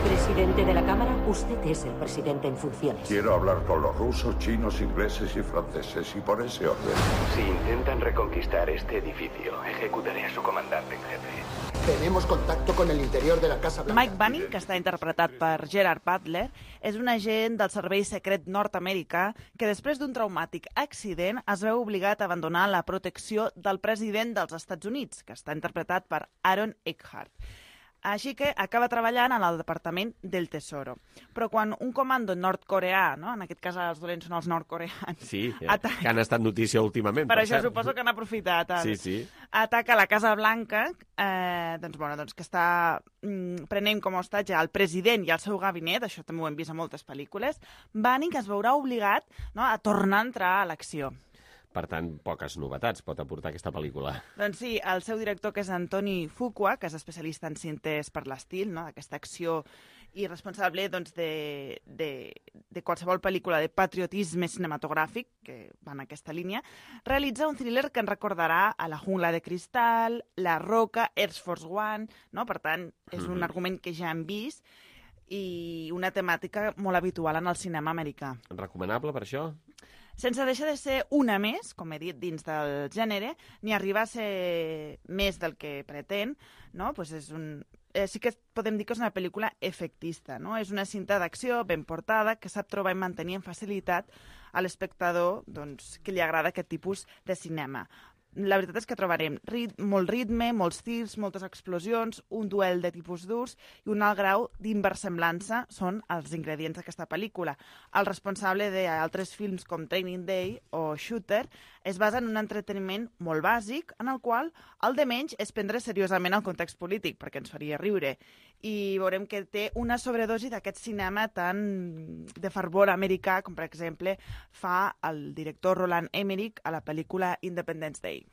Presidente de la Cámara, usted es el presidente en funciones. Quiero hablar con los rusos, chinos, ingleses y franceses, y por ese orden. Si intentan reconquistar este edificio, ejecutaré a su comandante en jefe. Tenemos contacto con el interior de la Casa Blanca. Mike Bunning, que està interpretat per Gerard Butler, és un agent del Servei Secret nord-americà que després d'un traumàtic accident es veu obligat a abandonar la protecció del president dels Estats Units, que està interpretat per Aaron Eckhart. Així que acaba treballant en el Departament del Tesoro. Però quan un comando nord-coreà, no? En aquest cas els dolents són els nord-coreans... Sí, ataca... que han estat notícia últimament. Per, per això cert. Suposo que han aprofitat. Sí, sí. Ataca la Casa Blanca, eh, doncs, bueno, doncs, que està mm, prenent com a hostatge el president i el seu gabinet, això també ho hem vist a moltes pel·lícules. Bunning es veurà obligat, no, a tornar a entrar a l'acció. Per tant, poques novetats pot aportar aquesta pel·lícula. Doncs sí, el seu director, que és Antoni Fuqua, que és especialista en cintes per l'estil, no? D'aquesta acció, i responsable doncs, de, de, de qualsevol pel·lícula de patriotisme cinematogràfic, que va en aquesta línia, realitza un thriller que ens recordarà a La jungla de cristal, La roca, Air Force One, no? Per tant, és un mm-hmm. argument que ja hem vist, i una temàtica molt habitual en el cinema americà. Recomanable per això? Sense deixar de ser una més, com he dit, dins del gènere, ni arribar a ser més del que pretén, no? Pues és un... eh, sí que podem dir que és una pel·lícula efectista, no? És una cinta d'acció ben portada que sap trobar i mantenir amb facilitat a l'espectador, doncs, que li agrada aquest tipus de cinema. La veritat és que trobarem rit molt ritme, molts tirs, moltes explosions, un duel de tipus durs i un alt grau d'inversemblança són els ingredients d'aquesta pel·lícula. El responsable d'altres films com Training Day o Shooter es basa en un entreteniment molt bàsic en el qual el de menys és prendre seriosament el context polític, perquè ens faria riure. I veurem que té una sobredosi d'aquest cinema tan de fervor americà com, per exemple, fa el director Roland Emmerich a la pel·lícula Independence Day.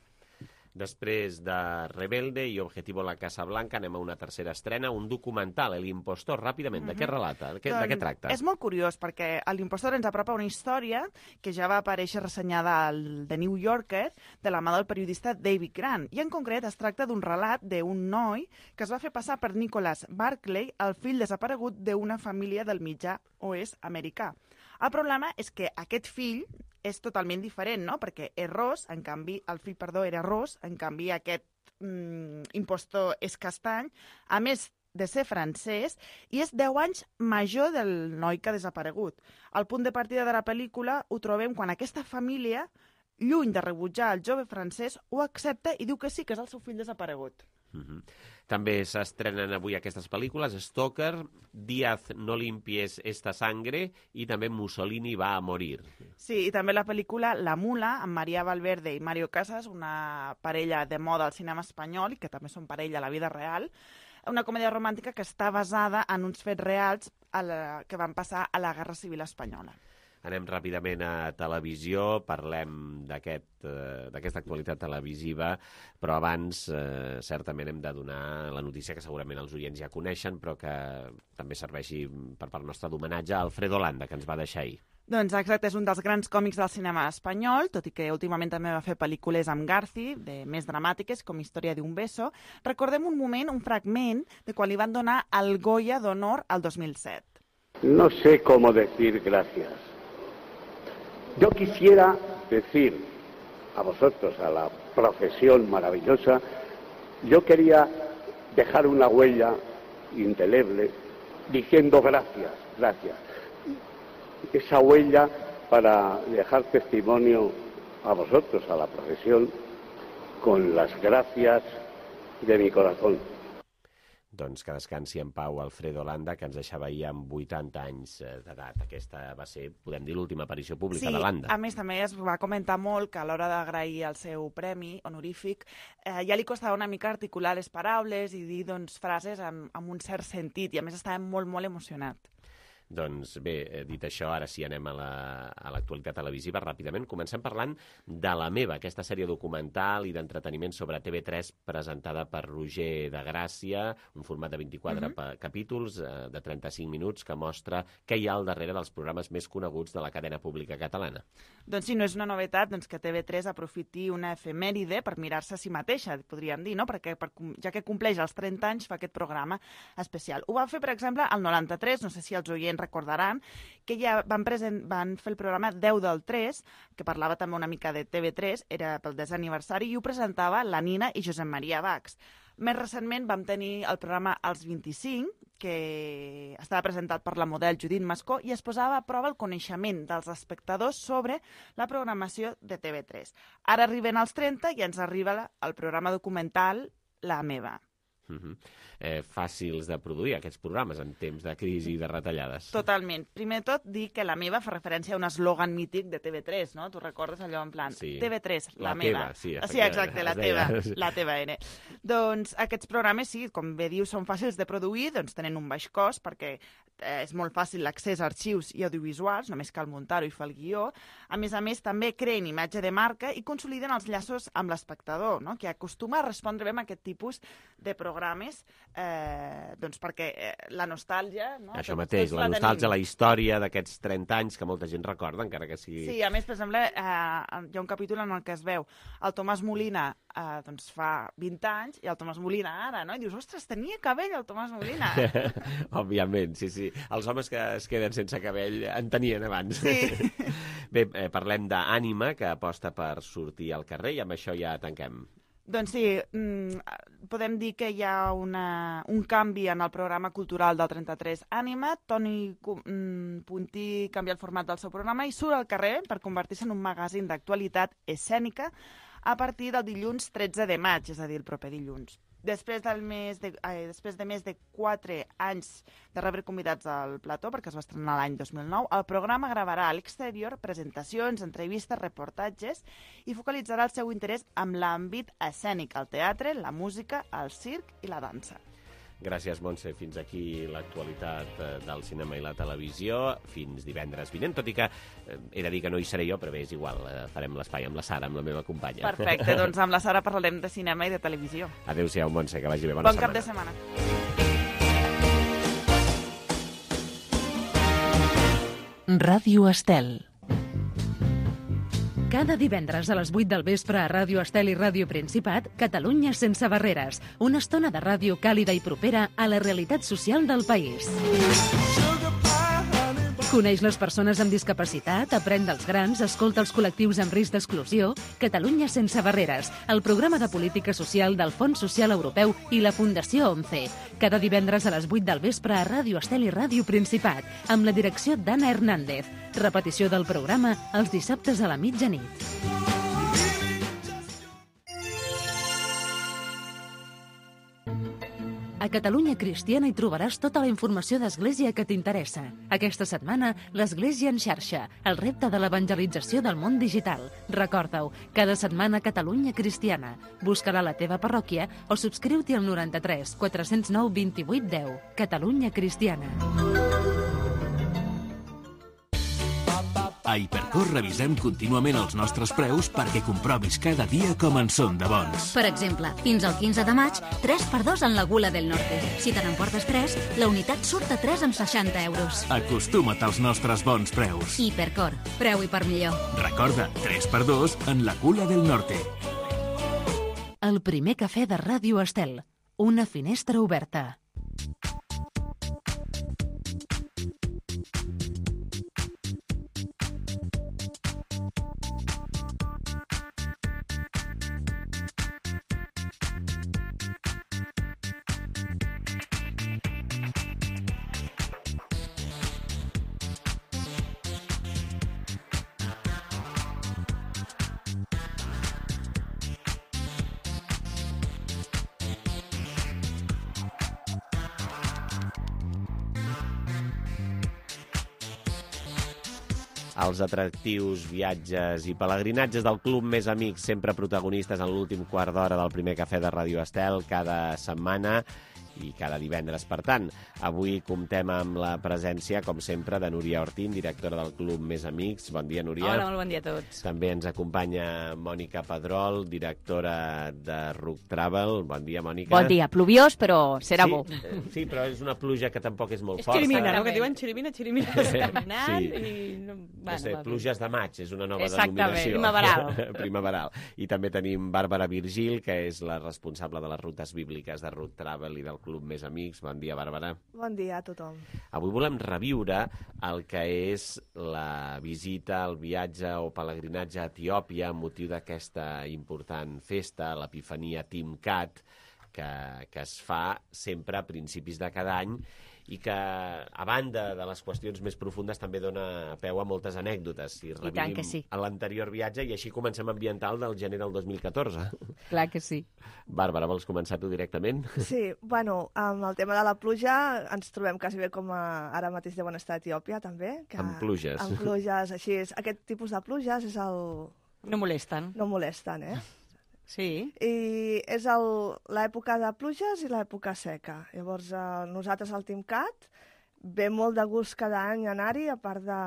Després de Rebelde i Objetivo, La Casa Blanca, anem a una tercera estrena, un documental, El Impostor, ràpidament. Mm-hmm. De què relata? De què, doncs, de què tracta? És molt curiós, perquè L'Impostor ens apropa una història que ja va aparèixer ressenyada al The New Yorker de la mà del periodista David Grant. I en concret es tracta d'un relat d'un noi que es va fer passar per Nicholas Barclay, el fill desaparegut d'una família del mitjà oest americà. El problema és que aquest fill és totalment diferent, no? Perquè és ros, en canvi, el fill, perdó, era ros, en canvi aquest mm, impostor és castany, a més de ser francès, i és deu anys major del noi que ha desaparegut. El punt de partida de la pel·lícula ho trobem quan aquesta família, lluny de rebutjar el jove francès, ho accepta i diu que sí, que és el seu fill desaparegut. Mm-hmm. També s'estrenen avui aquestes pel·lícules, Stalker, Díaz no limpies esta sangre i també Mussolini va a morir. Sí, i també la pel·lícula La Mula, amb María Valverde i Mario Casas, una parella de moda al cinema espanyol i que també són parella a la vida real, una comèdia romàntica que està basada en uns fets reals a la, que van passar a la Guerra Civil Espanyola. Anem ràpidament a televisió, parlem d'aquest, eh, d'aquesta actualitat televisiva, però abans eh, certament hem de donar la notícia que segurament els oients ja coneixen, però que també serveixi per part nostra d'homenatge a Alfredo Landa, que ens va deixar ahir. Doncs exacte, és un dels grans còmics del cinema espanyol, tot i que últimament també va fer pel·lícules amb Garci, de més dramàtiques, com Història d'un beso. Recordem un moment, un fragment, de quan li van donar el Goya d'Honor al dos mil set. No sé cómo decir gracias. Yo quisiera decir a vosotros, a la profesión maravillosa, yo quería dejar una huella indeleble diciendo gracias, gracias. Esa huella para dejar testimonio a vosotros, a la profesión, con las gracias de mi corazón. Doncs que descansi en pau Alfredo Landa, que ens deixava ahir amb vuitanta anys d'edat. Aquesta va ser, podem dir, l'última aparició pública sí, de Landa. Sí, a més també es va comentar molt que a l'hora d'agrair el seu premi honorífic eh, ja li costava una mica articular les paraules i dir doncs, frases amb, amb un cert sentit, i a més estava molt, molt emocionat. Doncs bé, dit això, ara sí anem a l'actualitat televisiva ràpidament. Comencem parlant de La meva, aquesta sèrie documental i d'entreteniment sobre T V tres presentada per Roger de Gràcia, un format de vint-i-quatre uh-huh. capítols eh, de trenta-cinc minuts que mostra què hi ha al darrere dels programes més coneguts de la cadena pública catalana. Doncs sí, no és una novetat doncs, que T V tres aprofiti una efemèride per mirar-se a si mateixa, podríem dir, no? Perquè per, ja que compleix els trenta anys fa aquest programa especial. Ho van fer, per exemple, al noranta-tres, no sé si els oients recordaran, que ja van, present, van fer el programa deu del tres, que parlava també una mica de T V tres, era pel desè aniversari, i ho presentava la Nina i Josep Maria Bax. Més recentment vam tenir el programa als vint-i-cinc, que estava presentat per la model Judit Mascó i es posava a prova el coneixement dels espectadors sobre la programació de T V tres. Ara arriben als trenta i ens arriba el programa documental La meva. Uh-huh. eh, fàcils de produir aquests programes en temps de crisi i de retallades. Totalment. Primer de tot, dir que La meva fa referència a un eslògan mític de T V tres, no? Tu recordes allò en plan sí. T V tres, la, la meva. Teva, sí, sí, exacte, la teva, la teva N. Doncs aquests programes, sí, com bé dius, són fàcils de produir, doncs tenen un baix cost perquè eh, és molt fàcil l'accés a arxius i audiovisuals, només cal muntar-ho i fer el guió. A més a més, també creen imatge de marca i consoliden els llaços amb l'espectador, no? Que acostuma a respondre bé amb aquest tipus de programes eh, doncs perquè eh, la nostàlgia... No? Això doncs, mateix, doncs la, la nostàlgia, tenim. La història d'aquests trenta anys que molta gent recorda, encara que sigui... Sí, a més, per exemple, eh, hi ha un capítol en el que es veu el Tomàs Molina eh, doncs fa vint anys i el Tomàs Molina ara, no? I dius, ostres, tenia cabell el Tomàs Molina. Òbviament, sí, sí. Els homes que es queden sense cabell en tenien abans. Sí. Bé, eh, parlem d'Ànima, que aposta per sortir al carrer, i amb això ja tanquem. Doncs sí, mm, podem dir que hi ha una, un canvi en el programa cultural del trenta-tres Ànima. Toni mm, Puntí canvia el format del seu programa i surt al carrer per convertir-se en un magazín d'actualitat escènica a partir del dilluns tretze de maig, és a dir, el proper dilluns. Després, del mes de, eh, després de més de quatre anys de rebre convidats al plató, perquè es va estrenar l'any dos mil nou, el programa gravarà a l'exterior presentacions, entrevistes, reportatges i focalitzarà el seu interès amb l'àmbit escènic, el teatre, la música, el circ i la dansa. Gràcies, Montse. Fins aquí l'actualitat del cinema i la televisió. Fins divendres vinent, tot i que eh, he de dir que no hi seré jo, però bé, és igual. Eh, farem l'espai amb la Sara, amb la meva companya. Perfecte, doncs amb la Sara parlarem de cinema i de televisió. Adéu-siau, Montse, que vagi bé. Bona bon setmana. Bon cap de setmana. Ràdio Estel. Cada divendres a les vuit del vespre a Ràdio Estel i Ràdio Principat, Catalunya sense barreres. Una estona de ràdio càlida i propera a la realitat social del país. Coneix les persones amb discapacitat, aprèn dels grans, escolta els col·lectius amb risc d'exclusió. Catalunya sense barreres, el programa de política social del Fons Social Europeu i la Fundació ONCE. Cada divendres a les vuit del vespre a Ràdio Estel i Ràdio Principat, amb la direcció d'Anna Hernández. Repetició del programa els dissabtes a la mitjanit. A Catalunya Cristiana hi trobaràs tota la informació d'Església que t'interessa. Aquesta setmana, l'Església en xarxa, el repte de l'evangelització del món digital. Recorda-ho, cada setmana Catalunya Cristiana. Busca-la a la teva parròquia o subscriu-t'hi al noranta-tres quatre cents nou vint-i-vuit deu. Catalunya Cristiana. A Hipercor revisem contínuament els nostres preus perquè comprovis cada dia com en són de bons. Per exemple, fins al quinze de maig, tres per dos en la Gula del Norte. Si te n'emportes tres, la unitat surt a tres amb seixanta euros. Acostuma't als nostres bons preus. Hipercor, preu i per millor. Recorda, tres per dos en la Gula del Norte. El primer cafè de Ràdio Estel. Una finestra oberta. els atractius viatges i pelegrinatges del Club Més Amics, sempre protagonistes en l'últim quart d'hora del primer cafè de Ràdio Estel, cada setmana i cada divendres. Per tant, avui comptem amb la presència, com sempre, de Núria Ortín, directora del Club Més Amics. Bon dia, Núria. Hola, molt bon dia a tots. També ens acompanya Mònica Pedrol, directora de Ruc Travel. Bon dia, Mònica. Bon dia. Pluviós, però serà sí, bo. Eh, sí, però és una pluja que tampoc és molt és forta. És xirimina, no? Que diuen xirimina, xirimina. Sí, caminant sí. i... No, bueno, no sé, pluges de maig, és una nova Exactament, denominació. primaveral. primaveral. I també tenim Bàrbara Virgil, que és la responsable de les rutes bíbliques de Ruc Travel i del Club Més Amics. Bon dia, Bàrbara. Bon dia a tothom. Avui volem reviure el que és la visita, el viatge o pelegrinatge a Etiòpia amb motiu d'aquesta important festa, l'Epifania Timcat, que, que es fa sempre a principis de cada any i que, a banda de les qüestions més profundes, també dona peu a moltes anècdotes. Si revivim sí. a l'anterior viatge i així comencem a ambientar el del gener del dos mil catorze. Clar que sí. Bàrbara, vols començar tu directament? Sí, bueno, amb el tema de la pluja ens trobem quasi bé com a, ara mateix deuen estar a Etiòpia, també. Que, amb pluges. Amb pluges, així és. Aquest tipus de pluges és el... No molesten. No molesten, eh? Sí. I és el, l'època de pluges i l'època seca. Llavors, eh, nosaltres al Timcat ve molt de gust cada any anar-hi, a part de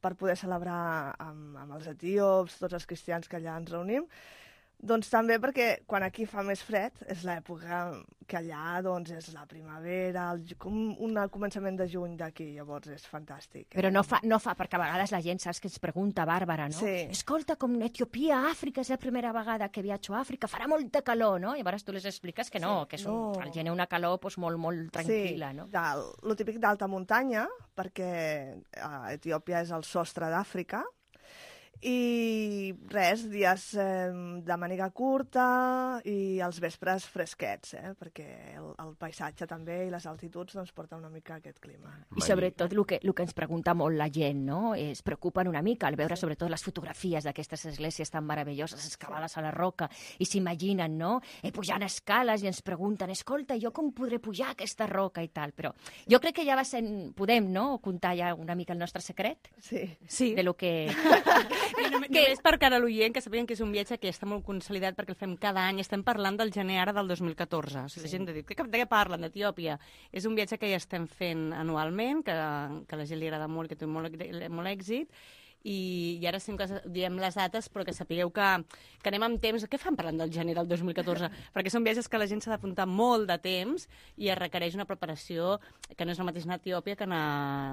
per poder celebrar amb, amb els etíops, tots els cristians que allà ens reunim. Doncs també perquè quan aquí fa més fred és l'època que allà doncs, és la primavera, el, com un començament de juny d'aquí, llavors és fantàstic. Però no fa, no fa, perquè a vegades la gent saps que ens pregunta, Bàrbara, no? Sí. Escolta, com Etiòpia, Àfrica, és la primera vegada que viatjo a Àfrica, farà molta calor, no? I llavors tu les expliques que no, sí, que és un, no. al gener una calor pues, molt, molt tranquil·la, sí, no? Sí, el típic d'alta muntanya, perquè eh, Etiòpia és el sostre d'Àfrica, i res, dies eh, de màniga curta i els vespres fresquets, eh? Perquè el, el paisatge també i les altituds doncs, porten una mica aquest clima. I sobretot el que, el que ens pregunta molt la gent, no? Es preocupen una mica al veure sí. sobretot les fotografies d'aquestes esglésies tan meravelloses, excavades sí. a la roca, i s'imaginen, no? Eh, pujant escales i ens pregunten, escolta, jo com podré pujar aquesta roca i tal? Però jo crec que ja va ser, podem, no?, contar ja una mica el nostre secret? Sí. Sí. De lo que... No, que és per cara a l'oient, que sapien que és un viatge que està molt consolidat perquè el fem cada any. Estem parlant del gener ara del dos mil catorze. O sigui, sí. La gent ha dit, de què parlen d'Etiòpia? És un viatge que ja estem fent anualment, que, que a la gent li agrada molt, que té molt, molt èxit, i, i ara sempre diem les dates, però que sapigueu que, que anem amb temps. Què fan parlant del gener del dos mil catorze? Perquè són viatges que la gent s'ha d'apuntar molt de temps i es requereix una preparació que no és el mateix anar a Etiòpia que anar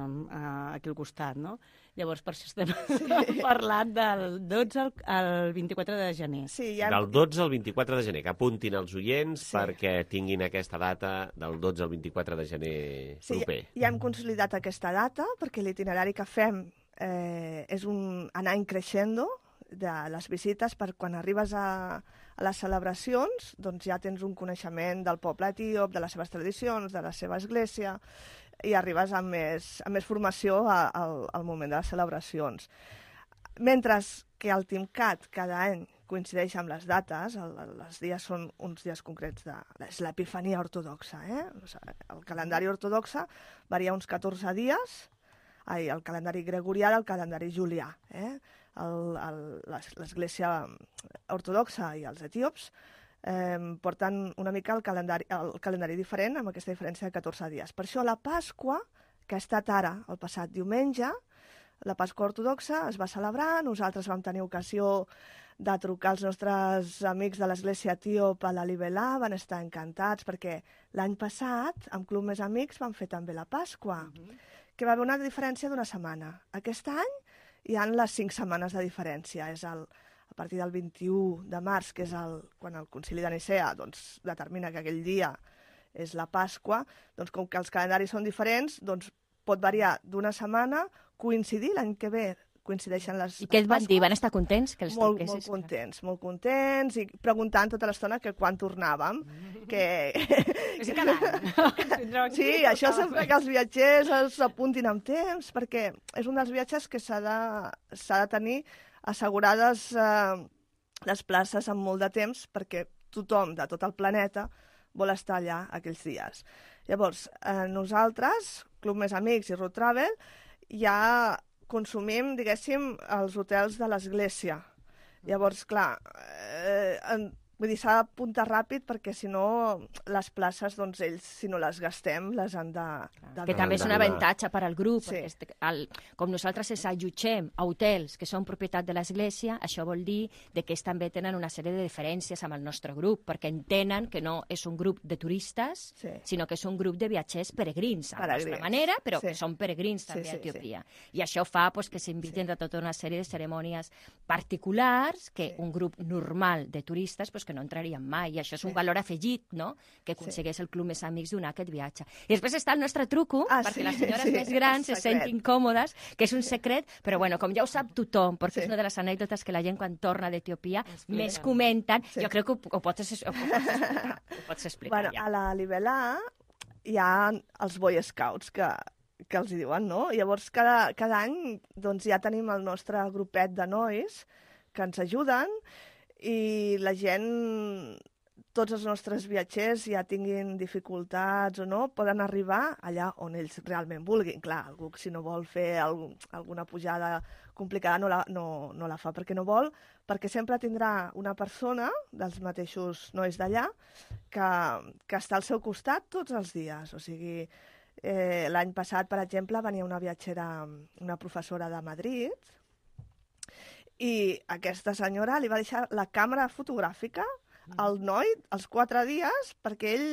a, aquí al costat, no? Llavors, per això estem sí. parlant del dotze al, al vint-i-quatre de gener. Sí, ja... Del dotze al vint-i-quatre de gener, que apuntin els oients sí. perquè tinguin aquesta data del dotze al vint-i-quatre de gener sí, proper. Ja, ja hem consolidat aquesta data perquè l'itinerari que fem eh, és un anar increixendo de les visites per quan arribes a, a les celebracions doncs ja tens un coneixement del poble etíop, de les seves tradicions, de la seva església, i arribes amb més, amb més formació a, a, al moment de les celebracions. Mentre que el Timcat cada any coincideix amb les dates, el, els dies són uns dies concrets, de, és l'Epifania ortodoxa. Eh? El calendari ortodoxa varia uns catorze dies, ai, el calendari gregorià del calendari julià. Eh? L'Església ortodoxa i els etíops Eh, porten una mica el calendari, el calendari diferent, amb aquesta diferència de catorze dies. Per això la Pasqua, que ha estat ara, el passat diumenge, la Pasqua ortodoxa es va celebrar, nosaltres vam tenir ocasió de trucar als nostres amics de l'Església etíop a la Libelà, van estar encantats, perquè l'any passat, amb Club Més Amics, van fer també la Pasqua, uh-huh. que va haver una diferència d'una setmana. Aquest any hi ha les cinc setmanes de diferència, és el... a partir del vint-i-u de març, que és el, quan el Concili de Nicea doncs, determina que aquell dia és la Pasqua, doncs com que els calendaris són diferents, doncs pot variar d'una setmana, coincidir l'any que ve, coincideixen les... I què et van dir? Van estar contents? Que els molt, molt contents, molt contents, i preguntant tota l'estona que quan tornàvem, que... És cada any. Sí, això sempre que els viatgers s'apuntin amb temps, perquè és un dels viatges que s'ha de, s'ha de tenir assegurades eh, les places amb molt de temps perquè tothom de tot el planeta vol estar allà aquells dies. Llavors, eh, nosaltres, Club Més Amics i Ruc Travel, ja consumim, diguéssim, als hotels de l'església. Llavors, clar, eh, en, vull dir, s'ha d'apuntar ràpid perquè, si no, les places, doncs, ells, si no les gastem, les han de... de que també és un avantatge per al grup, sí. perquè el, com nosaltres ens allotgem a hotels que són propietat de l'Església, això vol dir de que ells també tenen una sèrie de diferències amb el nostre grup, perquè entenen que no és un grup de turistes, sí. sinó que és un grup de viatgers peregrins, a la nostra manera, però sí. que són peregrins també sí, sí, a Etiòpia. Sí. I això fa pues, que s'inviten sí. a tota una sèrie de cerimònies particulars que sí. un grup normal de turistes pues, que no entrarien mai, i això és un sí. valor afegit, no?, que aconsegueix sí. el Club Més Amics donar aquest viatge. I després està el nostre truco, ah, perquè sí, les senyores sí, més grans se sentin còmodes, que és un secret, però bueno, com ja ho sap tothom, perquè sí. és una de les anècdotes que la gent quan torna d'Etiòpia més comenten, sí. jo crec que ho, ho pots, ho pots explicar. Ho pots explicar bueno, ja. A la Libelà hi ha els Boy Scouts que que els hi diuen, no? Llavors, cada, cada any doncs, ja tenim el nostre grupet de nois que ens ajuden, i la gent, tots els nostres viatgers, ja tinguin dificultats o no, poden arribar allà on ells realment vulguin. Clar, algú si no vol fer algun, alguna pujada complicada no la, no, no la fa perquè no vol, perquè sempre tindrà una persona dels mateixos nois d'allà que, que està al seu costat tots els dies. O sigui, eh, l'any passat, per exemple, venia una viatgera, una professora de Madrid, i aquesta senyora li va deixar la càmera fotogràfica al noi els quatre dies perquè ell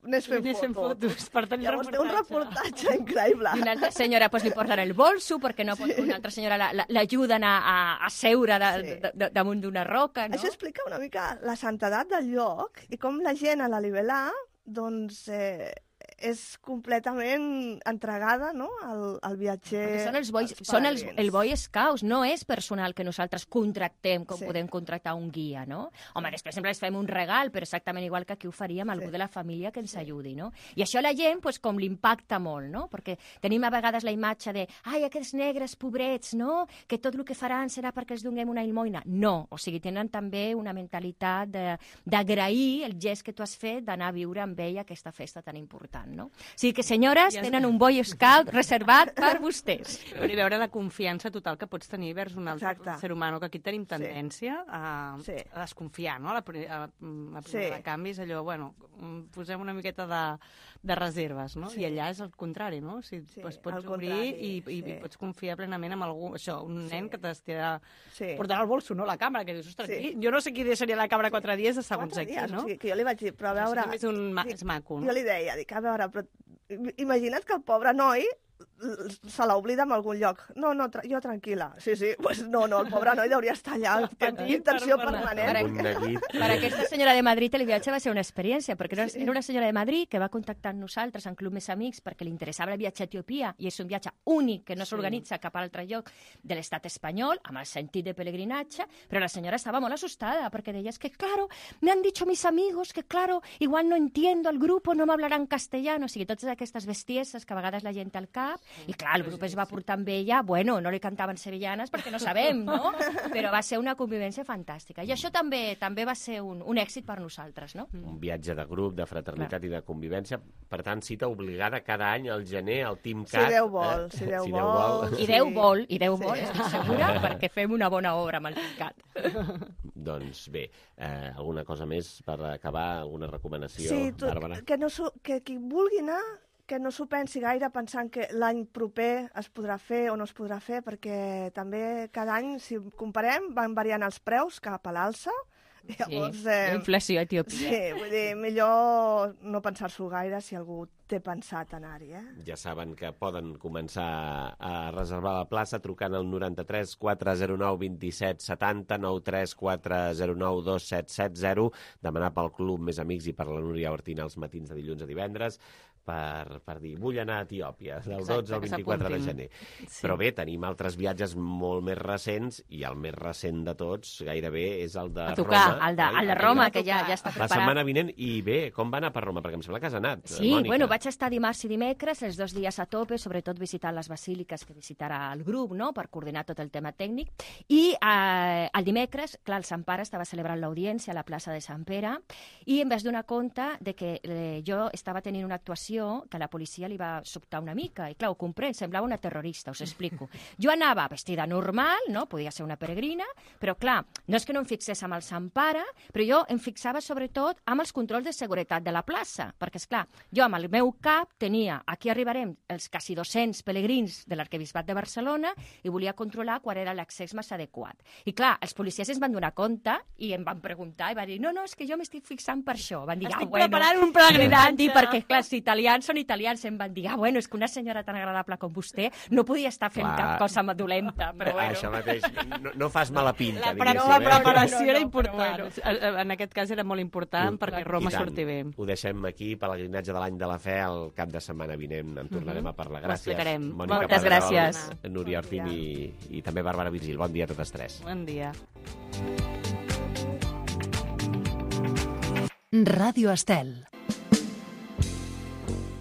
anés fent, fent fotos. Per tenir Llavors té un reportatge increïble. I una altra senyora pues, li porten el bolso perquè no pot, sí. una altra senyora l'ajuden a, a, a seure de, sí. de, de, damunt d'una roca. No? Això explica una mica la santedat del lloc i com la gent a la Libelà doncs, eh, és completament entregada, no?, al, al viatger. Perquè són els boys, són els, el Boy Scouts, no és personal que nosaltres contractem com sí. podem contractar un guia, no? Home, després sempre els fem un regal, però exactament igual que aquí ho faríem algú sí. de la família que ens sí. ajudi, no? I això a la gent, pues, com l'impacta molt, no? Perquè tenim a vegades la imatge de ai, aquests negres pobrets, no?, que tot el que faran serà perquè els donem una ilmoina. No, o sigui, tenen també una mentalitat d'agrair el gest que tu has fet d'anar a viure amb ell aquesta festa tan important. No? O sigui que, senyores, ja tenen un Boy Scout reservat per vostès. Per veure la confiança total que pots tenir vers un altre Exacte. ser humà, que aquí tenim tendència sí. A, sí. a desconfiar, no? A la, a, a primera sí. de canvis, allò, bueno, posem una miqueta de, de reserves, no? Sí. I allà és el contrari, no? O sigui, sí, pues, pots obrir i, i, sí. i pots confiar plenament en algú, això, un nen sí. que t'estirà sí. portant al bolso, no?, la càmera, que dius, ostres, sí. jo no sé qui deixaria la càmera quatre dies de segons aquí, no? O sigui, que jo li vaig dir, però a veure... És, un ma és maco, no? Jo li deia, dic, a veure, però imagina't que el pobre noi se l'oblida en algun lloc. No, no, tra jo tranquil·la. Sí, sí, pues no, no, el pobre noi hauria d'estar allà en intenció permanent. Per, per aquesta senyora de Madrid el viatge va ser una experiència, perquè era, sí. era una senyora de Madrid que va contactar amb nosaltres en Club Més Amics perquè li interessava el viatge a Etiòpia, i és un viatge únic que no s'organitza sí. cap altre lloc de l'estat espanyol, amb el sentit de pelegrinatge, però la senyora estava molt assustada perquè deia, es que claro, me han dicho mis amigos que claro, igual no entiendo el grupo, no m'hablaran castellano, o sigui, totes aquestes bestieses que a vegades la gent té al cap, i clar, el grup es va portar amb ella, bueno, no li cantaven sevillanes perquè no sabem, no? Però va ser una convivència fantàstica. I això també també va ser un, un èxit per nosaltres, no? Un viatge de grup, de fraternitat clar. I de convivència. Per tant, cita obligada cada any al gener, al Team Cat. Si Déu vol, eh? si Déu si vol. vol. I Déu vol, i Déu vol, sí. estic segura, perquè fem una bona obra amb el Team Cat. Doncs bé, eh, alguna cosa més per acabar, alguna recomanació, sí, tu, Bàrbara? Que, no, que qui vulgui anar que no s'ho pensi gaire pensant que l'any proper es podrà fer o no es podrà fer, perquè també cada any, si comparem, van variant els preus cap a l'alça. Llavors, sí, eh, inflació a Etiòpia. Sí, vull dir, millor no pensar-s'ho gaire si algú té pensat anar-hi, eh? Ja saben que poden començar a reservar la plaça trucant al noranta-tres quatre zero nou vint-i-set setanta, nou tres quatre zero nou dos set set zero, demanar pel Club Més Amics i per la Núria Ortina els matins de dilluns a divendres, per, per dir, vull anar a Etiòpia, del Exacte, dotze al vint-i-quatre de gener. Sí. Però bé, tenim altres viatges molt més recents, i el més recent de tots, gairebé, és el de tocar, Roma. El de, el de Roma, que ja, ja està preparat. La setmana vinent, i bé, com va anar per Roma? Perquè em sembla que has anat, Sí, Mònica. bueno, vaig estar dimarts i dimecres, els dos dies a tope, sobretot visitant les basíliques que visitarà el grup, no?, per coordinar tot el tema tècnic. I eh, el dimecres, clar, el Sant Pare estava celebrant l'audiència a la plaça de Sant Pere, i em vaig donar compte de que eh, jo estava tenint una actuació sensació que la policia li va sobtar una mica. I clar, ho comprèn, semblava una terrorista, us explico. Jo anava vestida normal, no? Podia ser una peregrina, però clar, no és que no em fixés amb el Sant Pare, però jo em fixava sobretot amb els controls de seguretat de la plaça, perquè, és clar, jo amb el meu cap tenia, aquí arribarem els quasi dos-cents pelegrins de l'Arquebisbat de Barcelona i volia controlar quan era l'accés més adequat. I clar, els policies es van donar compte i em van preguntar i van dir, no, no, és que jo m'estic fixant per això. Van dir, Estic ah, bueno. preparant un pelegrinatge. Dir, perquè, clar, si italians són italians, em van dir, ah, bueno, és que una senyora tan agradable com vostè no podia estar fent Clar. cap cosa dolenta, però bueno. Això mateix, no, no fas mala pinta, La, diguéssim. la eh? preparació No, no, era no, important. Bueno. En aquest cas era molt important perquè Roma I tant. surti bé. Ho deixem aquí, pelegrinatge de l'any de la fe, el cap de setmana vinent en tornarem Mhm. a parlar. Ho Gràcies. explicarem. Mònica Moltes Pedrerol, gràcies. Núria Orfín i, i també Bàrbara Virgil. Bon dia a totes tres. Bon dia. Ràdio Estel.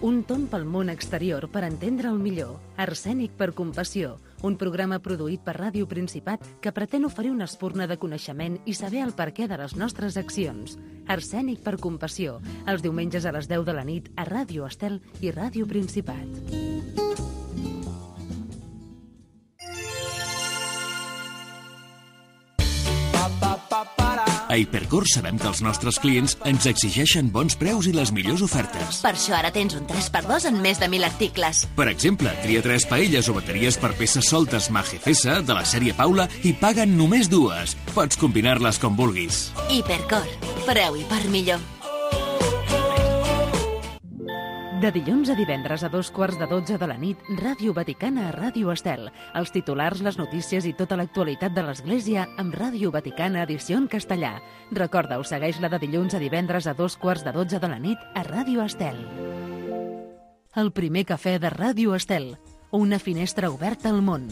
Un tomb pel món exterior per entendre el millor. Arsènic per compassió. Un programa produït per Ràdio Principat que pretén oferir una espurna de coneixement i saber el perquè de les nostres accions. Arsènic per compassió. Els diumenges a les deu de la nit a Ràdio Estel i Ràdio Principat. A Hipercor sabem que els nostres clients ens exigeixen bons preus i les millors ofertes. Per això ara tens un tres per dos en més de mil articles. Per exemple, tria tres paelles o bateries per peces soltes Magefesa de la sèrie Paula i paguen només dues. Pots combinar-les com vulguis. Hipercor. Preu i per millor. De dilluns a divendres a dos quarts de dotze de la nit, Ràdio Vaticana a Ràdio Estel. Els titulars, les notícies i tota l'actualitat de l'Església amb Ràdio Vaticana edició en castellà. Recorda-ho, segueix-la de dilluns a divendres a dos quarts de dotze de la nit a Ràdio Estel. El primer cafè de Ràdio Estel. Una finestra oberta al món.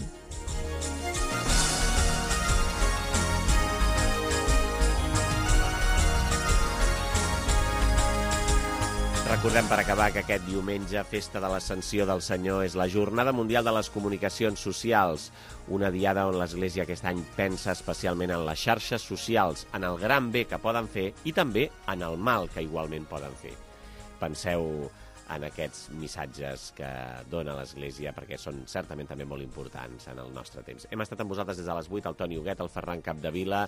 Recordem per acabar que aquest diumenge, festa de l'Ascensió del Senyor, és la Jornada Mundial de les Comunicacions Socials, una diada on l'Església aquest any pensa especialment en les xarxes socials, en el gran bé que poden fer i també en el mal que igualment poden fer. Penseu en aquests missatges que dona l'Església, perquè són certament també molt importants en el nostre temps. Hem estat amb vosaltres des de les vuit, el Toni Huguet, el Ferran Capdevila,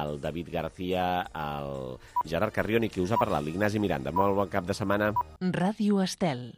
el David García, el Gerard Carrion i qui us ha parlat, l'Ignasi Miranda. Molt bon cap de setmana. Ràdio Estel.